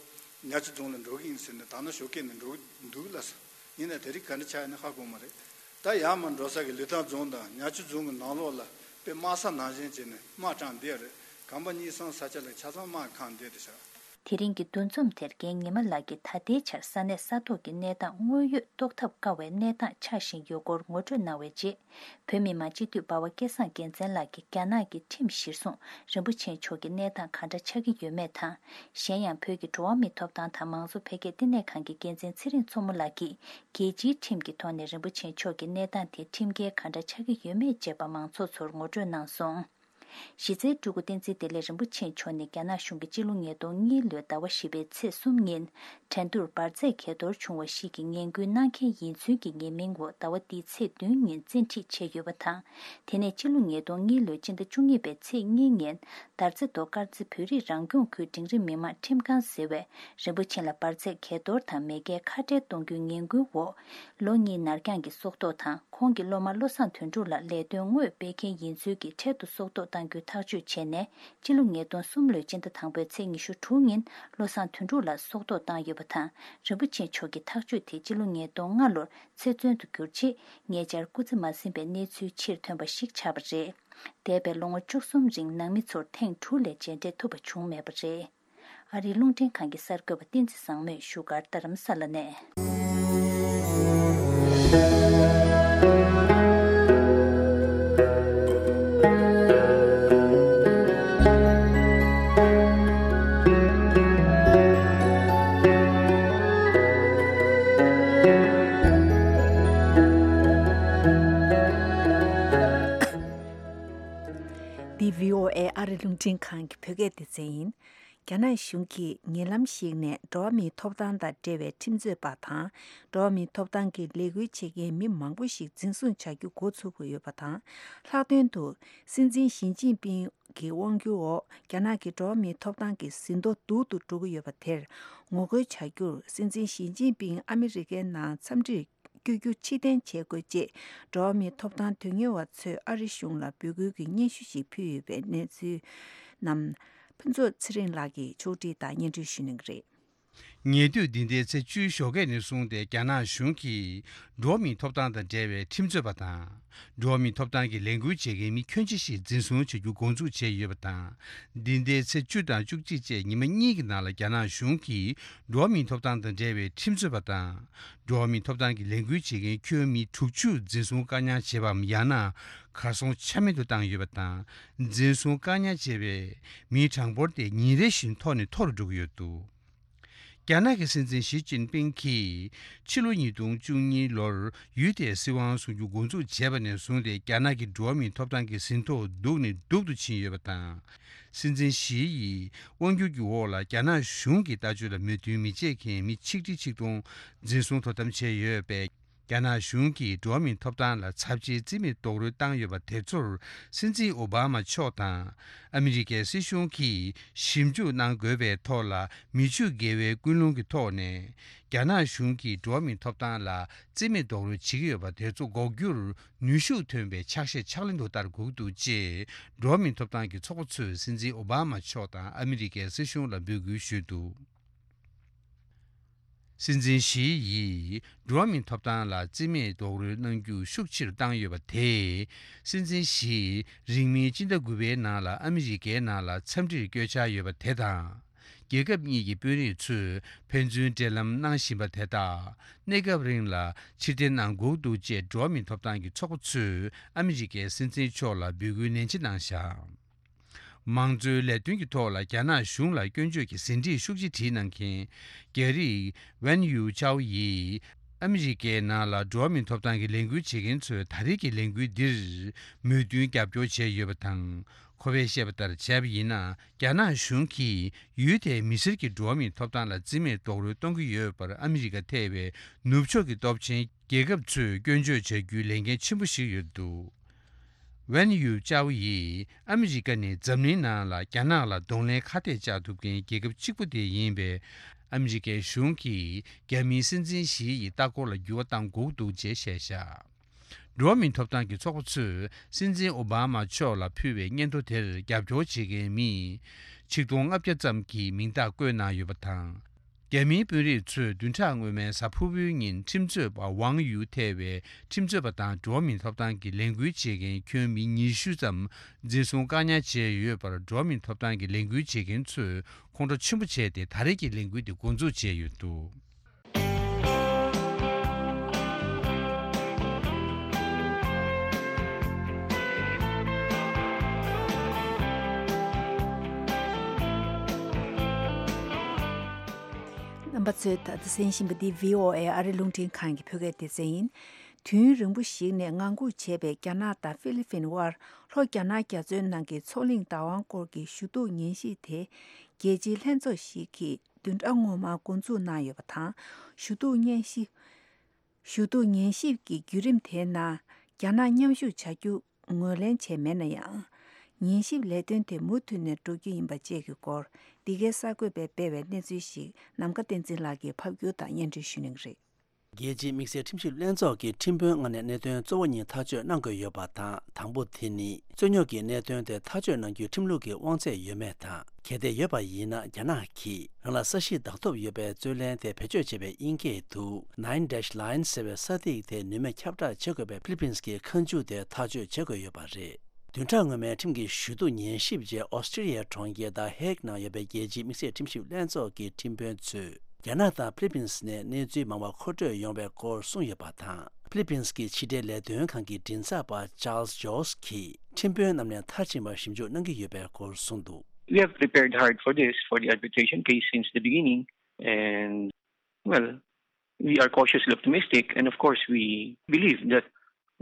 ཉག་ཆུ་རྫོང་ལ་འགྲོ་གི་ཡིན་ཟེར་ནས་ད་ནང་ཞོགས་ཀས་ནས་འགྲོ་གི་འདུག་ལབ་སོང་། ཡིན་ནའི་དེ་རིང་ག་འདྲ་ཆགས་ཡོད་ན་ཧ་གོ་མ་རེད། ད་ཡར་མར་འགྲོ་ས་གི་ལི་ཐང་རྫོང་དང་ཉག་ཆུ་རྫོང་གི་ནང་ལོགས་ལ་དཔེ་དམག་ས་ནང་བཞིན་བྱས་ནས་དམག་དྲངས་བསྡད་ཡོད་རེད། གམ་པ་གཉིས་གསུམ་ས་ཆ་ལ་ཆ་ཚང་དམག་གིས་ཁེངས་བསྡད་བསྡད་ཤག་དེ་རིང་གི་འདུ་འཛོམས་དེར་རྒན་ཉི་མ་ལགས་ཀྱིས་ད་ལྟའི་ཆར་ས་གནས་ས་ཐོག་གི་གནས་སྟངས་དངོས་ཡོད་རྟོགས་ཐབས་དཀའ་བའི་གནས་སྟངས་ཆགས་བཞིན་ཡོད་སྐོར་ངོ་སྤྲོད་གནང་བའི་རྗེས། བོད་མི་མང་སྤྱི་འཐུས་འབའ་བ་སྐལ་བཟང་རྒྱལ་མཚན་ལགས་ཀྱིས་རྒྱ་ནག་གི་ཁྲིམས་གཞིར་བཟུང་རིན་པོ་ཆེ་མཆོག་གི་གནས་སྟངས་ག་འདྲ་ཆགས་ཀྱི་ཡོད་མེད་དང་། གཞན་ཡང་བོད་ཀྱི་འགྲོ་བ་མིའི་ཐོབ་ཐང་དང་མང་གཙོ་འཕེལ་རྒྱས་ལྟེ་གནས་ཁང་གི་འགན་འཛིན་ཚེ་རིང་མཚོ་མོ་ལགས་ཀྱིས་རྒྱལ་སྤྱིའི་ཁྲིམས་ཀྱི་ཐོག་ནས་རིན་པོ་ཆེ་མཆོག་གི་གནས་སྟངས་དེ་ཁྲིམས་འགལ་ག་འདྲ་ཆགས་ཀྱི་ཡོད་མེད་བཅས་པ་མང་ཚོགས་ཚོར་ངོ་སྤྲོད་གནང་སོང་། གཞི་རྩའི་སྤྲུལ་སྐུ་བསྟན་འཛིན་བདེ་ལེགས་རིན་པོ་ཆེ་མཆོག་ནི་རྒྱ་ནག་གཞུང་གིས་སྤྱི་ལོ་ཉིས་སྟོང་གཉིས་ལོའི་ཟླ་བ་བཞི་པའི་ཚེས་གསུམ་ཉིན། ཁྲེང་ཏུར་འབར་རྫས་གས་གཏོར་བྱུང་བ་ཞིག་གི་ངན་སྐུལ་གནང་མཁན་ཡིན་ཚུལ་གྱི་ཉེས་མིང་འོག་ཟླ་བ་འདིའི་ཚེས་བདུན་ཉིན་བཙན་ཁྲིད་བྱས་ཡོད་པ་དང་། དེ་ནས་སྤྱི་ལོ་ཉིས་སྟོང་གཉིས་ལོའི་སྤྱི་ཟླ་བཅུ་གཉིས་པའི་ཚེས་གཉིས་ཉིན། དར་རྩེ་མདོ་དཀར་རྩེ་བོད་རིགས་རང་སྐྱོང་ཁུལ་འབྲིང་རིམ་མི་དམངས་ཁྲིམས་ཁང་ཟེར་བས། རིན་པོ་ཆེ་ལ་འབར་རྫས་གས་གཏོར་དང་མེས་རྒྱལ་ཁ་བྲལ་གཏོང་རྒྱུའི་ངན་སྐུལ་འོག་ལོ་གཉིས་ནར་འགྱངས་ཀྱི་སྲོག་ཐོག་དང་། ཁོང་གི་སློབ་མ་བློ་བཟང་དོན་གྲུབ་ལ་ལས་དོན་དངོས་སྤེལ་མཁན་ཡིན་ཚུལ་གྱི་འཕྲལ་དུ་སྲོག་ཐོག་གཏང་རྒྱུའི་ཐག་གཅོད་བྱས་ནས། སྤྱི་ལོ་ཉིས་སྟོང་གསུམ་ལོའི་སྤྱི་ཟླ་དང་པོའི་ཚེས་ཉི་ཤུ་དྲུག་ཉིན་བློ་བཟང་དོན་གྲུབ་ལ་སྲོག་ཐོག་བཏང་ཡོད་པ་དང་། རིན་པོ་ཆེ་མཆོག་གི་ཐག་གཅོད་དེ་སྤྱི་ལོ་ཉིས་སྟོང་ལྔ་ལོར་ཚེ་བཙོན་དུ་གྱུར་རྗེས། ཉེ་ཆར་སྐུ་ཚེ་མ་ཟིན་པའི་གནས་ཚུལ་ཕྱིར་ཐོན་པ་ཞིག་ཆགས་པ་རེད། འདས་པའི་ལོ་ངོ་བཅུ་གསུམ་རིང་ནང་མི་ཚོར་ཐེངས་དྲུག་ལས་མཇལ་འཕྲད་ཐུབ་པ་བྱུང་མེད་པ་རེད། ཨ་རིའི་རླུང་འཕྲིན་ཁང་གི་གསར་འགོད་པ་བསྟན་འཛིན་བཟང་མོས་བཞུགས་སྒར་རྡ་རམ་ས་ལ་ནས། འདི་བྷི་ཨོ་ཨེ་ཨ་རི་རླུང་འཕྲིན་ཁང་གི་བོད་སྐད་སྡེ་ཚན་ཡིན། རྒྱ་ནག་གཞུང་གིས་ཉེ་ལམ་ཞིག་ནས་འགྲོ་བ་མིའི་ཐོབ་ཐང་དང་འབྲེལ་བའི་ཁྲིམས་རྩོད་པ་དང་། འགྲོ་བ་མིའི་ཐོབ་ཐང་གི་ལས་འགུལ་བྱེད་མཁན་མི་མང་པོ་ཞིག་འཛིན་བཟུང་བྱ་རྒྱུ་འགོ་ཚུགས་ཀྱི་ཡོད་པ་དང་། ལྷག་དོན་དུ་སྲིད་འཛིན་ཞི་ཅིན་ཕིང་གི་དབང་སྒྱུར་འོག་རྒྱ་ནག་གི་འགྲོ་བ་མིའི་ཐོབ་ཐང་གི་ཟིན་ཐོ་སྡུག་ཏུ་འགྲོ་གི་ཡོད་པ་དེར་ངོ་རྒོལ་བྱ་རྒྱུར། སྲིད་འཛིན་ཞི་ཅིན་ཕིང་ཨ་མི་རི་ཀའི་ནང་འཚམས་འདྲིར་བསྐྱོད་རྒྱུ་ཕྱིར་འཐེན་བྱེད་དགོས་ཅེས། འགྲོ་བ་མིའི་ཐོབ་ཐང་དོན་གཉེར་བ་ཚོས་ཨ་རི་གཞུང་ལ་འབོད་སྐུལ་གྱི་སྙན་ཞུ་ཞིག་ཕུལ་ཡོད་པའི་གནས་ཚུལ་རྣམས། ཕུན་ཚོགས་ཚེ་རིང་ལགས་ཀྱིས་ཕྱོགས་སྒྲིག་དང་སྙན་སྒྲོན་ཞུ་གནང་གི་རེད། ཉེ་དུས་འདི་ཟླའི་ཚེས་བཅུའི་ཞོགས་ཀས་ནས་བཟུང་སྟེ་རྒྱ་ནག་གཞུང་གིས་འགྲོ་བ་མིའི་ཐོབ་ཐང་དང་འབྲེལ་བའི་ཁྲིམས་རྩོད་པ་དང་། འགྲོ་བ་མིའི་ཐོབ་ཐང་གི་ལས་འགུལ་བྱེད་མཁན་མི་ཁྱོན་ཆེ་ཞིག་འཛིན་བཟུང་བྱ་རྒྱུ་འགོ་འཛུགས་བྱས་ཡོད་པ་དང་། འདི་ཟླའི་ཚེས་བཅུ་དང་བཅུ་གཅིག་བཅས་ཉི་མ་གཉིས་ཀྱི་ནང་ལ་རྒྱ་ནག་གཞུང་གིས་འགྲོ་བ་མིའི་ཐོབ་ཐང་དང་འབྲེལ་བའི་ཁྲིམས་རྩོད་པ་དང་། འགྲོ་བ་མིའི་ཐོབ་ཐང་གི་ལས་འགུལ་བྱེད་མཁན་ཁྱོན་མི་དྲུག་ཅུ་འཛིན་བཟུང་བཀག་ཉར་བྱས་པའམ་ཡང་ན་གར་སོང་ཆ་མེད་དུ་བཏང་ཡོད་པ་དང་། འཛིན་བཟུང་བཀག་ཉར་བྱས་པའི་མིའི་གྲངས་འབོར་དེ་ཉིན་རེ་བཞིན་མཐོ་ནས་མཐོ་རུ་འགྲོ་གི་ཡོད་འདུག་རྒྱ་ནག་གི་སྲིད་འཛིན་ཞི་ཅིན་ཕིང་གིས་ཕྱི་ལོ་ཉིས་སྟོང་བཅུ་གཉིས་ལོར་ཡུལ་དེའི་སྲིད་དབང་བཟུང་རྒྱུ་འགོ་འཛུགས་བྱས་པ་ནས་བཟུང་སྟེ་རྒྱ་ནག་གི་འགྲོ་བ་མིའི་ཐོབ་ཐང་གི་ཟིན་ཐོ་སྡུག་ནས་སྡུག་ཏུ་ཕྱིན་ཡོད་པ་དང་། སྲིད་འཛིན་ཞི་ཡིས་དབང་སྒྱུར་གྱི་འོག་ལ་རྒྱ་ནག་གཞུང་གི་ལྟ་སྤྱོད་ལ་མོས་མཐུན་མི་བྱེད་མཁན་མི་ཆིག་ཁྲི་ཆིག་སྟོང་འཛིན་བཟུང་དོ་དམ་བྱས་ཡོད་པས། རྒྱ་ནག་གཞུང་གིས་འགྲོ་བ་མིའི་ཐོབ་ཐང་ལ་ཚབས་ཆེའི་རྩིས་མེད་རྡོག་རོལ་བཏང་ཡོད་པ་དེ་ཚོར་སྲིད་འཛིན་ཨོ་བྷ་མ་མཆོག་དང་ཨ་མི་རི་ཀའི་སྲིད་གཞུང་གིས་ཞིབ་འཇུག་གནང་དགོས་པའི་ཐོག་ལ་མི་ཆོས་དགེ་བའི་ཀུན་སློང་གི་ཐོག་ནས་རྒྱ་ནག་གཞུང་གིས་འགྲོ་བ་མིའི་ཐོབ་ཐང་ལ་རྩིས་མེད་རྡོག་རོལ་བྱེད་ཀྱི་ཡོད་པ་དེ་ཚོ་འགོག་རྒྱུར་ནུས་ཤུགས་ཐོན་པའི་ཕྱག་བཞེས་ཕྱག་ལེན་དུ་བསྟར་དགོས་འདུག་ཅེས་འགྲོ་བ་མིའི་ཐོབ་ཐང་གི་ཚོགས་པ་ཚོས་སྲིད་འཛིན་ཨོ་བྷ་མ་མཆོག་དང་ཨ་མི་རི་ཀའི་སྲིད་གཞུང་ལ་འབོད་སྐུལ་ཞུས་འདུག་སྲིད་འཛིན་ཞི་ཡིས་འགྲོ་བ་མིའི་ཐོབ་ཐང་ལ་རྩིས་མེད་རྡོག་རོལ་གནང་རྒྱུ་ཤུགས་ཆེ་རུ་བཏང་ཡོད་པ་དེས། སྲིད་འཛིན་ཞི་ཡིས་རིང་མིན་སྤྱི་ཟླ་དགུ་པའི་ནང་ལ་ཨ་མི་རི་ཀའི་ནང་ལ་འཚམས་འདྲིར་བསྐྱོད་འཆར་ཡོད་པ་དེ་དང་། རྒྱལ་ཁབ་གཉིས་ཀྱི་དཔོན་རིགས་ཚོས་ཕན་ཚུན་འབྲེལ་ལམ་གནང་བཞིན་པ་དེ་དག་གནས་སྐབས་རིང་ལ་ཕྱིར་འཐེན་གནང་དགོས་འདུག་ཅེས་འགྲོ་བ་མིའི་ཐོབ་ཐང་གི་ཚོགས་པ་ཚོས་ཨ་མི་རི་ཀའི་སྲིད་འཛིན་མཆོག་ལ་འབོད་སྐུལ་ནན་ཆེ་གནང་བཞག་མང་གཙོའི་ལས་དོན་གྱི་ཐོག་ལ་རྒྱ་ནག་གཞུང་ལ་སྐྱོན་བརྗོད་ཀྱི་ཟིན་བྲིས་ཤུགས་ཆེ་བྲིས་གནང་མཁན་རྒྱ་རིགས་ཝན་ཡུའུ་ཅའོ་ཡིས་ཨ་མི་རི་ཀའི་ནང་ལ་འགྲོ་བ་མིའི་ཐོབ་ཐང་གི་ལས་འགུལ་བྱེད་མཁན་ཚོས་ད་རེས་ཀྱི་ལས་འགུལ་འདིར་མོས་མཐུན་རྒྱབ་སྐྱོར་བྱས་ཡོད་པ་དང་། ཁོ་པས་བཤད་པ་ལྟར་བྱས་པ་ཡིན་ན། རྒྱ་ནག་གཞུང་གིས་ཡུལ་དེའི་མི་སེར་གྱི་འགྲོ་བ་མིའི་ཐོབ་ཐང་ལ་རྩིས་མེད་རྡོག་རོལ་གཏོང་གི་ཡོད་པར་ཨ་མི་རི་ཀ་ཐེ་བའི་ནུབ་ཕྱོགས་ཀྱི་སྟོབས་ཆེན་རྒྱལ་ཁབ་ཚོས་སྐྱོན་བརྗོད་བྱ་རྒྱུའི་ལས་འགན་ཆེན་པོ་ཞིག་ཡོད་འདུག་ཝན་ཡུ་ཅའོ་ཡིས་ཨ་མི་རི་ཀ་ནི་འཛམ་གླིང་ནང་ལ་རྒྱ་ནག་ལ་གདོང་ལེན་ཁ་གཏད་བཅག་ཐུབ་མཁན་རྒྱལ་ཁབ་གཅིག་པུ་དེ་ཡིན་པས། ཨ་མི་རི་ཀའི་གཞུང་གིས་རྒྱ་མིའི་སྲིད་འཛིན་ཞི་ཡི་ལྟ་སྐོར་ལ་འགྱུར་བ་གཏང་དགོས་འདུག་ཅེས་བཤད་བཞག་འགྲོ་བ་མིའི་ཐོབ་ཐང་གི་ཚོགས་པ་ཚོས་སྲིད་འཛིན་ཨོ་བྷ་མ་མཆོག་ལ་ཕུལ་བའི་སྙན་ཐོ་དེར་རྒྱབ་སྐྱོར་བྱེད་མཁན་མི་ཆིག་སྟོང་ལྔ་བརྒྱ་ཙམ་གྱི་མིང་རྟགས་བཀོད་གནང་ཡོད་པ་དང་། རྒྱ་མིའི་དཔོན་རིགས་ཚོས་བདུན་ཕྲག་སྔོན་མའི་གཟའ་ཕུར་བུའི་ཉིན་ཁྲིམས་རྩོད་པ་ཝང་ཡུའུ་ཐེ་བའི་ཁྲིམས་རྩོད་པ་དང་འགྲོ་བ་མིའི་ཐོབ་ཐང་གི་ལས་འགུལ་བྱེད་མཁན་ཁྱོན་མི་ཉི་ཤུ་ཙམ་འཛིན་བཟུང་བཀག་ཉར་བྱས་ཡོད་པར། འགྲོ་བ་མིའི་ཐོབ་ཐང་གི་ལས་འགུལ་བྱེད་མཁན་ཚོས་ཁོང་ཁྲོ་ཆེན་པོ་བྱས་ཏེ་ད་རེས་ཀྱི་ལས་འགུལ་དེ་འགོ་འཛུགས་བྱས་ཡོད་འདུག་རྣམ་པ་ཚོས་ད་ལྟ་གསན་བཞིན་པ་འདི་བྷི་ཨོ་ཨེ་ཨ་རི་རླུང་འཕྲིན་ཁང་གི་བོད་སྐད་སྡེ་ཚན་ཡིན། དུས་ཡུན་རིང་པོ་ཞིག་ནས་ངང་སྒུག་བྱས་པའི་རྒྱ་ནག་དང་ཧྥི་ལི་ཕིན་དབར་ལྷོ་རྒྱ་ནག་རྒྱ་མཚོའི་ནང་གི་མཚོ་གླིང་བདག་དབང་སྐོར་གྱི་ཞུ་གཏུག་ཉན་ཞིབ་དེ་རྒྱལ་སྤྱིའི་ལྷན་ཚོགས་ཤིག་གིས་བདུན་ཕྲག་སྔོན་མ་འགོ་འཛུགས་གནང་ཡོད་པ་དང་། ཞུ་གཏུག་ཉན་ཞིབ། ཞུ་གཏུག་ཉན་ཞིབ་ཀྱི་བརྒྱུད་རིམ་དེའི་ནང་རྒྱ་ནག་མཉམ་ཞུགས་བྱ་རྒྱུ་ངོས་ལེན་བྱས་མེད་ན་ཡང་། ཉན་ཞིབ་ལས་དོན་དེ་མུ་མཐུད་ནས་འགྲོ་རྒྱུ་ཡིན་པ་བཅས་ཀྱི་སྐོར་འདི་གའི་གསར་འགོད་པས་སྤེལ་བའི་གནས་ཚུལ་ཞིག་ནམ་མཁའ་བསྟན་འཛིན་ལགས་ཀྱིས་ཕབ་སྒྱུར་དང་སྙན་སྒྲོན་ཞུ་གནང་གི་རེད། རྒྱལ་སྤྱིའི་དམིགས་བསལ་ཁྲིམས་ཞིབ་ལྷན་ཚོགས་ཀྱི་ཁྲིམས་དཔོན་ལྔ་ནས་གནད་དོན་གཙོ་བོ་གཉིས་ཐག་གཅོད་གནང་དགོས་ཡོད་པ་དང་། དང་པོ་དེ་ནི་རྩོད་རྙོག་གི་གནད་དོན་དེ་ཐག་གཅོད་གནང་རྒྱུའི་ཁྲིམས་ལུགས་ཀྱི་དབང་ཚད་ཡོད་མེད་དང་། གལ་ཏེ་ཡོད་པ་ཡིན་ན། རྒྱ་ནག་གིས་རང་ལ་ས་གཞི་བདག་ཐོབ་ཡོད་པའི་རྩོད་ལེན་དེ་བེད་སྤྱོད་བྱེད་པའི་དབྱིན་སྐད་དུ་Nine Dash Line ཟེར་བའི་ས་ཐིག་དེ་ནུས་མེད་ཁྱབ་བསྒྲགས་བྱེད་དགོས་པའི་ཕི་ལི་པིན་སི་གི་ཁ་མཆུ་དེ་ཐག་གཅོད་བྱེད་དགོས་ཡོད་པ་རེད། བདུན་ཕྲག་སྔོན་མའི་ཁྲིམས་ཀྱི་ཞུ་གཏུག་ཉན་ཞིབ་རྗེས་ཨོ་སི་ཀྲི་ལི་ཡའི་གྲོང་ཁྱེར་The Hague ནང་ཡོད་པའི་རྒྱལ་སྤྱིའི་དམིགས་བསལ་ཁྲིམས་ཞིབ་ལྷན་ཚོགས་ཀྱི་ཁྲིམས་དཔོན་ཚོས་རྒྱ་ནག་དང་ཕི་ལི་པིན་སི་ནས་གནས་ཚུལ་མང་བ་མཁོ་སྤྲོད་ཡོང་བའི་སྐོར་གསུངས་ཡོད་པ་དང་། ཕི་ལི་པིན་སི་གི་ཕྱི་འབྲེལ་ལས་དོན་ཁང་གི་མགྲིན་ཚབ་པ་Charles Jost གྱིས་ཁྲིམས་དཔོན་རྣམས་ནས་མཐར་ཕྱིན་པར་ཞིབ་འཇུག་གནང་གི་ཡོད་པའི་སྐོར་གསུངས་འདུག We have prepared hard for this, for the arbitration case since the beginning, and, well, we are cautiously optimistic, and of course, we believe that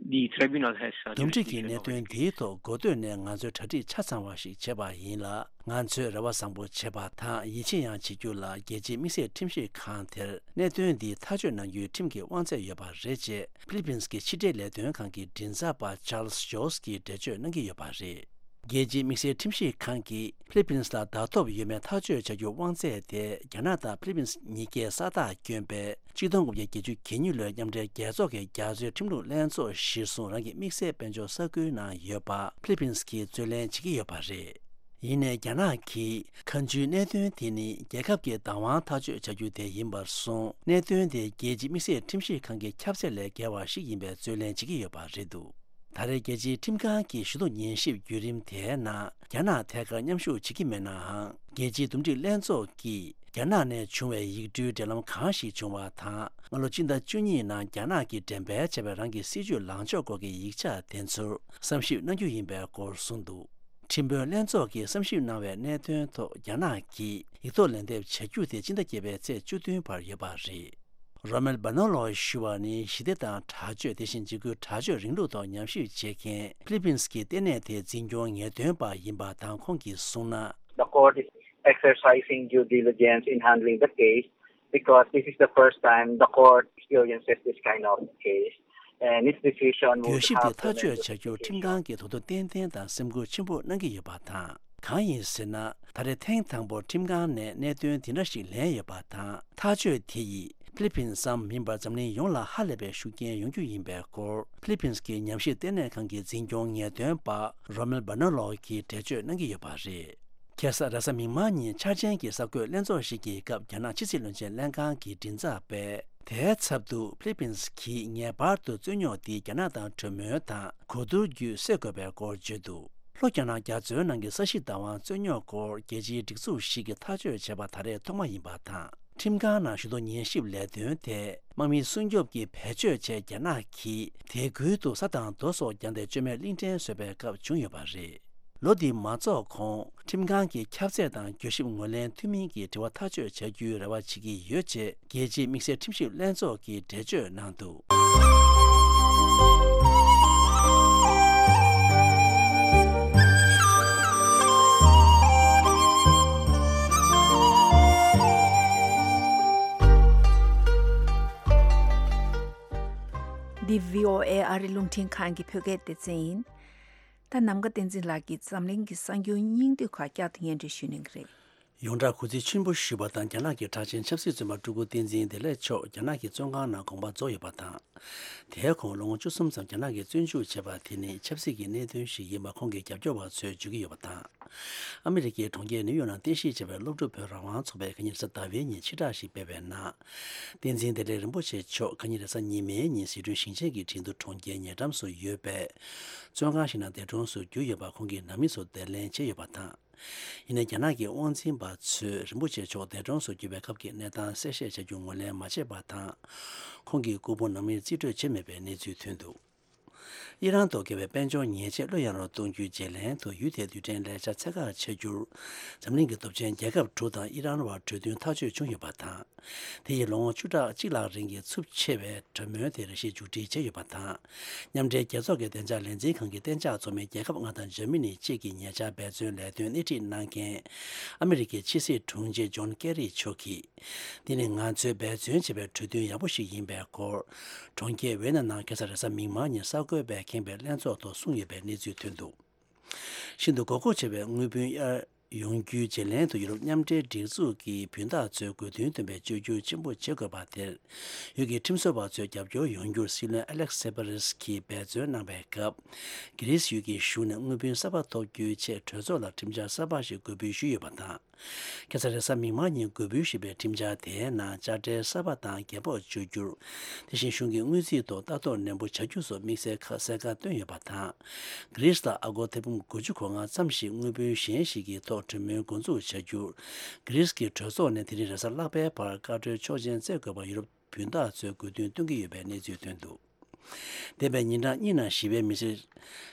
the tribunal has, uh, འདུམ་འགྲིག་གི་གནད་དོན་འདིའི་ཐོག་འགོ་སྟོད་ནས་ང་ཚོས་གྲ་སྒྲིག་ཆ་ཚང་བ་ཞིག་བྱས་པ་ཡིན་ལ། ང་ཚོས་རེ་བ་བཟང་པོ་བྱེད་པ་དང་ཡིད་ཆེས་ཡང་བྱེད་རྒྱུ་ལ། རྒྱལ་སྤྱིའི་དམིགས་བསལ་ཁྲིམས་ཞིབ་ཁང་དེར་གནད་དོན་འདི་ཐག་གཅོད་གནང་རྒྱུའི་ཁྲིམས་ཀྱི་དབང་ཚད་ཡོད་པ་རེད་ཅེས་ཕི་ལི་པིན་སི་གི་ཕྱི་འབྲེལ་ལས་དོན་ཁང་གི་མགྲིན་ཚབ་པ་Charles Jost གྱིས་འགྲེལ་བརྗོད་གནང་གི་ཡོད་པ་རེད། རྒྱལ་སྤྱིའི་དམིགས་བསལ་ཁྲིམས་ཞིབ་ཁང་གིས་ཕི་ལི་པིན་སི་ལ་བདག་ཐོབ་ཡོད་མེད་ཐག་གཅོད་བྱ་རྒྱུའི་དབང་ཚད་དེ་རྒྱ་ནག་དང་ཕི་ལི་པིན་སི་གཉིས་ཀས་ས་རྟགས་བསྐྱོན་པའི་གཅིག་སྟོང་དགུ་བརྒྱ་བརྒྱད་ཅུ་གྱ་གཉིས་ལོའི་མཉམ་འབྲེལ་རྒྱལ་ཚོགས་ཀྱི་རྒྱ་མཚོའི་ཁྲིམས་ལུགས་ལྷན་ཚོགས་གཞིར་བཟུང་རང་གི་དམིགས་བསལ་དཔལ་འབྱོར་ས་ཁུལ་ནང་ཡོད་པ་ཕི་ལི་པིན་སི་གིས་རྩོད་ལེན་བྱེད་ཀྱི་ཡོད་པ་རེད། ཡིན་ནའི་རྒྱ་ནག་གིས་ཁ་མཆུའི་གནད་དོན་དེ་ནི་རྒྱལ་ཁབ་ཀྱི་བདག་དབང་ཐག་གཅོད་བྱ་རྒྱུ་དེ་ཡིན་པར་སོང་། གནད་དོན་དེ་རྒྱལ་སྤྱིའི་དམིགས་བསལ་ཁྲིམས་ཞིབ་ཁང་གི་ཁྱབ་ཚད་ལས་བརྒལ་བ་ཞིག་ཡིན་པའི་རྩོད་ལེན་བྱེད་ཀྱི་ཡོད་པ་རེད་འདུག་ད་རེས་རྒྱལ་སྤྱིའི་ཁྲིམས་ཁང་གི་ཞུ་གཏུག་ཉན་ཞིབ་བརྒྱུད་རིམ་དེའི་ནང་རྒྱ་ནག་ཐད་ཀར་མཉམ་ཞུགས་བྱེད་ཀྱི་མེད་ནའང་། རྒྱལ་སྤྱིའི་འདུམ་འགྲིག་ལྷན་ཚོགས་ཀྱིས་རྒྱ་ནག་ནས་བྱུང་བའི་ཡིག་འབྲེལ་འབྲེལ་ལམ་གང་ཞིག་བྱུང་བ་དང་། སྔ་ལོ་སྤྱི་ཟླ་བཅུ་གཉིས་ནང་རྒྱ་ནག་གིས་འགྲེམས་སྤེལ་བྱས་པའི་རང་གི་སྲིད་ཇུས་ལངས་ཕྱོགས་སྐོར་གྱི་ཡིག་ཆ་དེ་ཚོར་བསམ་ཞིབ་གནང་རྒྱུ་ཡིན་པའི་སྐོར་གསུངས་འདུག་ཁྲིམས་དཔོན་ལྷན་ཚོགས་ཀྱིས་བསམ་ཞིབ་གནང་བའི་གནད་དོན་ཐོག་རྒྱ་ནག་གིས་ཡིག་ཐོག་ལན་འདེབས་བྱ་རྒྱུ་དེ་སྤྱི་ཟླ་བརྒྱད་པའི་ཚེས་བཅུ་བདུན་བར་ཡོད་པ་རེད། རོ་མེལ་སྦ་ནོ་ལོ་ཞུ་བ་ནི་ཞི་བདེ་དང་དྲག་སྤྱོད། དེ་བཞིན་འཇིགས་སྐུལ་དྲག་སྤྱོད་རིང་ལུགས་ཐོག་ཉམས་ཞིབ་བྱེད་མཁན་ཕི་ལི་པིན་སི་གི་ལྟེ་གནས་དེའི་འཛིན་སྐྱོང་ངེས་སྟོན་པ་ཡིན་པ་དང་། ཁོང་གིས་གསུངས་ན། The court is exercising due diligence in handling the case because this is the first time the court experiences this kind of case, and its decision would གྱོད་གཞི་དེ have ཐག་གཅོད་tremendous བྱ་རྒྱུར་ཁྲིམས་ཁང་གིས་དོ་སྣང་ཏན་ཏན་དང་སེམས་ཁུར་ཆེན་པོ་གནང་གི་ཡོད་པ་དང་། གང་ཡིན་ཟེར་ན། ད་རེས་ཐེངས་དང་པོར་ཁྲིམས་ཁང་ནས་གནད་དོན་དེ་འདྲ་ཞིག་ལེན་ཡོད་པ་དང་། ཐག་གཅོད་དེ་ཡིས་ཕི་ལི་པིན་ཙམ་མིན་པར་འཛམ་གླིང་ཡོངས་ལ་ཧ་ལས་པའི་ཤུགས་རྐྱེན་ཡོང་རྒྱུ་ཡིན་པའི་སྐོར་ཕི་ལི་པིན་སི་གི་ཉམས་ཞིབ་ལྟེ་གནས་ཁང་གི་འཛིན་སྐྱོང་ངེས་སྟོན་པ་རོ་མེལ་སྦ་ནོ་ལོ་གིས་འགྲེལ་བརྗོད་གནང་གི་ཡོད་པ་རེད། ཁ་སང་རེས་གཟའ་མིག་དམར་ཉིན་འཆར་ཅན་གྱི་གསར་འགོད་ལྷན་ཚོགས་ཤིག་གི་སྐབས། རྒྱ་ནག་ཕྱི་སྲིད་བློན་ཆེན་ལྷན་ཁང་གི་མགྲིན་ཚབ་པས། དེའི་ཚབ་ཏུ་ཕི་ལི་པིན་སི་གིས་ངེས་པར་དུ་རྩོད་རྙོག་འདི་རྒྱ་ནག་དང་གྲོས་མོལ་དང་གོ་བསྡུར་བརྒྱུད་སེལ་དགོས་པའི་སྐོར་བརྗོད་འདུག་ལྷོ་རྒྱ་ནག་རྒྱ་མཚོའི་ནང་གི་ས་གཞི་བདག་དབང་རྩོད་རྙོག་སྐོར་རྒྱལ་སྤྱིའི་སྒྲིག་འཛུགས་ཤིག་གིས་ཐག་གཅོད་བྱས་པ་ད་རེས་ཐོག་མ་ཡིན་པ་དང་། ཁྲིམས་ཁང་ནང་ཞུ་གཏུག་ཉན་ཞིབ་ལས་དོན་དེ་དམག་མི་སྲུང་སྐྱོབ་ཀྱི་བེད་སྤྱོད་ཆེད་རྒྱ་ནག་གིས་དེ་ཁུལ་དུ་ས་དང་རྡོ་སོགས་བརྒྱངས་ཏེ་བཅོས་མའི་གླིང་ཕྲན་བཟོས་པའི་སྐབས་བྱུང་ཡོད་པ་རེད། ལོ་འདི་མ་རྫོགས་གོང་ཁྲིམས་ཁང་གི་ཁྱབ་ཚད་དང་གྱོད་ཞིབ་ངོས་ལེན་འཐུས་མིན་གྱི་དྲི་བ་ཐག་གཅོད་བྱ་རྒྱུའི་རེ་བ་བྱེད་ཀྱི་ཡོད་ཅེས་རྒྱལ་སྤྱིའི་དམིགས་བསལ་ཁྲིམས་ཞིབ་ལྷན་ཚོགས་ཀྱིས་འགྲེལ་བརྗོད་གནང་འདུག་འདི་བྷི་ཨོ་ཨེ་ཨ་རི་རླུང་འཕྲིན་ཁང་གི་བོད་སྐད་སྡེ་ཚན་ཡིན། ད་ནམ་མཁའ་བསྟན་འཛིན་ལགས་ཀྱིས་འཛམ་གླིང་གི་གསར་འགྱུར་སྙིང་བསྡུས་ཁག་བསྐྱར་དུ་སྙན་སྒྲོན་ཞུ་གནང་གི་རེད། ཡོངས་གྲགས་གུས་བརྩི་ཆེན་པོ་ཞུས་པ་དང་། རྒྱ་ནག་གི་གྲགས་ཅན་ཆབ་སྲིད་བཙོན་པ་སྤྲུལ་སྐུ་བསྟན་འཛིན་བདེ་ལེགས་མཆོག་རྒྱ་ནག་གི་བཙོན་ཁང་ནང་དགོངས་པ་རྫོགས་ཡོད་པ་དང་། དེའི་གོང་ལོ་ངོ་བཅུ་གསུམ་ཙམ་རྒྱ་ནག་གིས་བཙོན་འཇུག་བྱས་པ་དེ་ནི་ཆབ་སྲིད་ཀྱི་གནད་དོན་ཞིག་ཡིན་པ་ཁོང་གི་རྒྱབ་སྐྱོར་བ་ཚོས་བརྗོད་ཀྱི་ཡོད་པ་དང་། ཨ་མི་རི་ཀའི་གྲོང་ཁྱེར་ནིའུ་ཡོག་ནང་རྟེན་གཞི་བྱས་པའི་སློབ་ཕྲུག་བོད་རང་དབང་ཚོགས་པས་ཁ་ཉིན་རེས་གཟའ་ཟླ་བའི་ཉིན་ཕྱིར་བསྒྲགས་ཤིག་སྤེལ་བའི་ནང་། བསྟན་འཛིན་བདེ་ལེགས་རིན་པོ་ཆེ་མཆོག་ཁ་ཉིན་རེས་གཟའ་ཉི་མའི་ཉིན་ཟི་ཁྲོན་ཞིང་ཆེན་གྱི་ཁྲིན་ཏུ་གྲོང་ཁྱེར་ཉེ་འགྲམ་སུ་ཡོད་པའི་བཙོན་ཁང་ཞིག་ནང་འདས་གྲོངས་སུ་གྱུར་ཡོད་པ་ཁོང་གི་ནང་མི་ཚོ་བདེ་ལེན་བྱས་ཡོད་པ་དང་། ཡིན་ནའི་རྒྱ་ནག་གི་དབང་འཛིན་པ་ཚོས་རིན་པོ་ཆེ་མཆོག་འདས་གྲོངས་སུ་གྱུར་པའི་སྐབས་ཀྱི་གནས་སྟངས་གསལ་བཤད་བྱ་རྒྱུ་ངོས་ལེན་མ་བྱས་པ་དང་། ཁོང་གི་སྐུ་ཕུང་ནང་མིར་རྩིས་སྤྲོད་བྱས་མེད་པའི་གནས་ཚུལ་ཐོན་འདུག་ཨི་རན་ཐོག་བཀལ་བའི་དཔལ་འབྱོར་ཉེས་ཆད་བློ་ཡངས་རུ་གཏོང་རྒྱུའི་བརྗེ་ལེན་དུ་ཡུལ་དེའི་རྡུལ་ཕྲན་ལས་འཆར་ཚད་བཀག་བྱ་རྒྱུར། འཛམ་གླིང་གི་སྟོབས་ཆེན་རྒྱལ་ཁབ་དྲུག་དང་ཨི་རན་བར་གྲོས་མཐུན་ཐག་གཅོད་བྱུང་ཡོད་པ་དང་། དེ་ཡིས་ལོ་ངོ་བཅུ་ཕྲག་གཅིག་ལྷག་རིང་གི་འཚུབ་ཆེ་བའི་གྲོས་མོལ་དེ་རེ་ཞིག་མཇུག་སྒྲིལ་བྱས་ཡོད་པ་དང་། མཉམ་འབྲེལ་རྒྱལ་ཚོགས་ཀྱི་བདེ་འཇགས་ལས་འཛིན་ཁང་གི་གཏན་འཇགས་ཚོགས་མི་རྒྱལ་ཁབ་ལྔ་དང་འཇར་མ་ནི་བཅས་ཀྱི་ཉེ་ཆར་འབད་བརྩོན་ལས་དོན་སྣེ་ཁྲིད་གནང་མཁན་ཨ་མི་རི་ཀའི་ཕྱི་སྲིད་དྲུང་ཆེ་ཇོན་ཀེ་རི་མཆོག་གིས། འདི་ནི་ང་ཚོས་འབད་བརྩོན་བྱས་པའི་གྲོས་མཐུན་ཡག་པོ་ཞིག་ཡིན་པའི་སྐོར། གྲོང་ཁྱེར་ཝེ་ན་ནང་ཁ་སང་རེས་གཟའ་མིག་དམར་ཉིན་གསར་འགོད་པས་ཁེངས་པའི་ལྷན་ཚོགས་ཐོག་གསུངས་ཡོད་པའི་གནས་ཚུལ་ཐོན་འདུག་ཤིན་ཏུ་མགོ་སྐོར་ཆེ་བའི་དངུལ་བུན་གཡར་ཡོང་རྒྱུའི་བརྗེ་ལེན་དུ་ཡུ་རོབ་མཉམ་འབྲེལ་སྒྲིག་འཛུགས་ཀྱི་བུན་བདག་ཚོས་དགོས་འདུན་བཏོན་པའི་བཅོས་བསྒྱུར་ཆེན་པོ་བྱེད་དགོས་པ་དེར། ཡུལ་གྱི་ཁྲིམས་བཟོ་བ་ཚོས་རྒྱབ་སྐྱོར་ཡོང་རྒྱུར་སྲིད་བློན་ཨ་ལེག་སེ་པ་རེས་ཀྱིས་འབད་བརྩོན་གནང་པའི་སྐབས། གྷི་རིས་ཡུལ་གྱི་གཞུང་ནས་དངུལ་བུན་གསར་པ་ཐོབ་རྒྱུའི་ཆེད་གྲོས་ཚོགས་ལ་ཁྲིམས་འཆར་གསར་པ་ཞིག་འགོད་འབུལ་ཞུས་ཡོད་པ་དང་། ཁ་སང་རེས་གཟའ་མིག་དམར་ཉིན་འགོད་འབུལ་ཞུས་པའི་ཁྲིམས་འཆར་དེའི་ནང་དཔྱ་ཁྲལ་གསར་པ་དང་རྒན་པོ་བཅོས་བསྒྱུར། དེ་བཞིན་གཞུང་གི་དངུལ་རྩིས་ཐོག་ལྟ་རྟོག་ནན་པོ་བྱ་རྒྱུ་སོགས་དམིགས་བསལ་ཁ་གསལ་ཁ་བཏོན་ཡོད་པ་དང་། གྷི་རིས་ལ་ཨ་སྒོར་ཐེར་འབུམ་དགུ་བཅུ་གོ་ལྔ་ཙམ་ཞིག་དངུལ་བུན་གཞན་ཞིག་གི་ཐོག་གྲོས་མོལ་འགོ་འཛུགས་བྱ་རྒྱུར། གྷི་རིས་ཀྱི་གྲོས་ཚོགས་ནས་དེ་རིང་རེས་གཟའ་ལྷག་པའི་བར་བཀའ་འཁྲོལ་ཆོག་མཆན་སྩལ་དགོས་པར་ཡུ་རོབ་བུན་བདག་ཚོས་དགོས་འདུན་བཏོན་གྱི་ཡོད་པའི་གནས་ཚུལ་ཐོན་འདུག་འདས་པའི་ཉིན་གྲངས་གཉིས་ནང་ཞི་བའི་མི་སེར་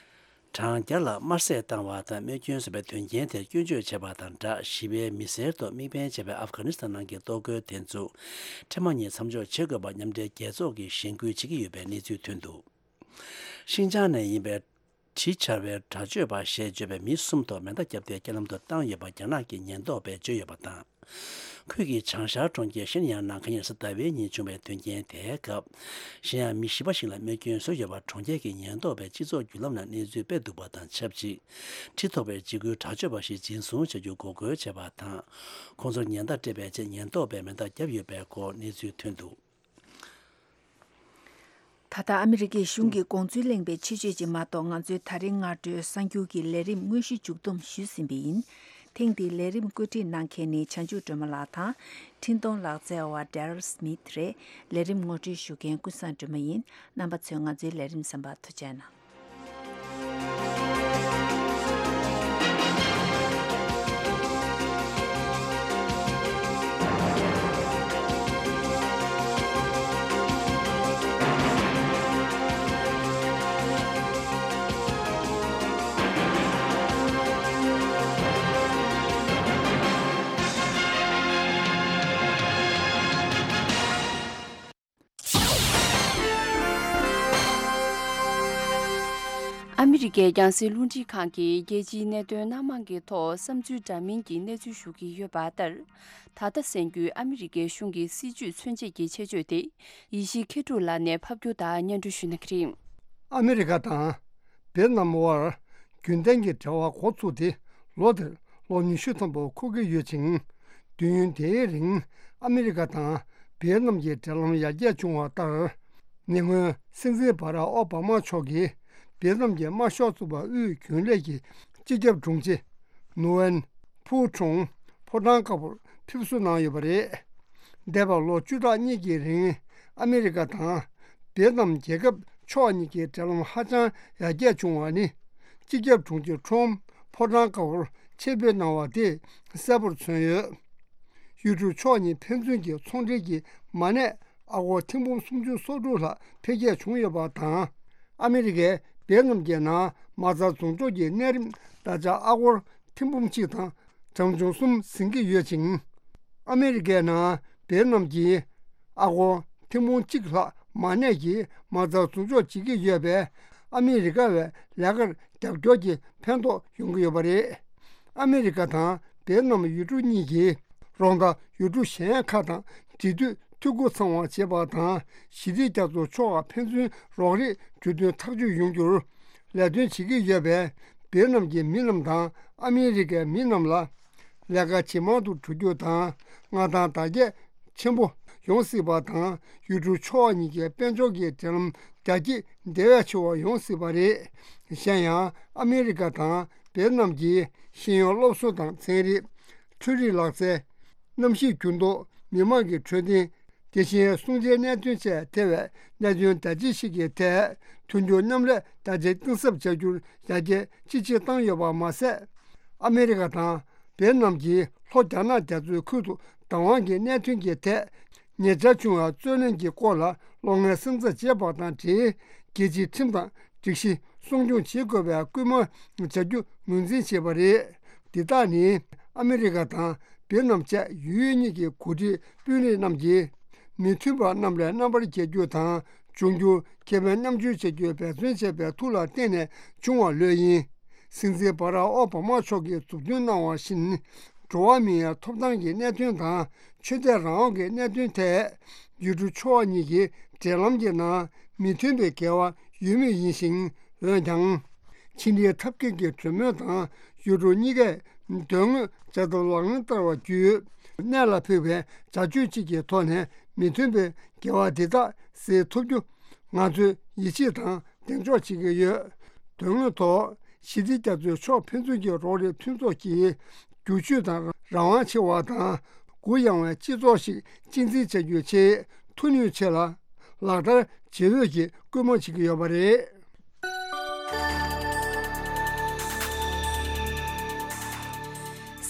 གྲངས་བརྒྱ་ལ་དམར་བསད་བཏང་བ་དང་རྨས་སྐྱོན་བཟོས་པའི་དོན་རྐྱེན་དེར་སྐྱོན་བརྗོད་བྱས་པ་དང་སྦྲགས། ཞི་བའི་མི་སེར་ཐོག་དམིགས་འབེན་བྱས་པའི་ཨབ་གྷ་ནི་སི་ཐན་ནང་གི་གཏོར་རྒོལ་དེ་ཚོ་འཕྲལ་མ་ཉིད་མཚམས་འཇོག་བྱེད་དགོས་པར་མཉམ་འབྲེལ་རྒྱལ་ཚོགས་ཀྱིས་གཞེན་སྐུལ་བྱེད་ཀྱི་ཡོད་པའི་གནས་ཚུལ་ཐོན་འདུག་ཤིན་ཅང་ནས་ཡིན་པའི་གྲི་འཕྱར་བའི་དྲག་སྤྱོད་པ་ཞེས་བརྗོད་པའི་མི་གསུམ་ཐོག་མེ་མདའ་བརྒྱབ་སྟེ་རྐྱེན་ལམ་དུ་བཏང་ཡོད་པ་རྒྱ་ནག་གི་ཉེན་རྟོག་པས་བརྗོད་ཡོད་པ་དང་། ཁུལ་གྱི་བྱང་ཤར་གྲོང་ཁྱེར་ཤིན་ཡང་ནང་ཁ་ཉིན་རེས་གཟའ་ཟླ་བའི་ཉིན་བྱུང་བའི་དོན་རྐྱེན་དེའི་སྐབས། གཞན་ཡང་མི་བཞི་པ་ཞིག་ལ་རྨས་སྐྱོན་བཟོས་ཡོད་པར་གྲོང་ཁྱེར་གྱི་ཉེན་རྟོག་པས་སྤྱི་ཚོགས་བརྒྱུད་ལམ་ནང་གནས་ཚུལ་སྤེལ་འདུག་པ་དང་ཆབས་ཅིག་ཁྲི་ཐོགས་པའི་འཇིགས་སྐུལ་དྲག་སྤྱོད་པ་ཞིག་འཛིན་བཟུང་བྱ་རྒྱུ་འགོག་རྒོལ་བྱས་པ་དང་། ཁོང་ཚོར་ཉེན་བརྡ་སྤྲད་པའི་ཆེད་ཉེན་རྟོག་པས་མེ་མདའ་བརྒྱབ་ཡོད་པའི་སྐོར་གནས་ཚུལ་ཐོན་འདུག་ད་ལྟ་ཨ་མི་རི་ཀའི་གཞུང་གིས་དགོངས་ཚུལ་གླེང་བའི་ཆེད་བརྗོད་ཅིག་མ་གཏོགས། ང་ཚོའི་ད་རིང་སྔ་དྲོའི་གསར་འགྱུར་གྱི་ལས་རིམ་དངོས་གཞི་མཇུག་བསྡོམས་ཞུས་ཟིན་པ་ཡིན། ཐེངས་འདིའི་ལས་རིམ་བཀོད་སྒྲིག་གནང་མཁན་ནི་བྱང་ཆུབ་སྒྲོལ་མ་ལགས་དང་། འཕྲིན་གཏོང་ལག་རྩལ་བ་Daryl Smith་རེད། ལས་རིམ་ངོ་སྤྲོད་ཞུ་མཁན་ཀུན་བཟང་སྒྲོལ་མ་ཡིན། རྣམ་པ་ཚོས་ང་ཚོའི་ལས་རིམ་གསན་པར་ཐུགས་རྗེ་གནང་། ཨ་མི་རི་ཀའི་རྒྱང་སྲིང་རླུང་འཕྲིན་ཁང་གིས་རྒྱལ་སྤྱིའི་གནད་དོན་སྣ་མང་གི་ཐོག་བསམ་ཚུལ་འདྲ་མིན་གྱི་གནས་ཚུལ་ཞུ་གི་ཡོད་པ་ལྟར། ད་ལྟ་གསན་རྒྱུའི་ཨ་མི་རི་ཀའི་གཞུང་གི་སྲིད་བྱུས་མཚོན་བྱེད་ཀྱི་ཆེད་བརྗོད་དེ། ཡེ་ཤེས་མཁས་གྲུབ་ལགས་ནས་ཕབ་སྒྱུར་དང་སྙན་སྒྲོན་ཞུ་གནང་གི་རེད། ཨ་མི་རི་ཀ་དང་ཝེ་ཏི་ནམ་དབར་རྒྱུན་ལྡན་གྱི་འབྲེལ་བ་འགོ་ཚུགས་ཏེ་ལོ་འདིར་ལོ་ཉི་ཤུ་ཐམ་པ་འཁོར་གྱི་ཡོད་ཅིང་། དུས་ཡུན་དེའི་རིང་ཨ་མི་རི་ཀ་དང་ཝེ་ཏི་ནམ་གྱི་འབྲེལ་ལམ་ཡར་རྒྱས་བྱུང་བ་ལྟར། ཉེ་སྔོན་སྲིད་འཛིན་བྷ་རག་ཨོ་བྷ་མ་མཆོག་གིས་ཝེ་ཏི་ནམ་གྱི་དམར་ཤོག་ཚོགས་པ་དབུས་རྒྱུན་ལས་ཀྱི་སྤྱི་ཁྱབ་དྲུང་ཆེ་ནུ་ཝེན་ཕུའུ་ཁྲུང་ཕོ་བྲང་དཀར་པོར་ཕེབས་བསུ་གནང་ཡོད་པ་རེད། འདས་པའི་ལོ་བཅུ་ཕྲག་གཉིས་ཀྱི་རིང་ཨ་མི་རི་ཀ་དང་ཝེ་ཏི་ནམ་རྒྱལ་ཁབ་ཕྱོགས་གཉིས་ཀྱི་འབྲེལ་ལམ་ཧ་ཅང་ཡར་རྒྱས་བྱུང་བ་ནི། སྤྱི་ཁྱབ་དྲུང་ཆེ་ཁྲོམ་ཕོ་བྲང་དཀར་པོར་ཆེད་ཕེབས་གནང་བ་དེས་གསལ་པོར་མཚོན་ཡོད། ཡུལ་གྲུ་ཕྱོགས་གཉིས་ཕན་ཚུན་གྱི་ཚོང་འབྲེལ་གྱི་མ་གནས་ཨ་སྒོར་ཐེར་འབུམ་སུམ་ཅུ་སོ་དྲུག་ལྷག་འཕེལ་རྒྱས་བྱུང་ཡོད་པ་དང་། ཨ་མི་རི་ཀས་ཝེ་ཏི་ནམ་གྱི་ནང་མ་རྩ་འཛུགས་འཇོག་གི་གནས་རིམ་བརྡ་ཆད་ཨ་སྒོར་ཐེར་འབུམ་གཅིག་དང་གྲངས་ཆུང་གསུམ་ཟིན་གྱི་ཡོད་ཅིང་། ཨ་མི་རི་ཀའི་ནང་ཝེ་ཏི་ནམ་གྱིས་ཨ་སྒོར་ཐེར་འབུམ་གཅིག་ལྷག་མ་གནས་ཀྱིས་མ་རྩ་འཛུགས་འཇོག་བྱེད་ཀྱི་ཡོད་པས། ཨ་མི་རི་ཀ་བའི་ལས་ཀར་རྒྱབ་སྐྱོར་གྱི་ཕན་ཐོགས་ཡོང་གི་ཡོད་པ་རེད། ཨ་མི་རི་ཀ་དང་ཝེ་ཏི་ནམ་ཡུལ་གྲུ་གཉིས་ཀྱིས་རོགས་ཟླ་ཡུལ་གྲུ་གཞན་ཁག་དང་འབྲེལ་མཐུད་འཐུས་སྒོ་ཚང་བ་བྱེད་པ་དང་། ཞི་བདེ་རྒྱ་མཚོ་ཕྱོགས་ཁག་ཕན་ཚུན་རོགས་རེས་གྲོས་མཐུན་ཐག་གཅོད་ཡོང་རྒྱུར་ལས་དོན་བྱེད་ཀྱི་ཡོད་པས། ཝེ་ཏི་ནམ་གྱི་མི་རྣམས་དང་ཨ་མི་རི་ཀའི་མི་རྣམས་ལ་ལས་ཀ་ཇེ་མང་དུ་འགྲོ་རྒྱུ་དང་། མངའ་ཐང་དར་རྒྱས་ཆེན་པོ་ཡོང་སྲིད་པ་དང་། ཡུལ་གྲུ་ཕྱོགས་གཉིས་ཀྱི་དཔལ་འབྱོར་གྱི་འབྲེལ་ལམ་རྒྱ་སྐྱེད་དེ་བས་ཆེ་བ་ཡོང་སྲིད་པ་རེད། གཞན་ཡང་ཨ་མི་རི་ཀ་དང་ཝེ་ཏི་ནམ་གྱིས་ཤེས་ཡོན་སློབ་གསོ་དང་ཚན་རིག་འཕྲུལ་རིག་ལག་རྩལ། གནམ་གཤིས་འགྱུར་ལྡོག་མི་དམངས་ཀྱི་འཕྲོད་བསྟེན། དེ་བཞིན་སྲུང་བརྩིའི་གནད་དོན་བཅས་ཐེ་བའི་གནད་དོན་དར་ཅིག་ཤོས་ཀྱི་ཐད་མཐུན་འགྱུར་མཉམ་ལས་དར་ཆ་གཏིང་ཟབ་བྱ་རྒྱུར་ཡར་རྒྱས་ཅི་ཆེ་བཏང་ཡོད་པ་མ་ཟད། ཨ་མི་རི་ཀ་དང་ཝེ་ཏི་ནམ་གྱིས་ལྷོ་རྒྱ་ནག་རྒྱ་མཚོའི་ཁུལ་དུ་བདག་དབང་གི་གནད་དོན་གྱི་ཐད་ཉེ་ཆར་བྱུང་བའི་རྩོད་གླེང་གི་སྐོར་ལ་གློག་བརྙན་གསན་རྩིས་བྱས་པ་དང་འབྲེལ། རྒྱལ་སྤྱིའི་ཁྲིམས་དང་སྒྲིག་གཞི་སྲུང་སྐྱོང་བྱེད་དགོས་པའི་སྐུལ་མ་བྱ་རྒྱུ་ངོས་འཛིན་བྱས་པ་རེད། འདི་དག་ནི་ཨ་མི་རི་ཀ་དང་ཝེ་ཏི་ནམ་བཅས་ཡུལ་གཉིས་ཀྱི་འགོ་ཁྲིད་དཔོན་རིགས་རྣམས་ཀྱིས་མི་མཐུན་པ་རྣམས་ལས་རྣམ་པར་རྒྱལ་རྒྱུ་དང་། འབྱུང་འགྱུར་ཁེ་ཕན་མཉམ་སྤྱོད་བྱ་རྒྱུའི་འབད་བརྩོན་བྱས་པའི་མཐུ་ལ་བརྟེན་ནས་བྱུང་བ་ལོས་ཡིན། སྲིད་འཛིན་བྷ་རག་ཨོ་བྷ་མ་མཆོག་གིས་མཛུབ་སྟོན་གནང་བ་བཞིན། འགྲོ་བ་མིའི་ཐོབ་ཐང་གི་གནད་དོན་དང་ཆོས་དད་རང་དབང་གི་གནད་དོན་ཐད། ཡུལ་གྲུ་ཕྱོགས་གཉིས་ཀྱི་འབྲེལ་ལམ་གྱི་ནང་མི་མཐུན་པའི་འགལ་བ་ཡོད་མུས་ཡིན་ཞིང་། འོན་ཀྱང་། ཕྱི་འབྲེལ་ཐབས་མཁས་ཀྱི་གྲོས་མོལ་དང་ཡུལ་གྲུ་གཉིས་ཀས་དོན་དངོས་བྱ་ཐབས་ལག་ལེན་བསྟར་བ་བརྒྱུད། གནད་ལ་ཕུག་པའི་བྱ་སྤྱོད་ཅིག་གི་ཐོག་ནས་མི་མཐུན་པའི་འགལ་བ་འདི་དག་སེལ་ཐུབ་རྒྱུ་ང་ཚོས་ཡིད་ཆེས་དང་གདེང་འཇོག་བྱེད་ཀྱི་ཡོད། དོན་དངོས་ཐོག་ཞི་བདེ་རྒྱ་མཚོའི་ཕྱོགས་ཕན་ཚུན་གྱི་རོགས་རེས་མཐུན་ཚོགས་ཀྱིས་རྒྱུ་ཆོས་དང་རང་དབང་ཆེ་བ་དང་གུ་ཡངས་པའི་སྤྱི་ཚོགས་ཤིག་གཅེས་འཛིན་བྱ་རྒྱུའི་ཆེད་མཐུ་ནུས་ཆེ་ལ་ལག་བསྟར་བྱེད་འོས་ཀྱི་སྐུལ་མ་བྱེད་ཀྱི་ཡོད་པ་རེད།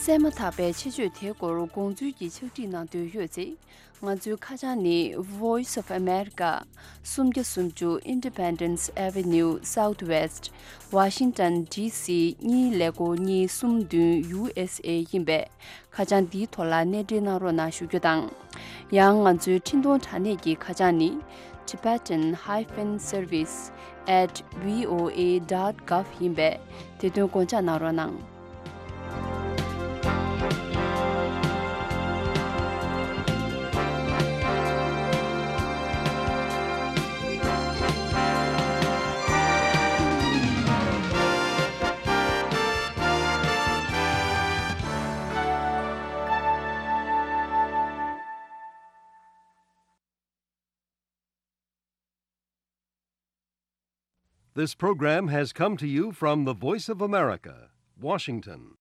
གསན་མ་ཐག་པའི་ཆེད་བརྗོད་དེའི་སྐོར་དགོངས་ཚུལ་གྱི་ཕྱག་བྲིས་གནང་འདོད་ཡོད་ཚེ། ང་ཚོའི་ཁ་བྱང་ནི། Voice of America། སུམ་བརྒྱ་སུམ་ཅུ་Independence Avenue Southwest། Washington D C གཉིས་ཀླད་ཀོར་གཉིས་གསུམ་བདུན། U S A ཡིན་པས། ཁ་བྱང་འདིའི་ཐོག་ལ་གནས་འབྲེལ་གནང་རོགས་གནང་ཞུ་རྒྱུ་དང་། ཡང་ང་ཚོའི་འཕྲིན་གཏོང་དྲ་གནས་ཀྱི་ཁ་བྱང་ནི། Tibetan hyphen service at V O A dot gov ཡིན་པས། དེ་དོན་དགོངས་འཇགས་གནང་རོགས་གནང་། This program has come to you from the Voice of America, Washington.